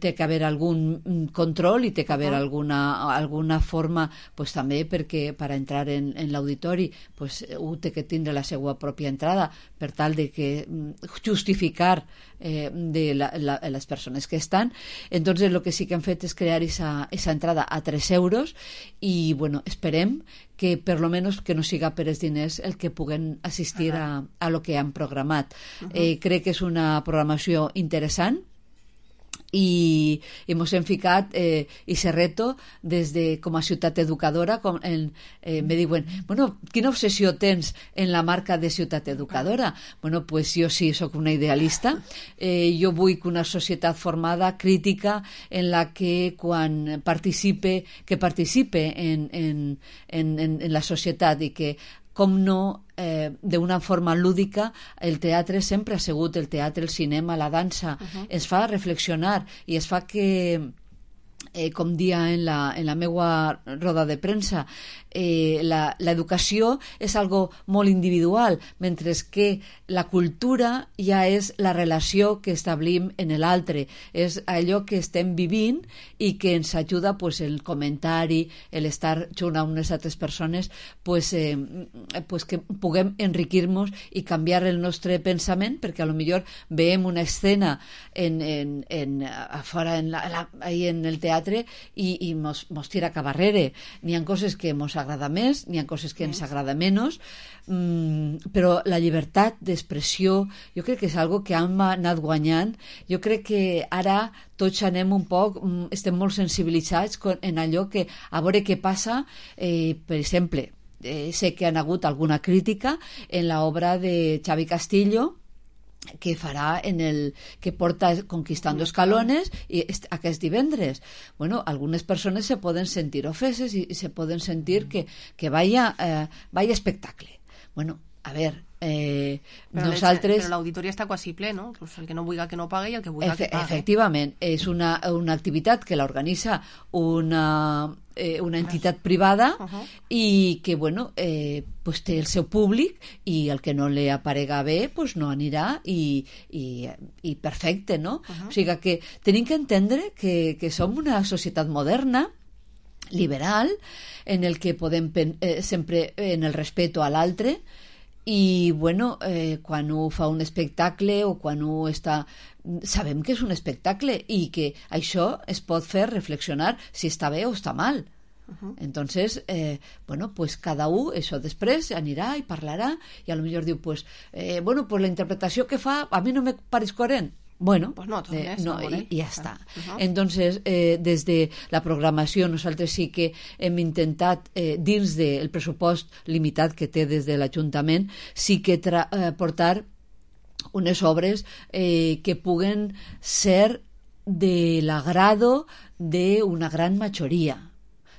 té que haver algun control i té que haver alguna, alguna forma pues, també perquè per entrar en, en l'auditori pues, ho té que tindre la seva pròpia entrada per tal de que justificar eh, de la, la, les persones que estan. Entonces el que sí que han fet és crear esa, esa entrada a tres euros i bueno, esperem que per lo menos que no siga per els diners el que puguen assistir uh-huh. a, a lo que han programat. Uh-huh. Eh, crec que és una programació interessant i, i mos hem ficat eh, i se reto des de com a ciutat educadora com en, eh, me diuen, bueno, quina obsessió tens en la marca de ciutat educadora? Bueno, pues jo sí sóc una idealista, eh, jo vull que una societat formada, crítica, en la que quan participe, que participe en, en, en, en la societat i que com no, eh, d'una forma lúdica, el teatre sempre ha sigut el teatre, el cinema, la dansa, uh-huh. es fa reflexionar i es fa que, eh, com dia en la, en la meua roda de premsa, eh, l'educació és algo molt individual, mentre que la cultura ja és la relació que establim en l'altre, és allò que estem vivint i que ens ajuda pues, el comentari, l'estar junt a unes altres persones, pues, eh, pues que puguem enriquir-nos i canviar el nostre pensament, perquè a lo millor veiem una escena en, en, en, a fora en, la, la, ahí en el teatre i, i mos, mos tira cap arrere. N'hi ha coses que mos agrada més, n'hi ha coses que ens agrada menys, mm, però la llibertat d'expressió jo crec que és algo que hem anat guanyant. Jo crec que ara tots anem un poc, estem molt sensibilitzats en allò que, a veure què passa, eh, per exemple, eh, sé que han hagut alguna crítica en l'obra de Xavi Castillo, que farà en el que porta Conquistando Escalones i aquest divendres. Bueno, algunes persones se poden sentir ofeses i, i se poden sentir que, que vaya, eh, vaya espectacle. Bueno, a ver, eh, però nosaltres... Però l'auditori està quasi ple, no? Pues el que no vulgui que no pagui i el que vulgui Efe, que pagui. Efectivament, és una, una activitat que l'organitza una, eh, una entitat privada uh-huh. i que, bueno, eh, pues té el seu públic i el que no li aparega bé pues no anirà i, i, i perfecte, no? Uh-huh. O sigui que tenim que entendre que, que som una societat moderna, liberal, en el que podem eh, sempre en el respeto a l'altre i bueno, eh, quan un fa un espectacle o quan un està, sabem que és un espectacle i que això es pot fer reflexionar si està bé o està mal. Uh-huh. Entonces, eh, bueno, pues cada un això després anirà i parlarà i a lo millor diu, pues, eh, bueno, pues la interpretació que fa a mi no me pareix coherent. Bueno, pues no, eh, no, i, i ja està. Uh-huh. Entonces, eh, des de la programació nosaltres sí que hem intentat, eh, dins del pressupost limitat que té des de l'Ajuntament, sí que tra- eh, portar unes obres eh, que puguen ser de l'agrado d'una gran majoria.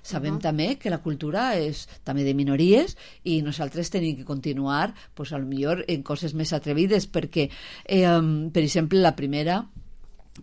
Sabem uh-huh. també que la cultura és també de minories i nosaltres tenim que continuar pues, a lo millor en coses més atrevides perquè, eh, per exemple, la primera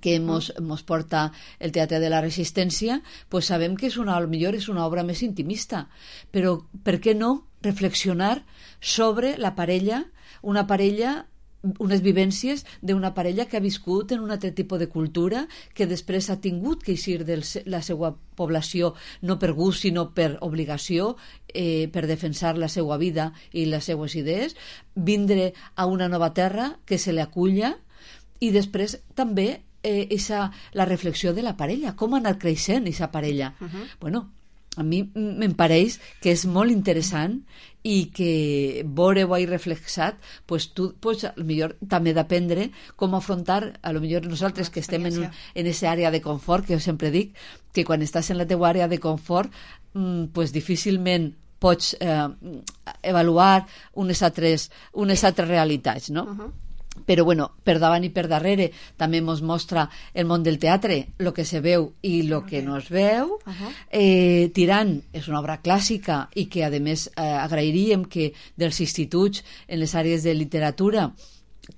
que mos, mos porta el Teatre de la Resistència, pues sabem que és una, a lo millor és una obra més intimista, però per què no reflexionar sobre la parella, una parella unes vivències d'una parella que ha viscut en un altre tipus de cultura, que després ha tingut que eixir de la seva població no per gust sinó per obligació, eh, per defensar la seva vida i les seues idees, vindre a una nova terra que se li aculla, i després també eh, esa, la reflexió de la parella, com ha anat creixent aquesta parella. Uh-huh. Bueno, a mi me'n pareix que és molt interessant i que veure-ho ahí reflexat, pues tu pues, a lo millor també d'aprendre com afrontar, a lo millor nosaltres que estem en, un, en esa àrea de confort, que jo sempre dic que quan estàs en la teua àrea de confort mm, pues difícilment pots eh, avaluar unes altres, unes altres realitats, no? Uh-huh. Però bueno, per davant i per darrere també ens mostra el món del teatre, el que se veu i el okay. que no es veu. Uh-huh. eh, Tirant és una obra clàssica i que a més eh, agrairíem que dels instituts en les àrees de literatura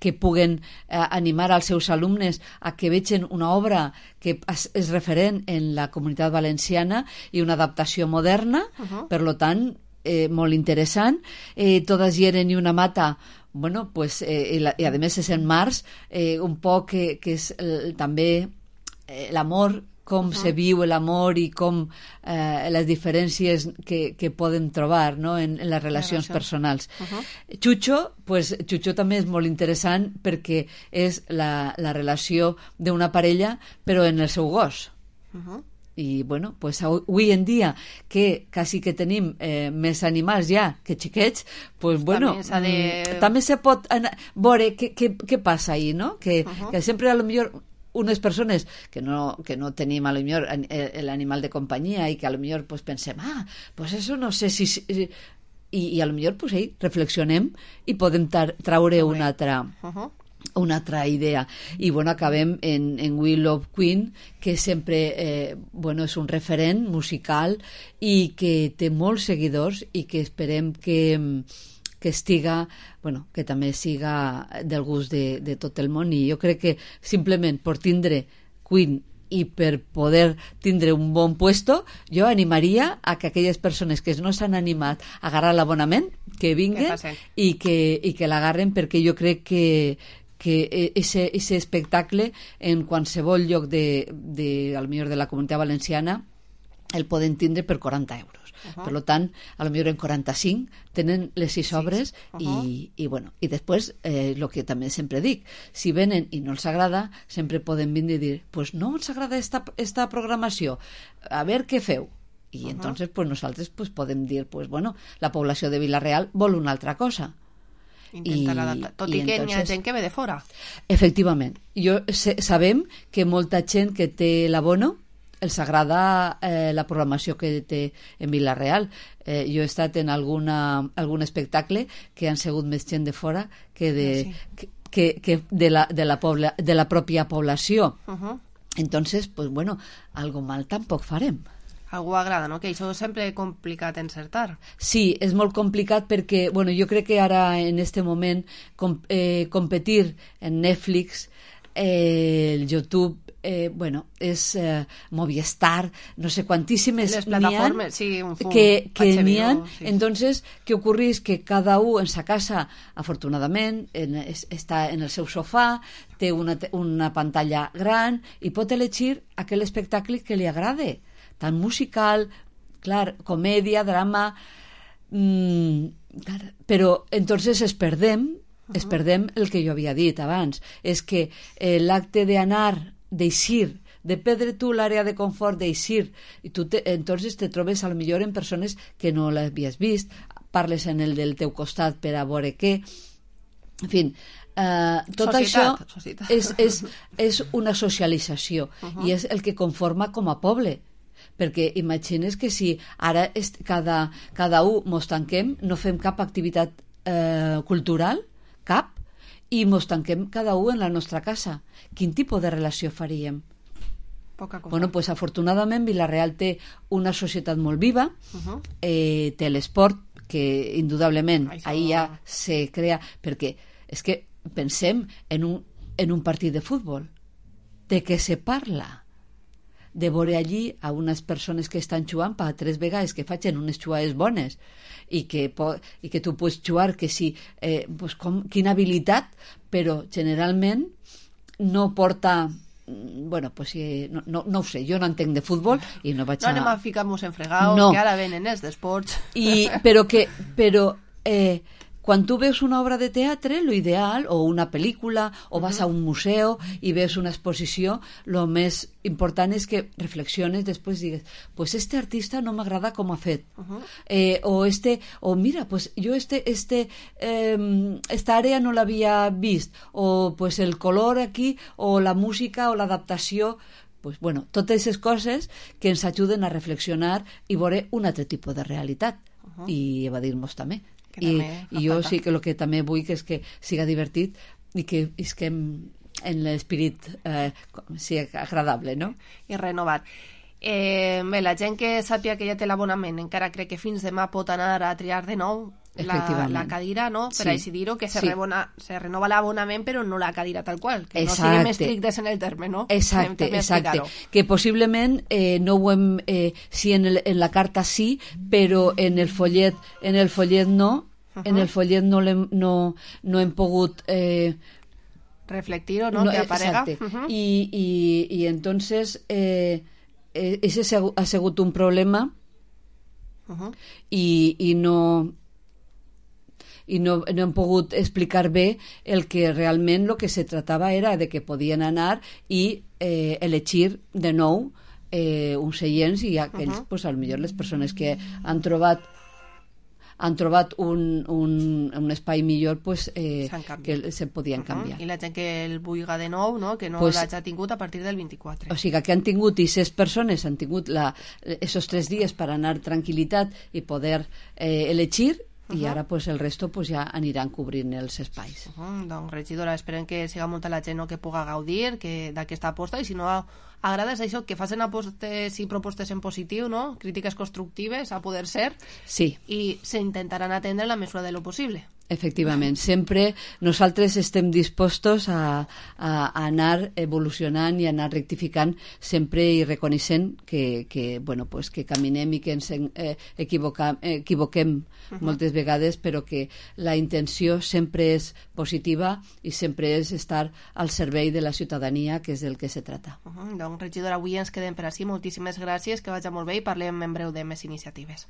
que puguen eh, animar als seus alumnes a que vegin una obra que és, és referent en la comunitat valenciana i una adaptació moderna, uh-huh. per lo tant eh, molt interessant. eh, Todas hieren i una mata. Bueno, pues, eh, i, la, i a més és en març, eh, un poc que, que és el, també eh, l'amor, com uh-huh. se viu l'amor i com eh, les diferències que, que podem trobar, no? en, en les relacions Relació. personals. Uh-huh. Chucho, pues, Chucho també és molt interessant perquè és la, la relació d'una parella però en el seu gos. Uh-huh. I bueno, pues avui en dia que quasi que tenim eh, més animals ja que xiquets, pues bueno també, de... també se pot anar, veure què, què, què passa ahí, no? Que, uh-huh. que sempre a lo millor unes persones que no, que no tenim a lo millor l'animal de companyia i que a lo millor pues, pensem, ah, pues eso no sé si... si i, i a lo millor pues, ahí reflexionem i podem tar, traure una altra... Uh-huh. una altra idea. I bueno, acabem en, en Will of Queen, que sempre eh, bueno, és un referent musical i que té molts seguidors i que esperem que, que estiga, bueno, que també siga del gust de, de tot el món. I jo crec que simplement per tindre Queen i per poder tindre un bon puesto, jo animaria a que aquelles persones que no s'han animat a agarrar l'abonament, que vinguen i que, i que l'agarren, perquè jo crec que que ese, ese espectacle en qualsevol lloc de, de, al millor de la comunitat valenciana el poden tindre per quaranta euros. Uh-huh. Per tant, a lo millor en quaranta-cinc tenen les sis obres sí. uh-huh. i, i, bueno, i després, el eh, que també sempre dic, si venen i no els agrada, sempre poden vindre i dir, pues no ens agrada esta, esta programació, a veure què feu. I uh-huh. entonces pues, nosaltres pues, podem dir, pues, bueno, la població de Vila-real vol una altra cosa. Intentar adaptar, tot i, i que entonces, n'hi ha gent que ve de fora. Efectivament. Jo sé, sabem que molta gent que té l'abono els agrada eh, la programació que té en Vila-real. Eh, jo he estat en alguna, algun espectacle que han sigut més gent de fora que de, sí. que, que, que de, la, de, la pobla, de la pròpia població. Uh-huh. Entonces, pues bueno, algo mal tampoc farem. Algú agrada, no? Que això és sempre complicat encertar. Sí, és molt complicat perquè, bueno, jo crec que ara en este moment com, eh, competir en Netflix, eh, el YouTube, eh, bueno, és eh, Movistar, no sé quantíssimes les plataformes, sí, un fum, que, que n'hi ha. Sí. Entonces, què ocorrís? Que cada un en sa casa, afortunadament, en, es, està en el seu sofà, té una, una pantalla gran i pot elegir aquell espectacle que li agrade, tant musical, clar, comèdia, drama, mmm, clar, però entonces es perdem, uh-huh. es perdem el que jo havia dit abans, és que eh, l'acte d'anar, d'eixir, de perdre tu l'àrea de confort, d'eixir, i tu te, entonces te trobes a lo millor en persones que no l'havies vist, parles en el del teu costat per a veure què, en fi, Uh, tot societat, això societat. És, és, és una socialització uh-huh. i és el que conforma com a poble, perquè imagines que si ara est, cada, cada un mos tanquem, no fem cap activitat eh, cultural, cap, i mos tanquem cada un en la nostra casa, quin tipus de relació faríem? Poca cosa. Bueno, pues afortunadament Vila-real té una societat molt viva, uh-huh. eh, té l'esport que indudablement Això... ahir ja se crea, perquè és que pensem en un, en un partit de futbol, de què se parla? de veure allí a unes persones que estan jugant per tres vegades que facin unes jugades bones i que, po i que tu pots jugar que sí, eh, pues com, quina habilitat, però generalment no porta... Bueno, pues sí, no, no, no ho sé, jo no entenc de futbol i no vaig a... No anem a ficar-nos en fregados, no. Que ara venen els d'esports. I, però que... Però, eh, quan tu veus una obra de teatre, lo ideal, o una pel·lícula, o vas a un museu i veus una exposició, lo més important és que reflexiones després i digues, pues este artista no m'agrada com ha fet. Uh-huh. eh, o este, o mira, pues jo este, este, eh, esta àrea no l'havia vist, o pues el color aquí, o la música, o l'adaptació, pues bueno, totes aquestes coses que ens ajuden a reflexionar i veure un altre tipus de realitat. Uh-huh. I evadir-nos també. I, i jo sí que el que també vull que és que siga divertit i que isquem en l'esperit eh, sigui agradable, no? I renovat. Eh, bé, la gent que sàpiga que ja té l'abonament encara crec que fins demà pot anar a triar de nou la, la cadira, no? Per sí. Així dir-ho, que se, sí. rebona, se renova l'abonament però no la cadira tal qual, que exacte. No siguem estrictes en el terme, no? Exacte, exacte. Que possiblement eh, no ho hem, eh, sí en, el, en la carta sí, però en el follet, en el follet no, uh-huh. En el follet no, hem, no, no hem pogut... Eh, reflectir-ho, no? no? Que aparega. Uh-huh. I, i, i entonces eh, eh, ese ha sigut un problema uh-huh. i, i no... i no, no hem pogut explicar bé el que realment el que se tratava era de que podien anar i eh, elegir de nou eh, uns seients i aquells, uh-huh. pues, potser les persones que han trobat han trobat un, un, un espai millor, pues, eh, que se podien canviar. Uh-huh. I la gent que el vulga de nou, no? Que no pues, l'hagi tingut a partir del vint-i-quatre. O sigui, que han tingut, i ses persones han tingut la, esos tres dies per anar tranquil·litat i poder eh, elegir. Uh-huh. I ara pues, el resto pues, ja aniran cobrint els espais. Uh-huh. Doncs, regidora, esperem que siga molta la gent no, que puga gaudir d'aquesta aposta i si no agrades això, que facin apostes i propostes en positiu, no? Crítiques constructives, a poder ser, sí. I s'intentaran atendre la mesura de lo possible. Efectivament, sempre nosaltres estem dispostos a, a, a anar evolucionant i a anar rectificant sempre i reconeixent que, que, bueno, pues que caminem i que ens eh, equivoca, equivoquem uh-huh. moltes vegades, però que la intenció sempre és positiva i sempre és estar al servei de la ciutadania, que és del que se trata. Uh-huh. Doncs, regidora, avui ens quedem per així. Moltíssimes gràcies, que vagi molt bé i parlem en breu de més iniciatives.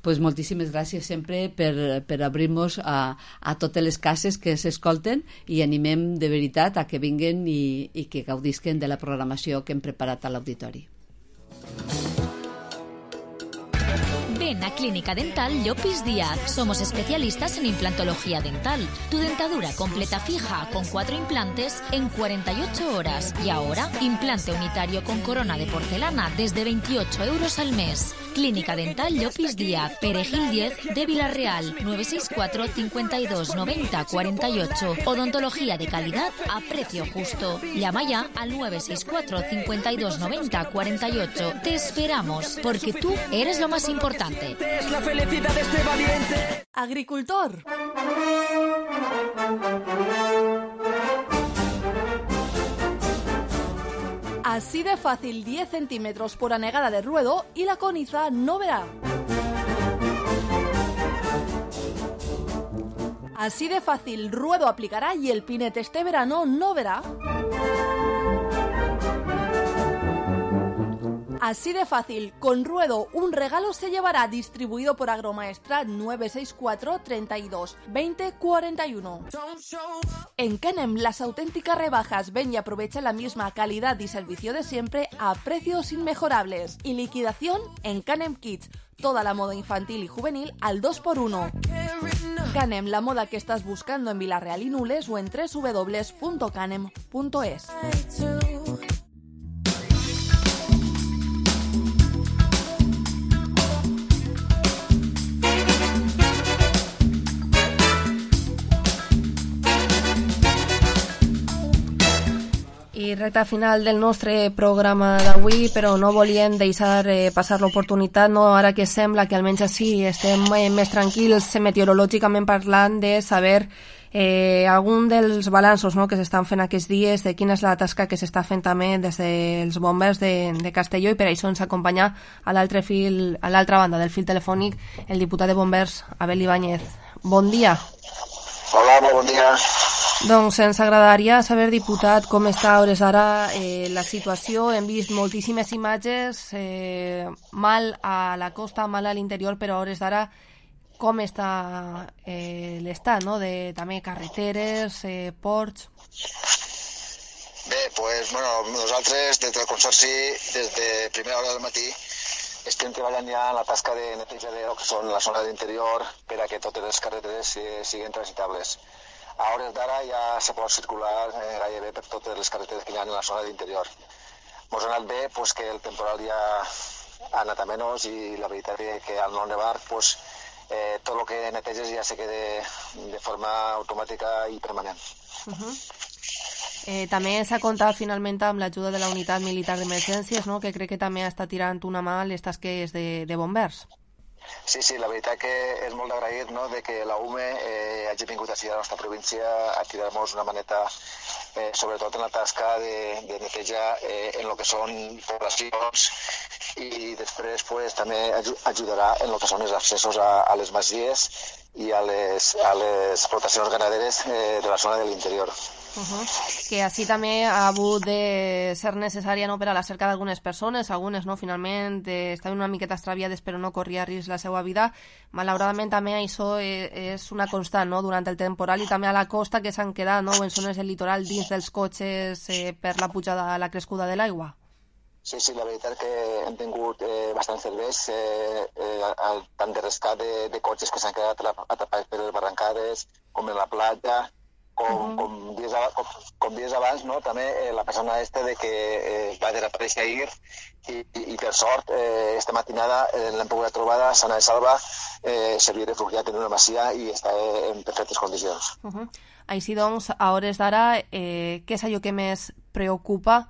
Pues moltíssimes gràcies sempre per, per obrir-nos a, a totes les cases que s'escolten i animem de veritat a que vinguen i, i que gaudisquen de la programació que hem preparat a l'auditori. Ven a Clínica Dental Llopis Díaz. Somos especialistas en implantología dental. Tu dentadura completa fija con cuatro implantes en cuarenta y ocho horas. Y ahora, implante unitario con corona de porcelana desde veintiocho euros al mes. Clínica Dental Llopis Díaz, Perejil diez de Villarreal, nueve seis cuatro, cincuenta y dos, noventa, cuarenta y ocho. Odontología de calidad a precio justo. Llama ya al nueve seis cuatro, cincuenta y dos, noventa, cuarenta y ocho. Te esperamos, porque tú eres lo más importante. Es la felicidad de este valiente. Agricultor. Así de fácil, diez centímetros por anegada de ruedo y la coniza no verá. Así de fácil, ruedo aplicará y el pinete este verano no verá. Así de fácil, con Ruedo un regalo se llevará, distribuido por Agromaestrat nueve seis cuatro, treinta y dos, veinte, cuarenta y uno. En Canem, las auténticas rebajas. Ven y aprovecha la misma calidad y servicio de siempre a precios inmejorables. Y liquidación en Canem Kids. Toda la moda infantil y juvenil al dos por uno. Canem, la moda que estás buscando en Villarreal y Nules o en doble u doble u doble u punto canem punto es. I I recta final del nostre programa d'avui, però no volien deixar eh, passar l'oportunitat, no, ara que sembla que almenys així estem eh, més tranquils meteorològicament parlant, de saber eh, algun dels balanços, no, que s'estan fent aquests dies, de quina és la tasca que s'està fent també des dels bombers de, de Castelló, i per això ens acompanya a l'altre fil, a l'altra banda del fil telefònic, el diputat de bombers, Abel Ibáñez. Bon dia. Hola, molt bon dia. Doncs ens agradaria saber, diputat, com està a hores d'ara eh, la situació. Hem vist moltíssimes imatges, eh, mal a la costa, mal a l'interior, però a hores d'ara com està eh, l'estat, no?, de també carreteres, eh, ports... Bé, doncs, bueno, nosaltres, des del Consorci, des de primera hora del matí, estem treballant ja en la tasca de neteja de lo que són la zona d'interior per a que totes les carreteres eh, siguin transitables. A hores d'ara ja se pot circular eh, gairebé per totes les carreteres que hi ha en la zona d'interior. Ens ha anat bé pues, que el temporal ja ha anat a menys i la veritat és que al no nevar pues, eh, tot el que neteges ja se queda de forma automàtica i permanent. Uh -huh. eh, també s'ha comptat finalment amb l'ajuda de la unitat militar d'emergències, no?, que crec que també està tirant una mà a les tasques de, de bombers. Sí, sí, la veritat que és molt d'agrair, no?, de que la U M E eh, hagi vingut així a la nostra província a tirar-nos una maneta, eh, sobretot en la tasca de, de neteja eh, en el que són poblacions, i després pues, també ajudarà en el que són els accessos a, a les masies i a les, a les explotacions ganaderes eh, de la zona de l'interior. Uh -huh. Que així també ha hagut de ser necessària, no?, per a la cerca d'algunes persones, algunes, no?, finalment eh, estaven una miqueta extraviades però no corria risc la seva vida. Malauradament també això eh, és una constant, no?, durant el temporal, i també a la costa, que s'han quedat, no?, en zones del litoral dins dels cotxes eh, per la pujada, la crescuda de l'aigua. Sí, sí, la veritat és que hem tingut eh, bastants serveis, eh, eh, tant de rescat de, de cotxes que s'han quedat atrapats per les barrancades, com en la platja, com, uh -huh. com, dies, com, com dies abans, no?, també eh, la persona este de que eh, va desaparèixer ahir i, i, i per sort eh, esta matinada eh, l'hem pogut trobar sana i salva, eh, s'havia refugiat en una masia i està eh, en perfectes condicions. Uh -huh. Així doncs, a hores d'ara, eh, què és allò que més preocupa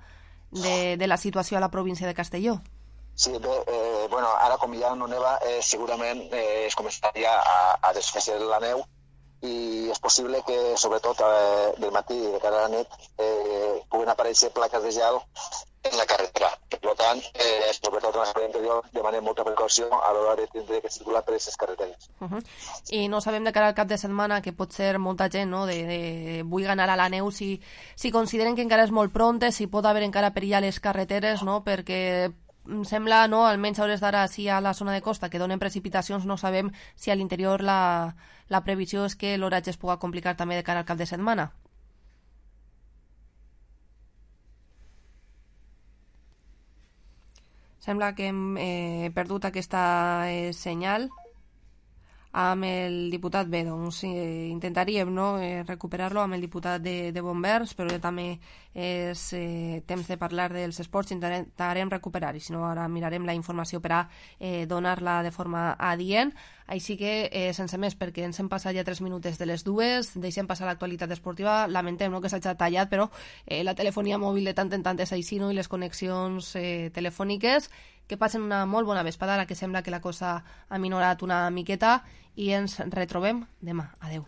de, de la situació a la província de Castelló? Sí, bé, eh, bueno, ara com ja no neva, eh, segurament eh, es començaria a, a desfer la neu, i és possible que, sobretot, eh, del matí i de cara a la nit, eh, puguin aparèixer plaques de gel en la carretera. Per tant, eh, sobretot en la zona interior, demanem molta precaució a l'hora de tindre que circular per aquestes carreteres. Uh -huh. I no sabem de cara al cap de setmana, que pot ser molta gent, no?, de, de vull anar a la neu, si, si consideren que encara és molt pronte, si pot haver encara perill a les carreteres, no?, perquè sembla, no?, almenys a hores d'ara, sí, a la zona de costa, que donen precipitacions, no sabem si a l'interior la, la previsió és que l'oratge es pugui complicar també de cara al cap de setmana. Sembla que hem eh, perdut aquesta eh, senyal amb el diputat. Bé, doncs eh, intentaríem, no?, eh, recuperar-lo amb el diputat de, de bombers, però ja també és eh, temps de parlar dels esports, intentarem recuperar, i si no ara mirarem la informació per a eh, donar-la de forma adient. Així que, eh, sense més, perquè ens hem passat ja tres minuts de les dues, deixem passar l'actualitat esportiva, lamentem, no?, que s'hagi tallat, però eh, la telefonia mòbil de tant en tant és així, no?, i les connexions eh, telefòniques. Que passen una molt bona vesprada, ara que sembla que la cosa ha minorat una miqueta, i ens retrobem demà. Adeu.